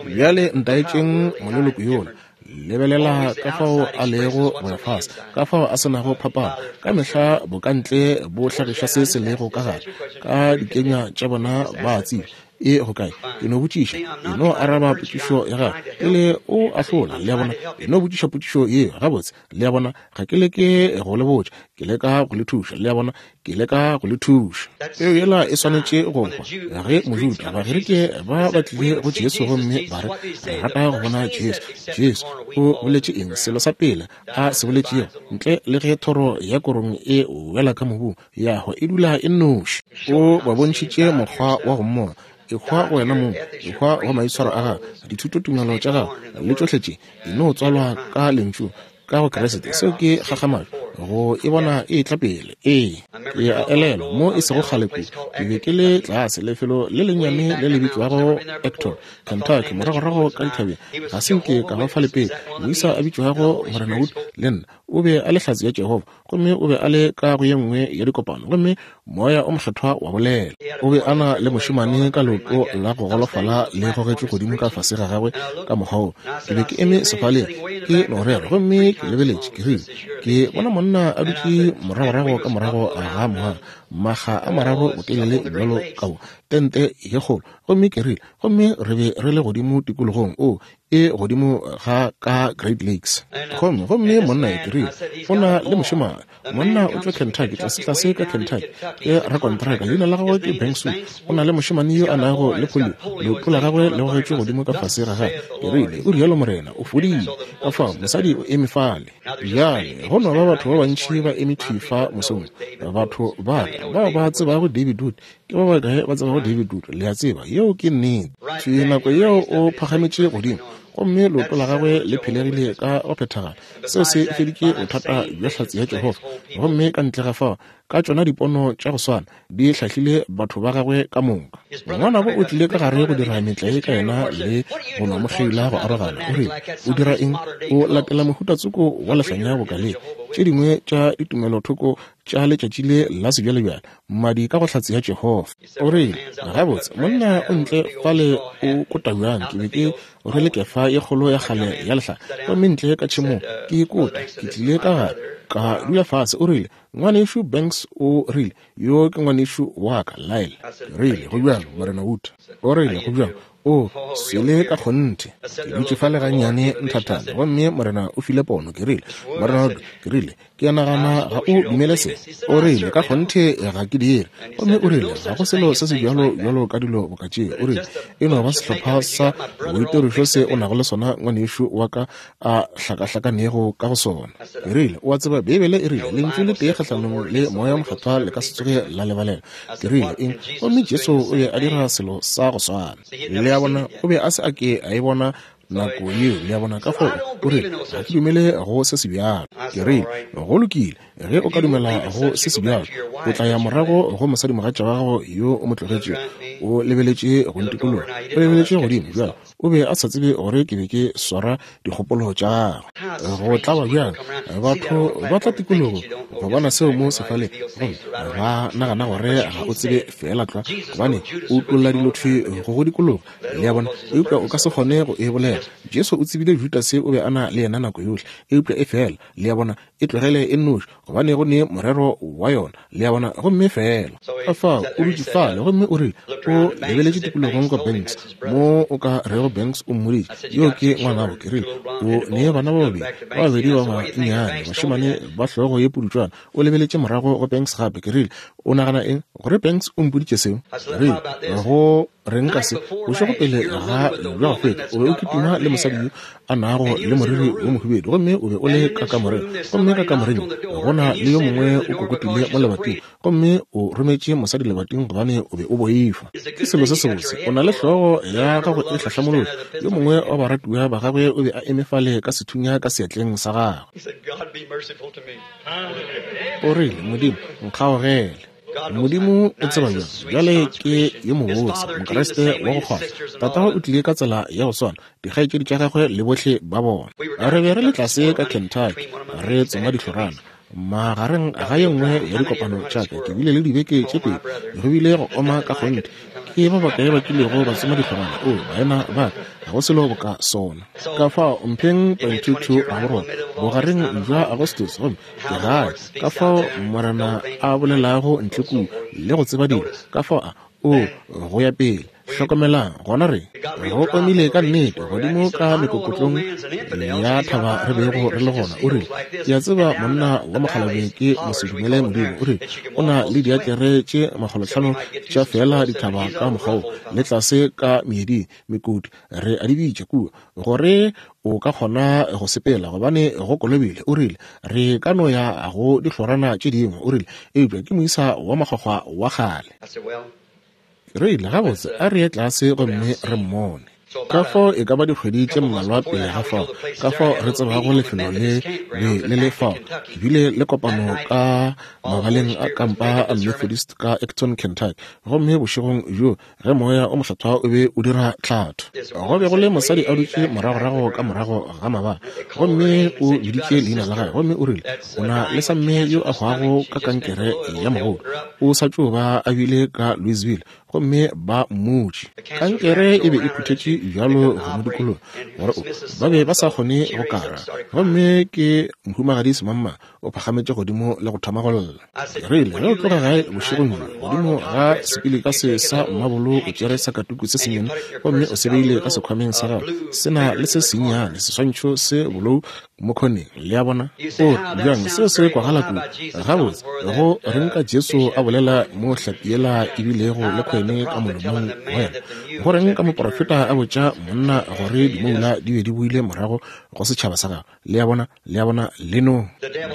Bjale ntaetšeng moleloko yola. Lebelela ka fao a lego go ya fase, ka fao a se nago phapano. Ka mehla bokantle bo hlagiša se se lego ka gare. Ka dikenywa tša bona ba a tseba. E go kae? Ke no botšiša. E no araba potšišo ya gago pele o ahlola. Le a bona? E no botšiša potšišo yeo gabotse. Le a bona? Ga ke leke go le botša, ke leka go le thuša. Le a bona? Ke leka go le thuša. Peu yela e swanetše go hwa. Ge Mojuda, Bagerike ba ba tlile go Jesu gomme ba re, Re rata go bona Jesu. Jesu o boletše eng? Selo sa pele a se boletšego, ntle le ge thoro ya korong e wela ka mobung, ya hwa, e dula e nnoši. O ba bontšhitše mokgwa wa go mmona. Ehwa go wena mong, ehwa go maitshwaro a gago, dithutotumelo tša gago, le tšohle tše. E no tswalwa ka Lentšu, ka go Kriste. Seo ke kgakgamatšo go e bona e etla pele. Ee, ke a elelwa mo e sego kgale kudu, ke be ke le tlase lefelo le lennyane le le bitšwago Acton, Kentucky, moragorago ka dithabeng. Ga se nke ka ba fale pele. Moisa a bitšwago Morena Wood le nna, o be a le Hlatse ya Jehofa, gomme o be a le ka go ye nngwe ya dikopano, gomme Moya o Mokgethwa wa bolela. O be a na le mošemane ka leoto la go golofala le gogetšwe godimo ka fase ga gagwe ka mokgwa wo. Ke be ke eme sefaleng ke no rera, gomme ke lebeletše, ke rile, Ke bona monna a dutše moragorago ka morago ga moago, makga a mararo botelele bjalo ka wo, tente ye kgolo. Gomme ke rile, Gomme re be re le godimo tikologong, oo, e godimo ga ka Great Lakes. Gomme, gomme monna ke rile, o na le mošemane. Monna o tšwa Kentucky, tlasetlase ka Kentucky. Ke rakontraka, leina la gagwe ke Banks Wood. O na le mošemane yo a nago le polio, leoto la gagwe le gogetšwe godimo ka fase ga gagwe. Ke rile, O rialo morena, o fodile. Ka fao, mosadi o eme fale. Bjale, go no ba batho ba bantši ba eme thwi fa mosong, batho ba ka bao ba tsebago David Wood. Ke ba bakae ba tsebago David Wood? Le a tseba, yeo ke nnete. Thwi nako yeo o phagametše godimo, gomme leoto la gagwe le phelegile ka go phethagala. Seo se feditše bothata bja Hlatse ya Jehofa. Gomme ka ntle ga fao, ka tšona dipono tša go swana, di hlahlile batho ba gagwe ka moka. Ngwanabo o tlile ka gare go dira metlae ka yena le go no mo kgeila go arogana. O rile, O dira eng? O latela mohuta tsoko wa lehlanya boka le tše dingwe tša ditumelothoko tša letšatši le la sebjalebjale, mmadi ka go Hlatse ya Jehofa. O rile, Gabotse, monna o ntle fale o kota bjang. Ke be ke rwele kefa ye kgolo ya kgale ya lehlare, gomme ntle ka tšhemong ke e kota. Ke tlile ka gare, ka dula fase. O rile, Ngwanešu Banks, o rile, yo ke ngwanešu wa ka, Lyle. Ke rile, Go bjang, Morena Wood? O rile, Go bjang? O swele ka kgonthe. Ke dutše fale gannyane nthathana, gomme Morena o file pono. Ke rile, Morena Wood, ke rile, Ke a nagana ga o dumele se. O rile, Ka kgonthe ga ke dire. Gomme o rile, Ga go selo se se bjalo bjalo ka dilo boka tše. O rile, E no ba sehlopha sa boitirišo se o nago le sona, ngwanešu wa ka a hlakahlakanego ka go sona. Ke rile, O a tseba, Beibele e rile, Lentšu le tee kgahlanong le Moya wo Mokgethwa le ka se tsoge la lebalelwa. Ke rile, Eng? Gomme Jesu o be a dira selo sa go swana. Le a bona, o be a se a ke a e bona nako yeo, le a bona. Ka fao o rile, Ga ke dumele go se sebjalo. Ke rile, Go lokile, ge o ka dumela go se sebjalo, o tla ya morago go mosadimogatša wa gago yo o mo tlogetšego. O lebeletše go ntikologa, o lebeletše godimo bjalo. O be a sa tsebe gore ke be ke swara dikgopolo tša gagwe. Go tlaba bjang, batho ba tla tikologo go bona seo mo sefaleng, gomme ba nagana gore ga o tsebe feela tlwa, gobane o utolla dilo thwi go go dikologa. Le a bona? Eupša o ka se kgone go e bolela. Hlokomela, Jesu o tsebile Judase o be a na le yena nako yohle, eupša efela, le a bona, e tlogele e nnoši, gobane go ne morero wa yona, le a bona, gomme feela. Ka fao, o dutše fale, gomme o rile, o lebeletše tikologong go Banks, mo o ka rego Banks o mmoditše, Yo ke ngwanabo, ke rile, o ne bana ba babedi, ba babedi ba bannyane, bašemane ba hlogo ye pudutšwana. O lebeletše morago go Banks gape, ke rile, O nagana eng gore Banks o mpoditše seo? Ke rile, Go reng ka se? Bošego pele ga bja go feta, o be o kitima le mosadi yo a nago le moriri wo mohubedu, gomme o be o le ka kamoreng. Gomme ka kamoreng go na le yo mongwe o kokotile mo lebating, gomme o rometše mosadi lebating gobane o be o boifa. Ke selo se sebotse. O na le hlogo ya gago e hlahlamolotšwe. Yo mongwe wa baratiwa ba gagwe o be a eme fale ka sethunya ka seatleng sa gagwe. O rile, Modimo, nkgaogele. Modimo o tseba bjang. Bjale ke yo mobotse, Mokriste wa go kgona. Tatago o tlile ka tsela ya go swana, dikgaetšedi tša gagwe le bohle ba bona. Re be re le tlase ka Kentucky, re tsoma dihlorana. Magareng ga ye nngwe ya dikopano tša ka, ke bile le dibeke tše pedi, go bile go oma ka kgonthe. Ke ba bakae ba kilego ba tsoma dihlorana? Oo, baena ba ka, ga go selo boka sona. Ka fao, mpheng 22 Raborone, bogareng bja Agostose, gomme ke gae. Ka fao Morena a bolelago ntle kua le go tseba dilo, ka fao a, oo, go ya pele. Hlokomelang, gona re, go omile ka nnete, godimo ka mekokotlong ya thaba re bego re le gona. O rile, Ke a tseba monna wa mokgalabje ke mosedumele Modimo. O rile, O na le diakere tše makgolotlhano tša feela dithaba ka mokgwa wo, le tlase ka meeding, mekoti, re a di bitša kua, gore o ka kgona go sepela, gobane go kolobile. O rile, Re ka no ya go dihlorana tše dingwe. O rile, Eupša ke moisa wa makgwakgwa wa kgale. Re ile, Gabotse, a re ye tlase gomme re mmone. Ka fao e ka ba dikgwedi tše mmalwa pele ga fao, ka fao re tsebago lefelo le be le le fao, ke bile le kopano ka mabaleng a kampa a Methodist ka Acton, Kentucky. Gomme bošegong bjoo ge Moya o Mokgethwa o be o dira tlhatho, go be go le mosadi a dutše moragorago ka morago ga mabala, gomme o biditše leina la gagwe, gomme o rile, O na le samme yo a hwago ka kankere ya mogodu. O sa tšo ba a bile ka Louisville, gomme ba mmutše. Kankere e be e phuthetše bjalo go mo dikologa gore o, ba be ba sa kgone go kara. Gomme ke Mohumagadi Semangmang o phagametše godimo le go thoma go lla. Ke rile, Ge o tloga gae bošegong bjo, godimo ga sepilika se sa mmabolo o tšere sakatuku se sennyane gomme o se beile ka sekhwameng sa gago, se na le se sennyane, seswantšho se bolou mo khoneng. Le a bona? O re, Bjang, seo se kwagala kudu. Gabotse, go reng ka Jesu a bolela mo hlapi yela e bilego le khwene ka molomong wa yona? Go reng ka moprofeta a botša monna gore dimoula di be di boile morago go setšhaba sa gagwe? Le a bona? Le a bona? Le no.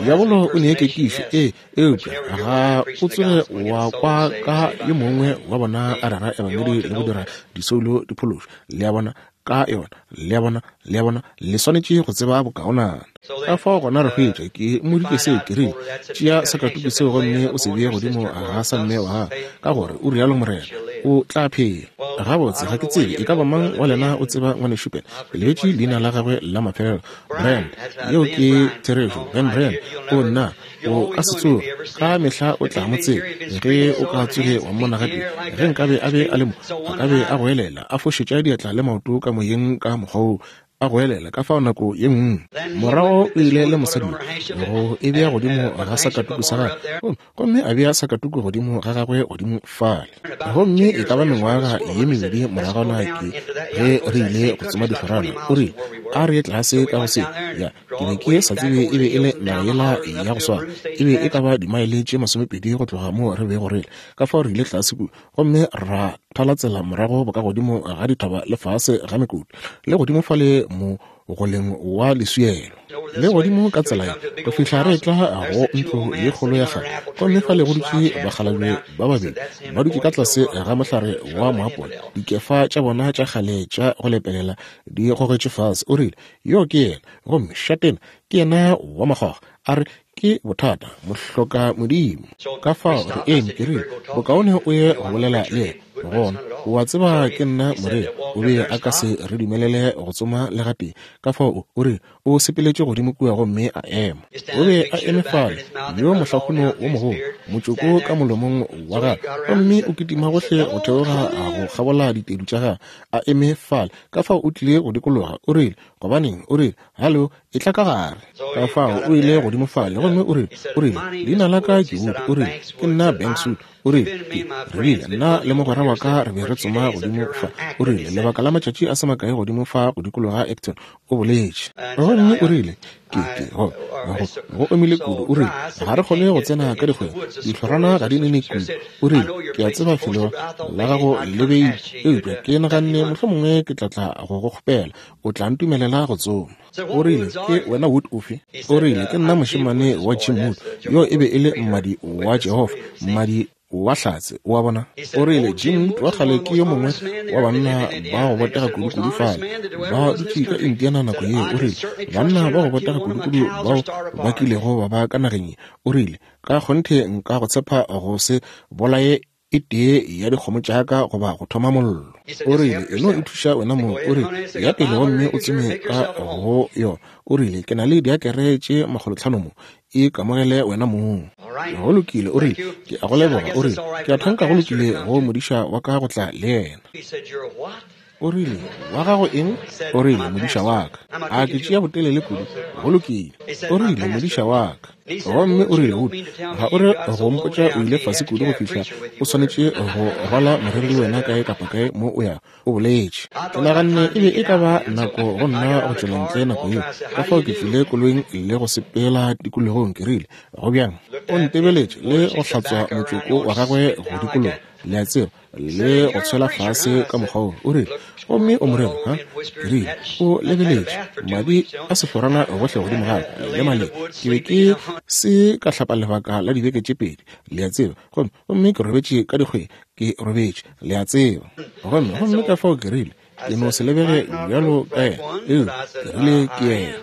Diabolo o ne kekišo, ee, eupša ga o tsoge wa kwa ka yo mongwe wa bona a rera ebangedi le go dira disoulo di phološwe. Le a bona? Ka yona. Le a bona? Le a bona? Le swanetše go tseba bokaonana. Ka fao gona re hwetša, ke mmoditše seo, ke rile, Tšea sakatuku seo gomme o se bee godimo ga sa mme wa gago, ka gore o rialo morena, o tla phela. Gabotse, ga ke tsebe e ka ba mang wa lena o tseba Ngwanešu Ben. Ke lebetše leina la gagwe la mafelelo. Brand. Yeo ke therešo. Ben Brand. O nna, o ka se tsoge. Ka mehla o tla mo tseba. Ge o ka tsoge wa mmona gatee, ge nkabe a be a le mo, a ka be a goelela, a fošetša diatla le maoto ka moyeng ka mokgwa woo, a goelela ka fao nako ye nngwe. Morago o ile le mosadi yo, go e bea godimo ga sakatuku sa gagwe, gomme a bea sakatuku godimo ga gagwe godimo fale. Gomme e ka ba mengwaga ye mebedi moragwana ke ge re ile go tsoma dihlorana, o rile, A re ye tlase ka go se. Ya, ke be ke sa tsebe e be e le naga yela ya go swana. E be e ka ba dimaele tše masomepedi go tloga moo re bego re le. Ka fao re ile tlase kua gomme ra thala tsela morago bokagodimo ga dithaba le fase ga mekoti, le godimo fale mo mogoleng wa leswielo, le godimo ka tsela ye, go fihla re etla go ntlo ye kgolo ya kgale. Gomme fale go dutše bakgalabje ba babedi ba dutše ka tlase ga mohlare wa moapola, dikefa tša bona tša kgale tša go lepelela di gogetšwe fase. O rile, Yo ke yena, gomme šatena ke yena wa makgwakgwa. A re, Ke bothata, mohloka modimo. Ka fao re eme, ke rile, Bokaone o ye go bolela le yena. Gona, o a tseba ke nna moreri, o be a ka se re dumelele go tsoma le gatee. Ka fao o, o rile, o sepeletše godimo kua gomme a ema. O be a eme fale, yo mohlahuno wo mogolo, motšoko ka molomong wa gagwe, gomme o kitima gohle go theoga go kgabola ditedu tša gagwe, a eme fale. Ka fao o tlile go dikologa, o rile, Gobaneng, o rile, halo, etla ka gare. Ka fao o ile godimo fale, gomme o rile, o rile, Leina la ka ke Wood. O rile, Ke nna Banks Wood. O rile, Ke, re bile, nna le mogwera wa ka re be re tsoma godimo fa, o rile, lebaka la matšatši a se makae godimo fa go dikologa Acton, o boletše. Gomme o rile, Ke, ke, go, go, go omile kudu. O rile, Ga re kgone go tsena ka dikgweng, dihlorana ga di nene kudu. O rile, Ke a tseba felo la gago le beile, eupša ke naganne mohlomongwe ke tla tla go go kgopela, o tla ntumelela go tsoma. O rile, Ke wena Wood ofe? O rile, Ke nna mošemane wa Jim Wood. Yo e be e le mmadi wa Jehofa, mmadi wa hlatse, o a bona. O rile, Jim Wood wa kgale ke yo mongwe wa banna ba go botega kudukudu fale, ba dutše ka Indiana nako yeo. O rile, Banna ba go botega kudukudu bao ba kilego ba ba ka nageng ye. O rile, Ka kgonthe nka go tshepa go se bolaye e tee ya dikgomo tša ka goba go thoma mollo. O rile, E no ithuša wena mong. O rile, Ya pele gomme o tsome ka go yona. O rile, Ke na le diakere tše makgolotlhano mo. E kamogele wena mong. Go lokile. O rile, Ke a go leboga. O rile, Ke a thanka go lokile go modiša wa ka go tla le yena. O rile, Wa gago eng? O rile, Modiša wa ka. A ke tšea botelele kudu? Go lokile. O rile, Modiša wa ka. Gomme o rile, Wood, ga o re go mpotša o ile fase kudu go fihla o swanetše go rwala moreri le wena kae kapa kae mo o yago, o boletše. Ke naganne e be e ka ba nako go nna go tšwela ntle nako yeo, ka fao ke tlile koloing le go sepela tikologong, ke rile, Go bjang? O ntebeletše le go hlatswa motšoko wa gagwe go dikologa, le a tseba, le go tshwela fase ka mokgwa wo. O rile, Gomme o moreri, ha? Ke rile, O lebeletše, madi a sehlorana gohle godimo ga ka, le maleng. Ke be ke se ka hlapa lebaka la dibeke tše pedi, le a tseba, gomme, gomme ke robetše ka dikgweng, ke robetše, le a tseba. Gomme, gomme ka fao ke rile, Ke no se lebege bjalo ka yena, eupša ke rile ke yena.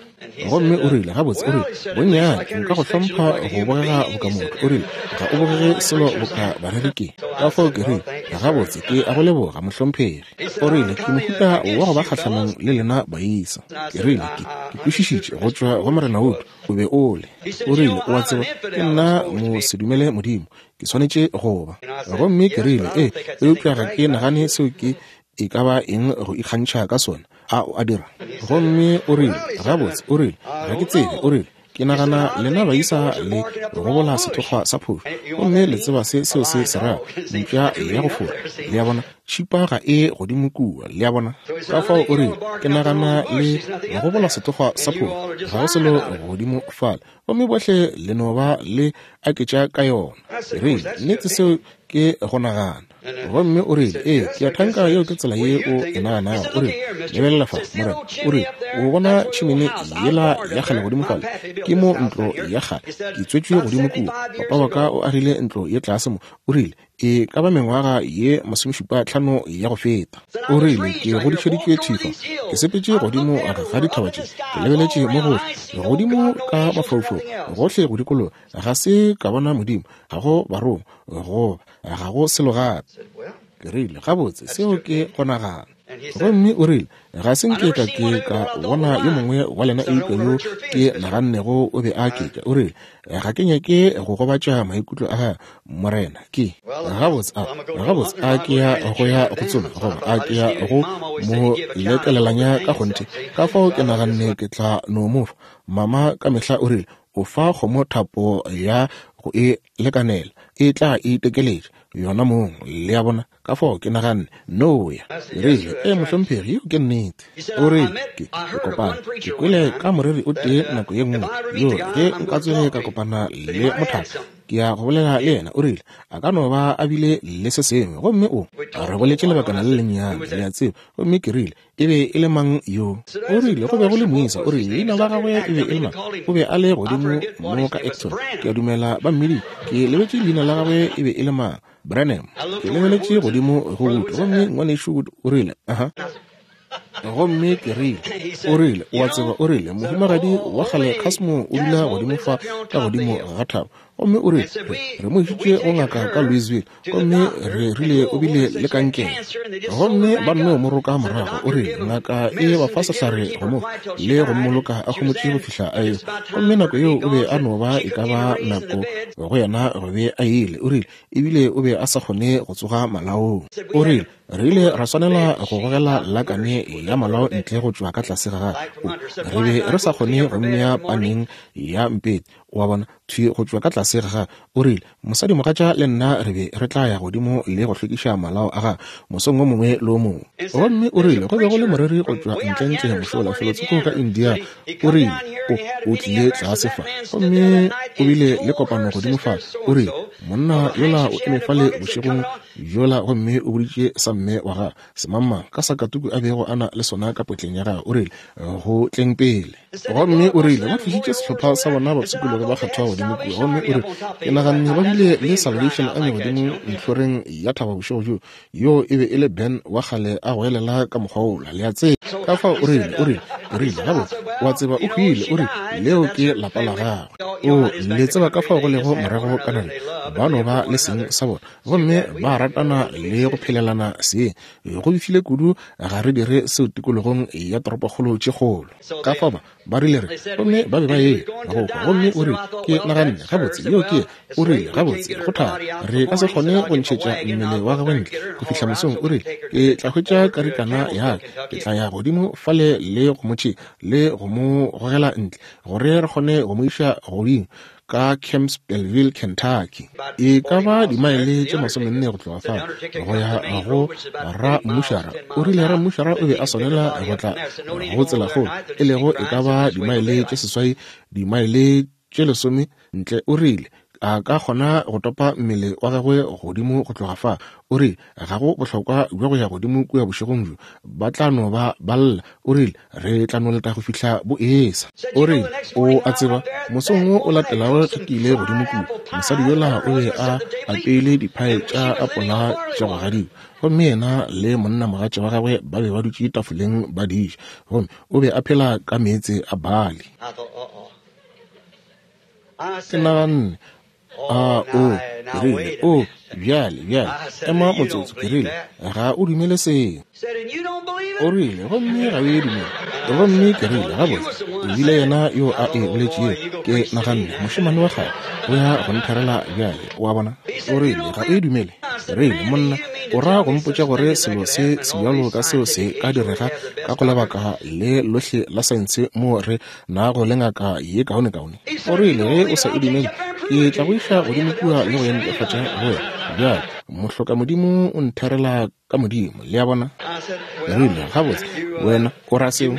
Gomme o rile, Gabotse, o rile, bonnyane nka go hlompha go bogega boka motho. O rile, Ga o bogege selo boka bareri ke. Ka fao ke rile, Gabotse, ke a go leboga, mohlomphegi. O rile, Ke mohuta wa go ba kgahlanong le lena baisa. Ke rile, Ke, ke kwešišitše go tšwa go Morena Wood, o be o le. O rile, O a tseba, ke nna mosedumele Modimo. Ke swanetše go ba. Gomme ke rile, Ee, eupša ga ke nagane seo ke e ka ba eng go ikgantšha ka sona, a o a dira? Gomme o rile, Gabotse, o rile, ga ke tsebe, o rile, ke nagana lena baisa le gobola sethokgwa sa phošo, gomme le tseba se seo se se rago, mpša ya go fora, le a bona, tšhipa ga e godimo kua, le a bona. Ka fao o rile, ke nagana le gobola sethokgwa sa phošo, ga go selo godimo fale, gomme bohle le no ba le aketša ka yona. Ke rile, Nnete seo ke go nagana. Gomme o rile, Ee, ke a thanka yeo ke tsela ye o e naganago. O rile, Lebelela fa, morena. O rile, O bona tšhimene yela ya kgale godimo fale? Ke mo ntlo ya kgale. Ke tswetšwe godimo kua. Papa wa ka o agile ntlo ye tlase mo. O rile, E ka ba mengwaga ye masomešupa tlhano ya go feta. O rile, Ke godišeditšwe thwi fa. Ke sepetše godimo ga dithaba tše. Ke lebeletše mo gohle, godimo ka mafaufaung, gohle go dikologa. Ga se ka bona Modimo, ga go Barongwa, goba ga go selo gape. Ke rile, Gabotse, seo ke go nagana. Gomme o rile, Ga se nke ka ke ka bona yo mongwe wa lena eupša yo ke nagannego o be a aketša. O rile, Ga ke nyake go gobatša maikutlo a gago, Morena. Ke, gabotse, a, gabotse, a ke ya go ya go tsoma, goba a ke ya go mo lekelelanya ka kgonthe? Ka fao ke naganne ke tla no mo fa. Mama ka mehla o rile, O fa kgomo thapo ya go e lekanela, e tla itekeletša yona mong, le a bona. Ka fao ke naganne, No ya. Ke rile, Ee, mohlomphegi, yeo ke nnete. O rile, Ke, ke kopane, ke kwele ka moreri o tee nako ye nngwe, yo ge nka tsoge ka kopana le mothaka, ke ya go bolela le yena. O rile, A ka no ba a bile le se sengwe. Gomme o, re boletše lebakana le lennyane, le a tseba. Gomme ke rile, E be e le mang yo? O rile, Go be go le moisa. O rile, Leina la gagwe e be e le mang? O be a le godimo mo ka Acton. Ke a dumela ba mmiditše. Ke lebetše leina la gagwe e be e le mang. Branham. Ke lebeletše godimo go Wood, gomme Ngwanešu Wood o rile, Aha. Gomme ke rile, o rile, O a tseba, o rile, mohumagadi wa kgale Casmo o dula godimo fa ka godimo ga thaba. Gomme o rile, Re, re mo išitše go ngaka ka Louisville, gomme re rile o bile le kankere. Gomme ba nno mo roka morago. O rile, Ngaka e ba fa sehlare go mo le go mmoloka a homotše go fihla a ehwa. Gomme nako yeo o be a no ba e ka ba nako go yena go be a ile. O rile, Ebile o be a sa kgone go tsoga malaong. O rile, Re ile ra swanela go gogela lakane ya malao ntle go tšwa ka tlase ga gagwe. Re be re sa kgone go mmea paneng ya mpete, o a bona, thwi go tšwa ka tlase ga gagwe. O rile, Mosadimogatša le nna re be re tla ya godimo le go hlwekiša malao a gagwe mosong wo mongwe le wo mongwe. Gomme o rile, Go be go le moreri go tšwa ntlentle mošola felotsoko ka India. O rile, O, o tlile tlase fa, gomme o bile le kopano godimo fa. O rile, Monna yola o eme fale bošegong bjola gomme o boditše sa mme wa gagwe semangmang ka sakatuku a bego a na le sona ka potleng ya gagwe, o rile, go tleng pele. Gomme o rile, ba tlišitše sehlopha sa bona bapshikologi ba kgethwa godimo kua, gomme o rile, ke naganne ba bile le Salvation Army godimo ntlhoreng ya thaba bošego bjo. Yoo e be e le Ben wa kgale a goelela ka mokgwa wola, le a tseba. Ka fao o rile, o rile, o rile, gabotse, o a tseba o hwile, o rile, leo ke lapa la gagwe. O, le tseba ka fao go lego morago ka nageng, ba no ba le seng sa bona, gomme ba ratana le go phelelana seng. Go befile kudu ga re dire seo tikologong ya toropokgolo tše kgolo. Ka fao ba, ba rile re, gomme ba be ba eya go hwa. Gomme o rile, Ke naganne, gabotse, yeo ke, o rile, gabotse, go thata. Re ka se kgone go ntšhetša mmele wa gagwe ntle go fihla mosong. O rile, Ke tla hwetša karikana ya ka, ke tla ya godimo fale le go mo tšea le go mo gogela ntle, gore re kgone go mo iša godimo ka Campbellville, Kentucky. E ka ba dimaele tše masomenne go tloga fao go ya go rammušara. O rile rammušara o be a swanela go tla go tselakgolo, e lego e ka ba dimaele tše seswai, dimaele tše lesome ntle. O rile a ka kgona go topa mmele wa gagwe godimo go tloga fa. O rile ga go bohlokwa bja go ya godimo kua bošegong bjo, ba tla no ba ba lla. O rile re tla no leta go fihla bo esa. O rile o a tseba, mosong wo o latelago ge ke ile godimo kua, mosadi yola o be a apeile diphae tša apola tša go gadikwa, gomme yena le monnamogatša wa gagwe ba be ba dutše tafoleng ba di ja, gomme o be a phela ka meetse a bali. Ke naganne, A o, ke rile, o, bjale, bjale, ema motsotso, ke rile, ga o dumele seo. O rile, gomme ga o e dumele. Gomme ke rile, gabotse, o bile yena yo a e boletšego. Ke naganne, mošemane wa kgale o ya go ntherela bjale, o a bona. O rile, ga o e dumele. Ke rile, monna, o ra go mpotša gore selo se sebjalo ka seo se ka direga ka go lebaka le lohle la saense moo re nago le ngaka ye kaonekaone? O rile, ge o sa e dumele, ke tla go iša godimo kua le go e netefatša go wena. Bjale, mohlokamodimo o ntherela ka Modimo, le a bona. Ke rile, Gabotse, wena o ra seo?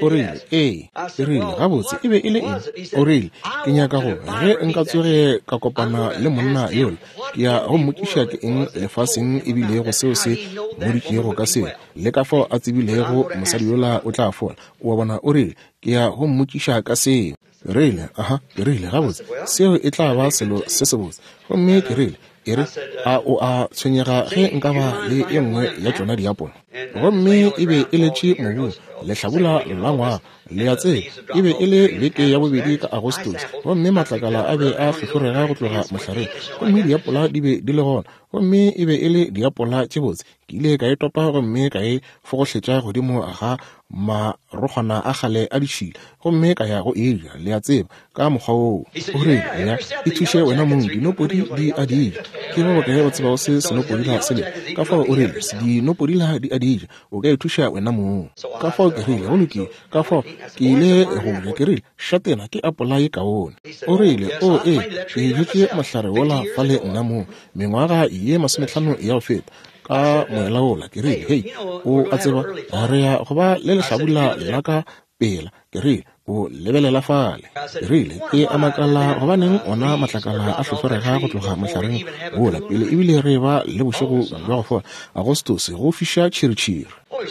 O rile, Ee. Ke rile, Gabotse, e be e le eng? O rile, Ke nyaka go, ge nka tsoge ka kopana le monna yola, ke ya go mmotšiša ke eng lefaseng e bilego seo se mmoditšego ka seo, le ka fao a tsebilego mosadi yola o tla fola. O a bona? O rile, Ke ya go mmotšiša ka seo. Ke rile, Aha. Ke rile, Gabotse, seo e tla ba selo se sebotse. Gomme ke rile, E re, a o a tshwenyega ge nka ba le ye nngwe ya tšona diapola? Gomme e be e letše mobung lehlabula la ngwaga, le a tseba, e be e le beke ya bobedi ka Agostose, gomme matlakala a be a hlohlorega go tloga mohlareng, gomme diapola di be di le gona, gomme e be e le diapola tše botse. Ke ile ka e topa gomme ka e fogohletša godimo ga marokgwana a kgale a ditšhila, gomme ka ya go e ja, le a tseba, ka mokgwa woo. O rile, Eya, ithuše wena mong, dinopodi di a di ja. Ke ba bokae o tsebago se senopodila se lego? Ka fao o rile, Dinopodila di a di ja, o ka ithuša wena mong. Ka fao ke rile, Go lokile. Ka fao ke ile go ja, ke rile, Šatena, ke apola ye kaone. O rile, O, ee, ke jetše mohlare wola fale nna mong, mengwaga ye masomehlano ya go feta, ka moela wola. Ke rile, Hei, o a tseba, re ya go ba le lehlabula la ka pela. Ke rile, O lebelela fale. Ke rile, Ke a makala gobaneng ona matlakala a hlohlorega go tloga mohlareng wola pele ebile re ba le bošego bja go fola, Agostose, go fiša tšhiritšhiri.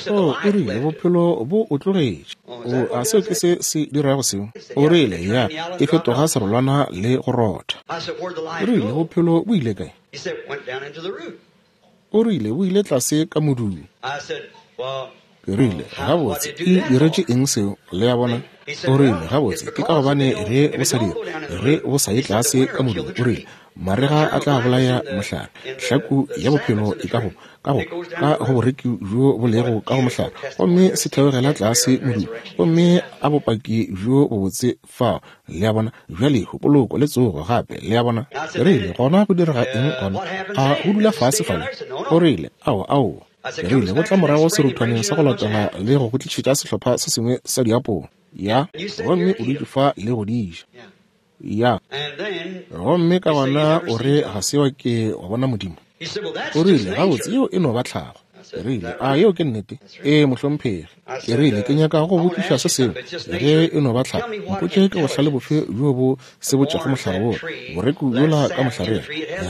Oh, o rile, bophelo bo o tlogetše. O, a seo ke se se dirago seo? O rile, Ya, e fetoga serolwana le go rotha. O rile, Bophelo bo ile kae? O rile, Bo ile tlase ka modung. Ke rile, Gabotse, e diretše eng seo? Le a bona? O rile, Gabotse, ke ka gobane ge bo sa dire, ge bo sa ye tlase ka modung, o rile, marega a tla bolaya mohlare. Hlaku ya bophelo e ka go, ka go, ka go boreki bjo bo lego ka go mohlare, gomme se theogela tlase modung, gomme a bopaki bjo bobotse fao. Le a bona? Bjale, poloko le tsogo gape, le a bona. Ke rile, Gona go direga eng gona? A go dula fase fale? O rile, Aowa, aowa. Ke rile, Go tla morago seruthwaneng sa go latela le go go tlišetša sehlopha se sengwe sa diapola. Ya. Gomme o dutše fa le go di ja. Ya. Gomme ka gona o re ga se wa ke wa bona Modimo. O rile, Gabotse, yeo e no ba tlhago. Ke rile, A yeo ke nnete? Ee, mohlomphegi. Ke rile, Ke nyaka go botšiša se sengwe. Ge e no ba tlhago, mpotše ke bohlale bofe bjo bo sebotšago mohlare wola, boreku bjola ka mohlareng,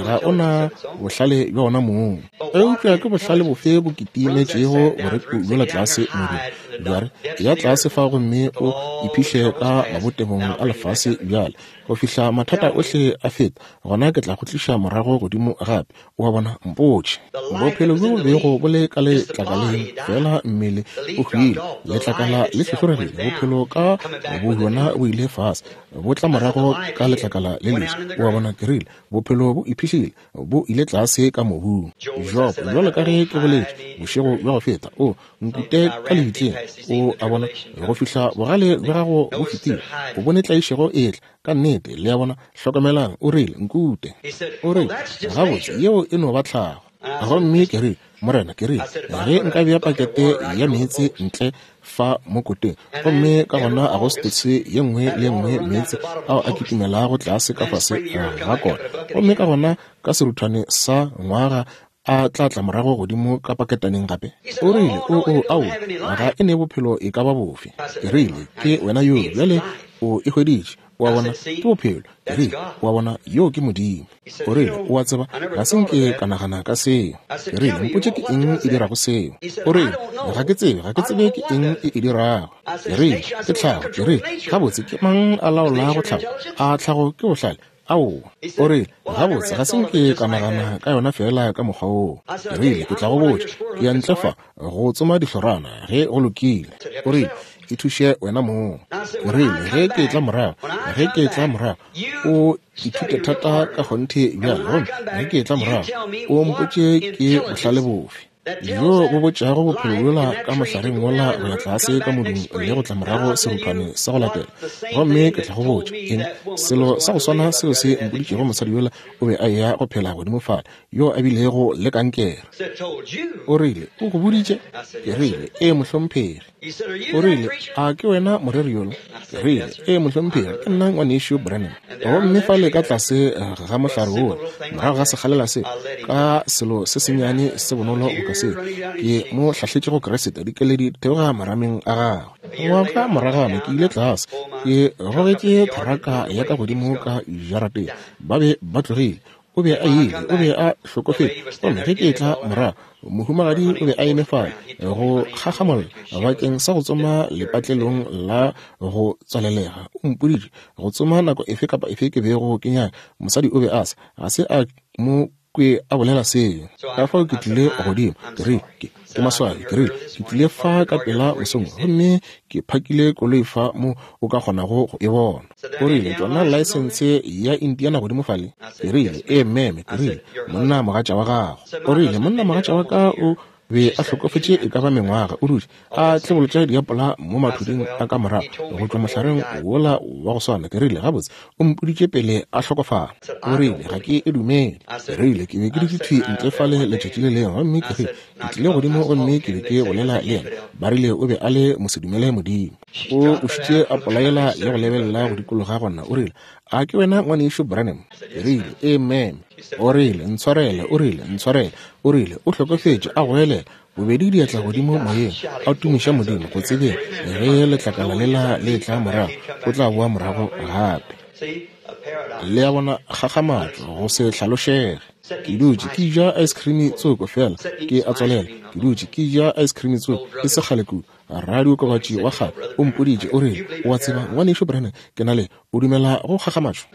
ga o na bohlale bja ona mong. Eupša ke bohlale bofe bo kitimetšego boreku bjola tlase modung? Bja re, Eya tlase fa gomme o iphihle ka mabotebong a lefase bjale, go fihla mathata ohle a feta, gona ke tla go tliša morago godimo gape. O a bona? Mpotše. Bophelo bjo bo bego bo le ka letlakaleng, feela mmele o hwile, letlakala le hlohloregile, bophelo ka bobjona bo ile fase, bo tla morago ka letlakala le leswa. O a bona? Ke rile, Bophelo bo iphihlile, bo ile tlase ka mobung. Job, bjalo ka ge ke boletše bošego bja go feta, o nkute ka lebitleng, o a bona, go fihla bogale bja gago bo fetile, o bone tlaišego e etla. Ka nnete, le a bona. Hlokamelang, o rile, Nkute. O rile, Gabotse, yeo e no ba tlhago. Gomme ke rile, Morena, ke rile, ge nka bea pakete ya meetse ntle fa mo koteng, gomme ka gona Agostose ye nngwe le ye nngwe meetse ao a kitimelago tlase ka fase ga kona, gomme ka gona ka seruthwane sa ngwaga a tla tla morago godimo ka paketaneng gape? O rile, O, o, ao, ga e ne bophelo e ka ba bofe. Ke rile, Ke wena yoo, bjale o e hweditše. O a bona, ke bophelo. Ke rile, O a bona, yoo ke Modimo. O rile, O a tseba, ga se nke ka nagana ka seo. Ke rile, Mpotše ke eng e dirago seo. O rile, Ga ke tsebe, ga ke tsebe ke eng e e dirago. Ke rile, Ke tlhago. Ke rile, Gabotse, ke mang a laolago tlhago? A tlhago ke bohlale? Aowa. O rile, Gabotse, ga se nke ka nagana ka yona feela ka mokgwa woo. Ke rile, Ke tla go botša. Ke ya ntle fa go tsoma dihlorana, ge go lokile. O rile, Ithuše wena mong. Ke rile, Ge ke etla morago, ge ke etla morago, o ithute thata ka kgonthe bjale, gomme ge ke etla morago, o mpotše ke bohlale bofe bjo bo botšago bophelo bjola ka mohlareng wola go ya tlase ka modung le go tla morago seruthwane sa go latela, gomme ke tla go botša eng, selo sa go swana seo se mpoditšego mosadi yola o be a eya go phela godimo fale, yo a bilego le kankere. O rile, O go boditše? Ke rile, Ee, mohlomphegi. O rile, A ke wena moreri yola? Ke rile, Ee, mohlomphegi, ke nna Ngwanešu Branham. Gomme fale ka tlase ga mohlare wola, morago ga sekgalela se, ka selo se sennyane se bonolo boka seo, ke mo hlahletše go Kriste, dikeledi di theoga marameng a gagwe. Ngwaga moragwana ke ile tlase, ke gogetše theraka ya ka godimo ka jarateng. Ba be ba tlogile. O be a ile, o be a hlokofetše. Gomme ge ke etla morago, mohumagadi o be a eme fale go kgakgamolla bakeng sa go tsoma lepatlelong la go tswalelega. O mpoditše go tsoma nako efe kapa efe ke bego ke nyaka. Mosadi o be a se, ga se a mo kwe a bolela seo. Ka fao ke tlile godimo, ke rile, ke, ke maswabi, ke rile, ke tlile fa ka pela mosong gomme ke phakile koloi fa mo o ka kgonago go e bona. O rile, Tšona laesense ya Indiana godimo fale? Ke rile, Ee, meme. Ke rile, Monna mogatša wa gago. O rile, Monna mogatša wa ka o be a hlokofetše e ka ba mengwaga, o dutše a tlebolotša diapola mo mathuding a ka morago go tšwa mohlareng wola wa go swana. Ke rile, Gabotse, o mpoditše pele a hlokofala. O rile, Ga ke e dumele. Ke rile, Ke be ke dutše thwi ntle fale letšatši le lengwe, gomme ke rile, Ke tlile godimo gomme ke be ke bolela le yena. Ba rile o be a le mosedumele Modimo. O ušitše a polaela le go lebelela go dikologa gona. O rile, A ke wena Ngwanešu Branham? Ke rile, Ee, meme. O rile, Ntshwarele. O rile, Ntshwarele. O rile, O hlokofetše, a goelela, bobedi diatla godimo moyeng, a tumiša Modimo, go tsebeng ge letlakala lela le etla morago, o tla boa morago gape. Le a bona, kgakgamatšo, go se hlalošege. Ke dutše ke ja ice cream tsoko, feela ke a tswalela. Ke dutše ke ja ice cream tsoko, e se kgale kudu. Radiokobatši wa kgale o mpoditše, o rile, O a tseba, Ngwanešu Branham, ke na le, o dumela go kgakgamatšo?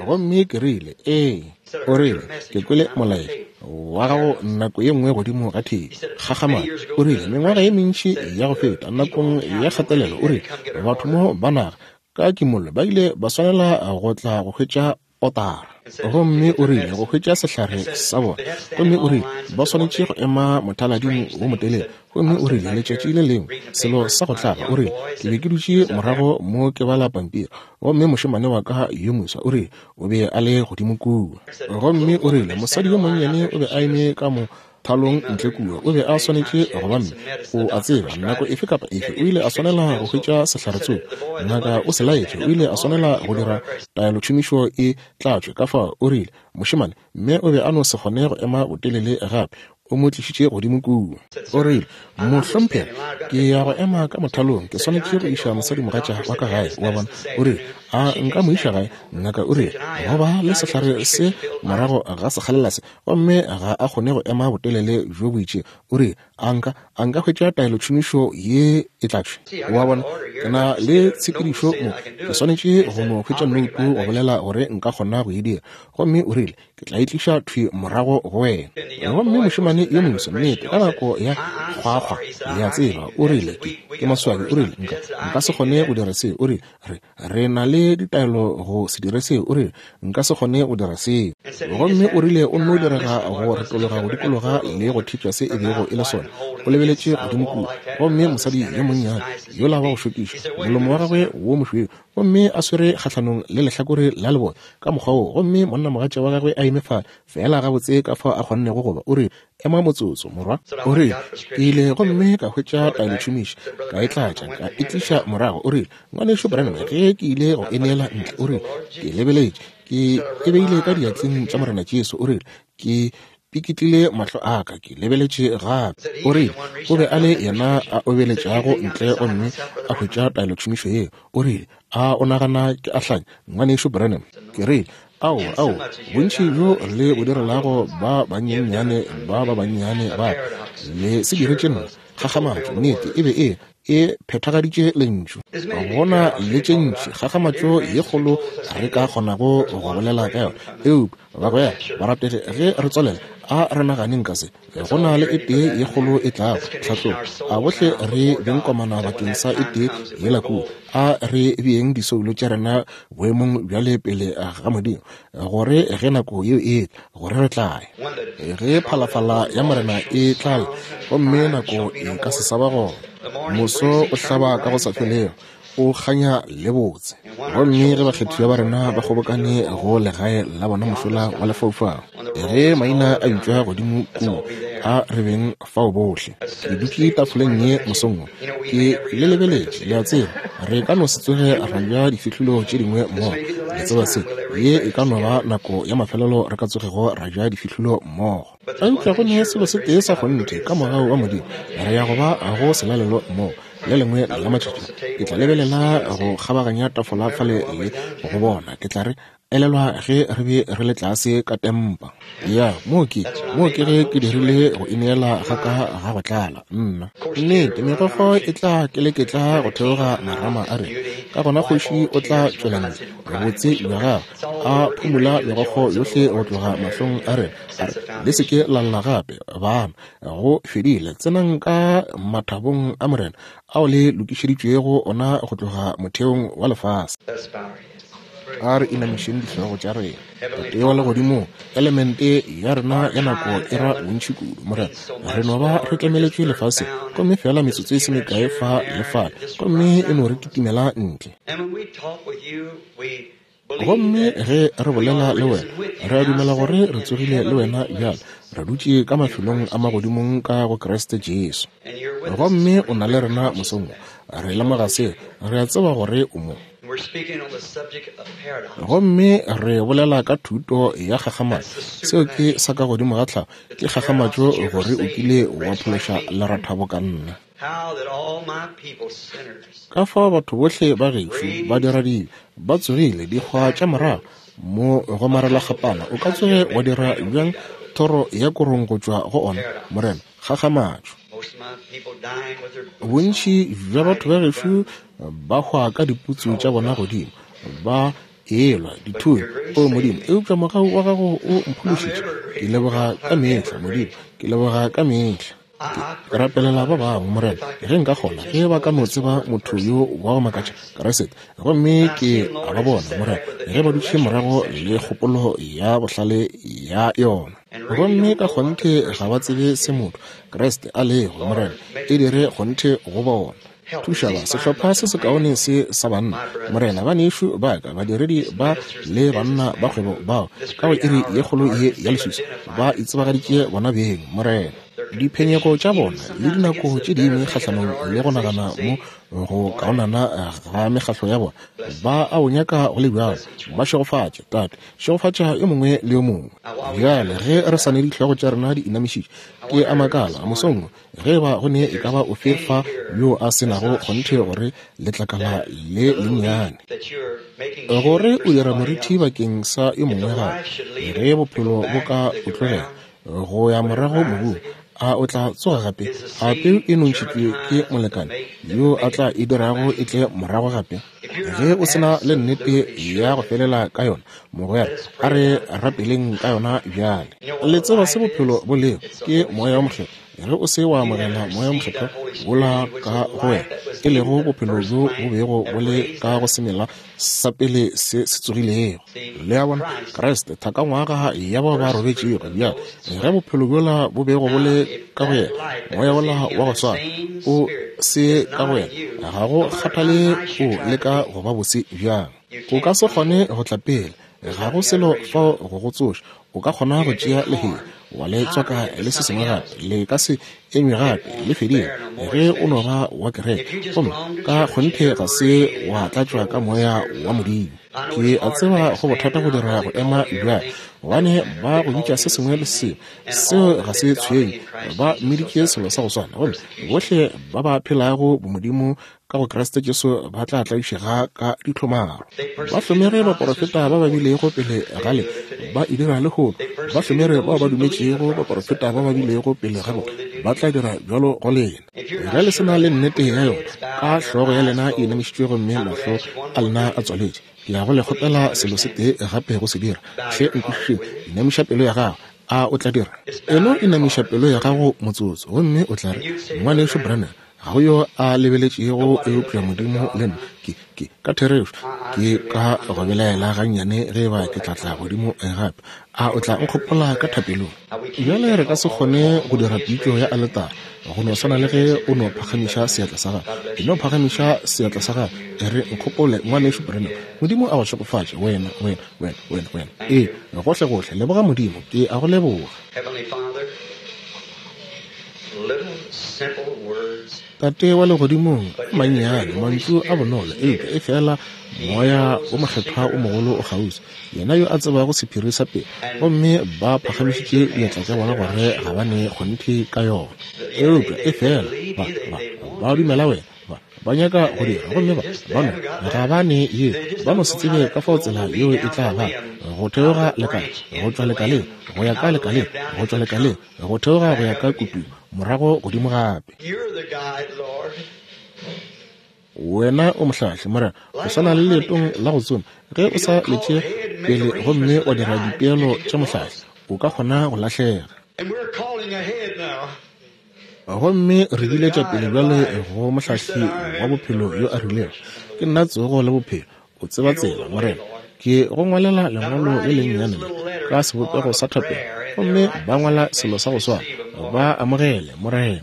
Gomme ke rile, Ee. O rile, Ke kwele molaetša wa gago nako ye nngwe godimo ga theipi, kgakgamatšo. O rile, Mengwaga ye mentši ya go feta, nakong ya kgatelelo, o rile, batho mo ba naga ka kimollo ba ile ba swanela go tla go hwetša otara. Gomme o rile go hwetša sehlare sa bona. Gomme o rile ba swanetše go ema mothalading wo motelele. Gomme o rile letšatši le lengwe, selo sa go tlaba, o rile ke be ke dutše morago mo ke bala pampiri, gomme mošemane wa ka yo moswa, o rile o be a le godimo kua. Gomme o rile mosadi yo monnyane o be a eme ka mo thalong ntle kua, o be a swanetše go ba mme, o a tseba, nako efe kapa efe o ile a swanela go hwetša sehlare tsoko. Ngaka o se laetše, o ile a swanela go dira taelotšhomišo e tlatšwe. Ka fao o rile, Mošemane, mme o be a no se kgone go ema botelele gape, o mo tlišitše godimo kua. O rile, Mohlomphegi, ke ya go ema ka mothalong, ke swanetše go iša mosadimogatša wa ka gae, o a bona. O rile, A nka mo iša gae? Ngaka o rile, Go ba le sehlare se morago ga sekgalela se, gomme ga a kgone go ema botelele bjo bo itšego. O rile, A nka, a nka hwetša taelotšhomišo ye e tlatšwe? O a bona, ke na le tshepedišo mo, ke swanetše go no hwetša noutu go bolela gore nka kgona go e dira. Gomme o rile, Ke tla e tliša thwi morago go wena. Gomme mošemane yo moso, nnete, ka nako ya kgwakgwa, le a tseba, o rile, ke, ke maswabi, o rile, nka, nka se kgone go dira seo. O rile, Re, re na le ditaelo go se dire seo. O rile, Nka se kgone go dira seo. Gomme o rile o nno direga go retologa go dikologa le go thitša se e bego e le sona. O lebeletše godimo kua, gomme mosadi yo monnyane yola wa go šokiša, molomo wa gagwe wo mošweu, gomme a swere kgahlanong le lehlakore la lebone ka mokgwa wo, gomme monnamogatša wa gagwe a eme fale, feela gabotse ka fao a kgonnego go ba. O rile, Ema motsotso, morwa. O rile, Ke ile gomme ka hwetša taelotšhomiši, ka e tlatša, ka e tliša morago. O rile, Ngwanešu Branham, ge ke ile go e neela ntle, o rile, ke lebeletše, ke e beile ka diatleng tša Morena Jesu. O rile, Ke pikitlile mahlo a ka, ke lebeletše gape. O rile, O be a le yena a obeletšago ntle gomme a hwetša taelotšhomišo yeo. O rile, A o nagana ke a hlanya, Ngwanešu Branham? Ke rile, Aowa, aowa, bontši bjo le bo direlago ba banyenyane ba ba bannyane ba, le se diretše nna. Kgakgamatšo, nnete, e be e e phethagaditše Lentšu. Go na le tše ntši kgakgamatšo ye kgolo re ka kgonago go bolela ka yona, eupša bagwera barategi, ge re tswalela, a re naganeng ka se. Go na le e tee ye kgolo e tlago, tlhatlogo. A bohle re beng komana bakeng sa e tee yela kua. A re beeng disoulo tša rena boemong bjale pele ga Modimo, gore ge nako yeo e etla, gore re tla ya. Ge phalafala ya Morena e tla lla, gomme nako e ka se sa ba gona. Moso o hlaba ka go sa felego, o kganya le botse. Gomme ge bakgethiwa ba rena ba kgobokane go legae la bona mošola wa lefaufau, ge maina a bitšwa godimo kua, a re beng fao bohle. Ke dutše tafoleng ye mosong wo, ke le lebeletše, le a tseba, re ka no se tsoge ra ja difihlolo tše dingwe mmogo. Le tseba se, ye e ka no ba nako ya mafelelo re ka tsogego ra ja difihlolo mmogo. Eupša go ne selo se tee sa kgonthe, ka mogau wa Modimo, re ya go ba go selalelo mmogo. Le lengwe la matšatši ke tla lebelela go kgabaganya tafola fale le go bona, ke tla re, Elelwa ge re be re le tlase ka tempa. Ya, moo ke, moo ke ge ke dirile go ineela ga ka ga go tlala. Nna. Nnete, megokgo e tla keleketla go theoga marama a rena. Ka gona kgoši o tla tšwela ntle, botse bja gagwe, a phumula megokgo yohle go tloga mahlong a rena, a re, Le se ke la lla gape, bana. Go fedile. Tsenang ka mathabong a Morena ao le lokišeditšwego ona go tloga motheong wa lefase. A re inamišeng dihlogo tša rena. Tate wa Legodimong, elemente ya rena ya nako e ra bontši kudu, Morena. Re no ba re tlemeletšwe lefaseng, gomme feela metsotso e se mekae fa le fale, gomme e no re kitimela ntle. Gomme ge re bolela le wena, re a dumela gore re tsogile le wena bjale, re dutše ka mafelong a magodimong ka go Kriste Jesu. Gomme o na le rena mosong wo. Re lemoga seo, re a tseba gore o mo. Gomme re bolela ka thuto ya kgakgamatšo. Seo ke sa ka godimo ga tlhago, ke kgakgamatšo gore o kile wa phološa lerathabo ka nna. Ka fao batho bohle ba gešo ba diradibe ba tsogile dikgwa tša morago mo go marelakgapana, o ka tsoge wa dira bjang thoro ya korong go tšwa go ona, Morena? Kgakgamatšo. Bontši bja batho ba gešo ba hwa ka diputsu tša bona godimo, ba elwa dithunya. O Modimo, eupša mogau wa Gago o mphološitše. Ke leboga ka mehla, Modimo, ke leboga ka mehla. Ke rapelela ba bangwe, Morena, ge nka kgona, ge ba ka no tseba motho yo wa go makatša, Kriste. Gomme ke a ba bona, Morena, ge ba dutše morago le kgopolo ya bohlale ya yona. Gomme ka kgonthe ga ba tsebe se motho, Kriste, a lego, Morena, e dire kgonthe go bona. Thuša ba sehlopha se sekaone se sa banna, Morena, banešu ba ka, badiredi ba le banna ba kgwebo bao ka go iri ye kgolo ye ya leswiswi ba itsebagaditše bona beng, Morena. Diphenyego tša bona le dinako tše dingwe kgahlanong le go nagana mo go kaonana ga mekgahlo ya bona, ba a o nyaka go le bjalo. Ba šegofatše, Tate. Šegofatša yo mongwe le yo mongwe. Bjale ge re sa ne dihlogo tša rena di inamišitše, ke a makala mosong wo ge eba go ne e ka ba ofe fa yo a se nago kgonthe gore letlakala le lennyane, gore o dira morithi bakeng sa yo mongwe gape, ge bophelo bo ka o tlogela go ya morago mobung, a o tla tsoga gape? A peu e nontšhitšwe ke molekane yo a tla e dirago e tle morago gape? Ge o se na le nnete ya go felela ka yona, mogwera, a re rapeleng ka yona bjale. Le tseba se bophelo bo lego, ke Moya wo Mokgethwa. Ge o se wa amogela Moya wo Mokgethwa wola ka go wena, e lego bophelo bjo bo bego bo le ka go semela sa pele se se tsogilego. Le a bona? Kriste, thakangwaga ya bao ba robetšego. Bjale, ge bophelo bjola bo bego bo le ka go yena, Moya wola wa go swana o se ka go wena, ga go kgathale o leka go ba bose bjang. O ka se kgone go tla pele, ga go selo fao go go tsoša. O ka kgona go tšea lehea wa le tswaka le se sengwe gape, le ka se enywe gape, le fedile ge o no ba wa kereke, gomme ka kgonthe ga se wa tlatšwa ka Moya wa Modimo. Ke a tseba go bothata go dira go ema bjale, gobane ba go bitša se sengwe le se sengwe. Seo ga se tshwenye, ba mmiditše selo sa go swana. Gomme bohle ba ba phelago bomodimo ka go Kriste Jesu ba tla tlaišega ka ditlhomaro. Ba hlomere baporofeta ba ba bilego pele ga le, ba e dira lehono. Ba hlomere bao ba dumetšego baporofeta ba ba bilego pele ga bona, ba tla dira bjalo go lena. Ge le se na le nnete ya yona, ka hlogo ya lena e inamišitšwe gomme mahlo a lena a tswaletše, ke ya go le kgopela selo se tee gape go se dira. Hle nkwešišeng, inamiša pelo ya gago. A o tla dira? Eno inamiša pelo ya gago motsotso, gomme o tla re, Ngwanešu Branham, ga go yo a lebeletšego eupša Modimo le nna. Ke, ke, ka therešo, ke ka go belaela gannyane ge eba ke tla tla godimo gape. A o tla nkgopola ka thapelong? Bjale re ka se kgone go dira pitšo ya aletara, go no swana le ge o no phagamiša seatla sa gago. E no phagamiša seatla sa gago, e re, Nkgopole, Ngwanešu Branham. Modimo a go šegofatše, wena, wena, wena, wena, wena. Ee, gohlegohle, leboga Modimo. Ke a go leboga. Tate wa Legodimong, a mannyane, mantšu a bonolo, eupša efela Moya wo Mokgethwa wo mogolo o kgauswi, Yena yo a tsebago sephiri sa pelo, gomme ba phagamišitše diatla tša bona gore ga ba ne kgonthe ka yona. Eupša efela ba, ba, ba dumela Wena, ba, ba nyaka go dira, gomme ba, ba no, ga ba ne yeo, ba no se tsebe ka fao tsela yeo e tla ba, go theoga lekala, go tšwa lekaleng, go ya ka lekaleng, go tšwa lekaleng, go theoga go ya ka kutung, morago godimo gape. Wena o mohlahli, Morena, go swana le leetong la go tsoma, ge o sa letše pele gomme wa dira dipeelo tša mohlahli, o ka kgona go lahlega. Gomme re biletša pele bjale go mohlahli wa bophelo yo a rilego, Ke nna tsogo le bophelo. O tseba tsela, Morena. Ke go ngwalela lengwalo le lennyane le ka sebopego sa thapelo, gomme ba ngwala selo sa go swana. Ba amogele, Morena.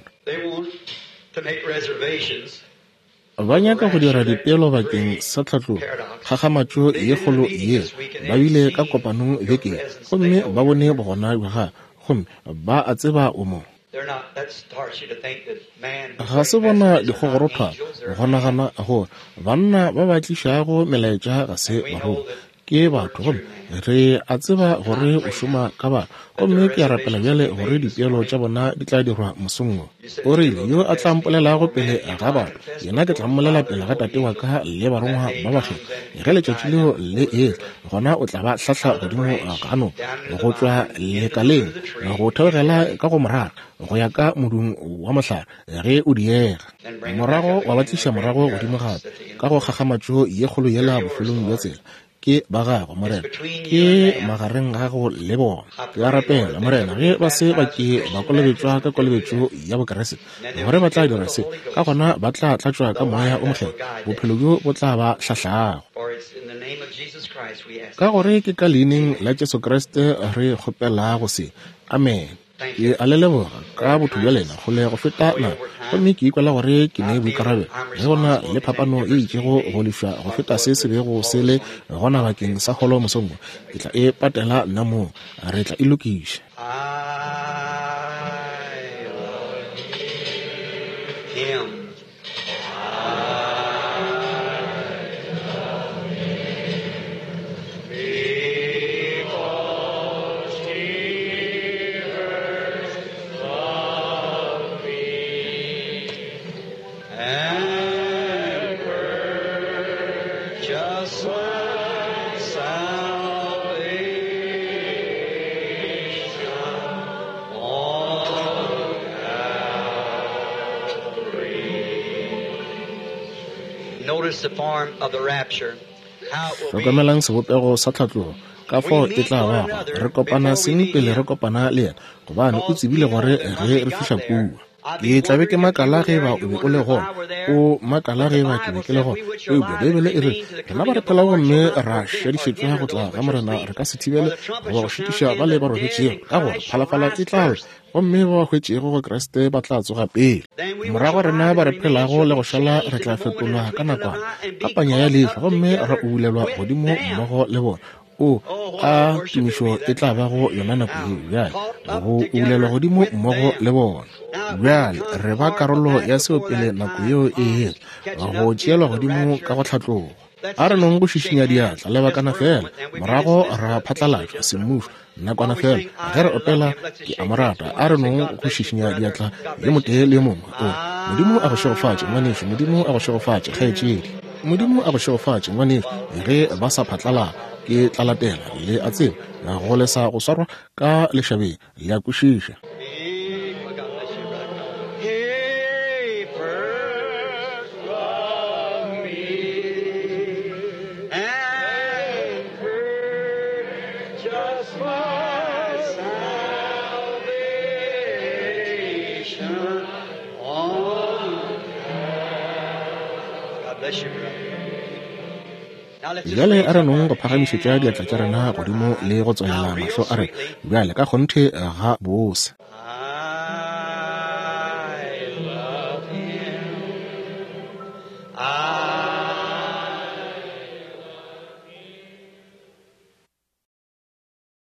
Ba nyaka go dira dipeelo bakeng sa tlhatlogo, kgakgamatšo ye kgolo yeo ba bile ka kopanong beke ye, gomme ba bone bogona bja Gagwe, gomme ba a tseba O mo. Ga se bona dikgogorothwana go nagana gore banna ba ba tlišago melaetša ga se barongwa. Ke batho, gomme re a tseba gore o šoma ka batho. Gomme ke a rapela bjale gore dipeelo tša bona di tla dirwa mosong wo. O rile, Yo a tla mpolelago pele ga batho, yena ke tla mmolela pele ga Tate wa ka le barongwa ba bakgethwa. Ge letšatši leo le etla, gona o tla ba hlahla godimo ga noka, go tšwa lekaleng go theogela ka go morara, go ya ka modung wa mohlare, ge o diega. Morago wa ba tliša morago godimo gape, ka go kgakgamatšo ye kgolo yela bofelong bja tsela. Ke ba gago, Morena. Ke magareng ga gago le bona. Ke a rapela, Morena, ge ba se ba ke ba kolobetšwa ka kolobetšo ya Bokriste, gore ba tla dira se, ka gona ba tla tlatšwa ka Moya o Mokgethwa, bophelo bjo bo tla ba hlahlago. Ka gore ke ka Leineng la Jesu Kriste re kgopelago se. Amene. Ke a le leboga ka botho bja lena kgole go feta nako, gomme ke ikwela gore ke ne boikarabelo ge go na le phapano e itšego go lefša go feta se se bego se le gona bakeng sa holo mosong wo. Ke tla e patela nna mong, re tla e lokiša. I love him. And purchased my salvation on Notice the form of the rapture. How it will be. Hlokomelang sebopego sa tlhatlogo, ka fao e tla bago. Re kopana seng pele re kopana le yena, gobane o tsebile gore ge re fihla kua. Ke tla be ke makala ge eba o be o le gona, o makala ge eba ke be ke le gona. Eupša Beibele e rile, Rena ba re phelago gomme ra šadišetšwa go tla ga Morena re ka se thibele goba go šitiša bale ba robetšego, ka gore phalafala e tla lla, gomme ba ba hwetšego go Kriste ba tla tsoga pele. Morago rena ba re phelago le go šala re tla fetolwa ka nakwana, ka panya ya leihlo, gomme ra ubulelwa godimo mmogo le bona. O, a tumišo e tla bago yona nako yeo bjale, go ubulelwa godimo mmogo le bona. Bjale re ba karolo ya seo pele nako yeo e etla, go tšeelwa godimo ka go hlatloga. A re nong go šišinya diatla lebakana feela, morago ra phatlalatšwa semmušo nakwana feela. Ge re opela Ke a Mo rata, a re nong go šišinya diatla yo motee le yo mongwe. O, Modimo a go šegofatše, ngwanešu. Modimo a go šegofatše, kgaetšedi. Modimo a go šegofatše, ngwanešu. Ge ba sa phatlalala, ke tla latela, le a tseba, go lesa go swarwa ka lešabeng. Le a kwešiša. He first loved me and purchased my salvation on God bless you, brother. Now let's just Bjale raise a re up nong our go phagamišetša hands diatla tša and rena go godimo out. le go Now, tswalela real mahlo a rena sweetly, bjale ka kgonthe ga bose.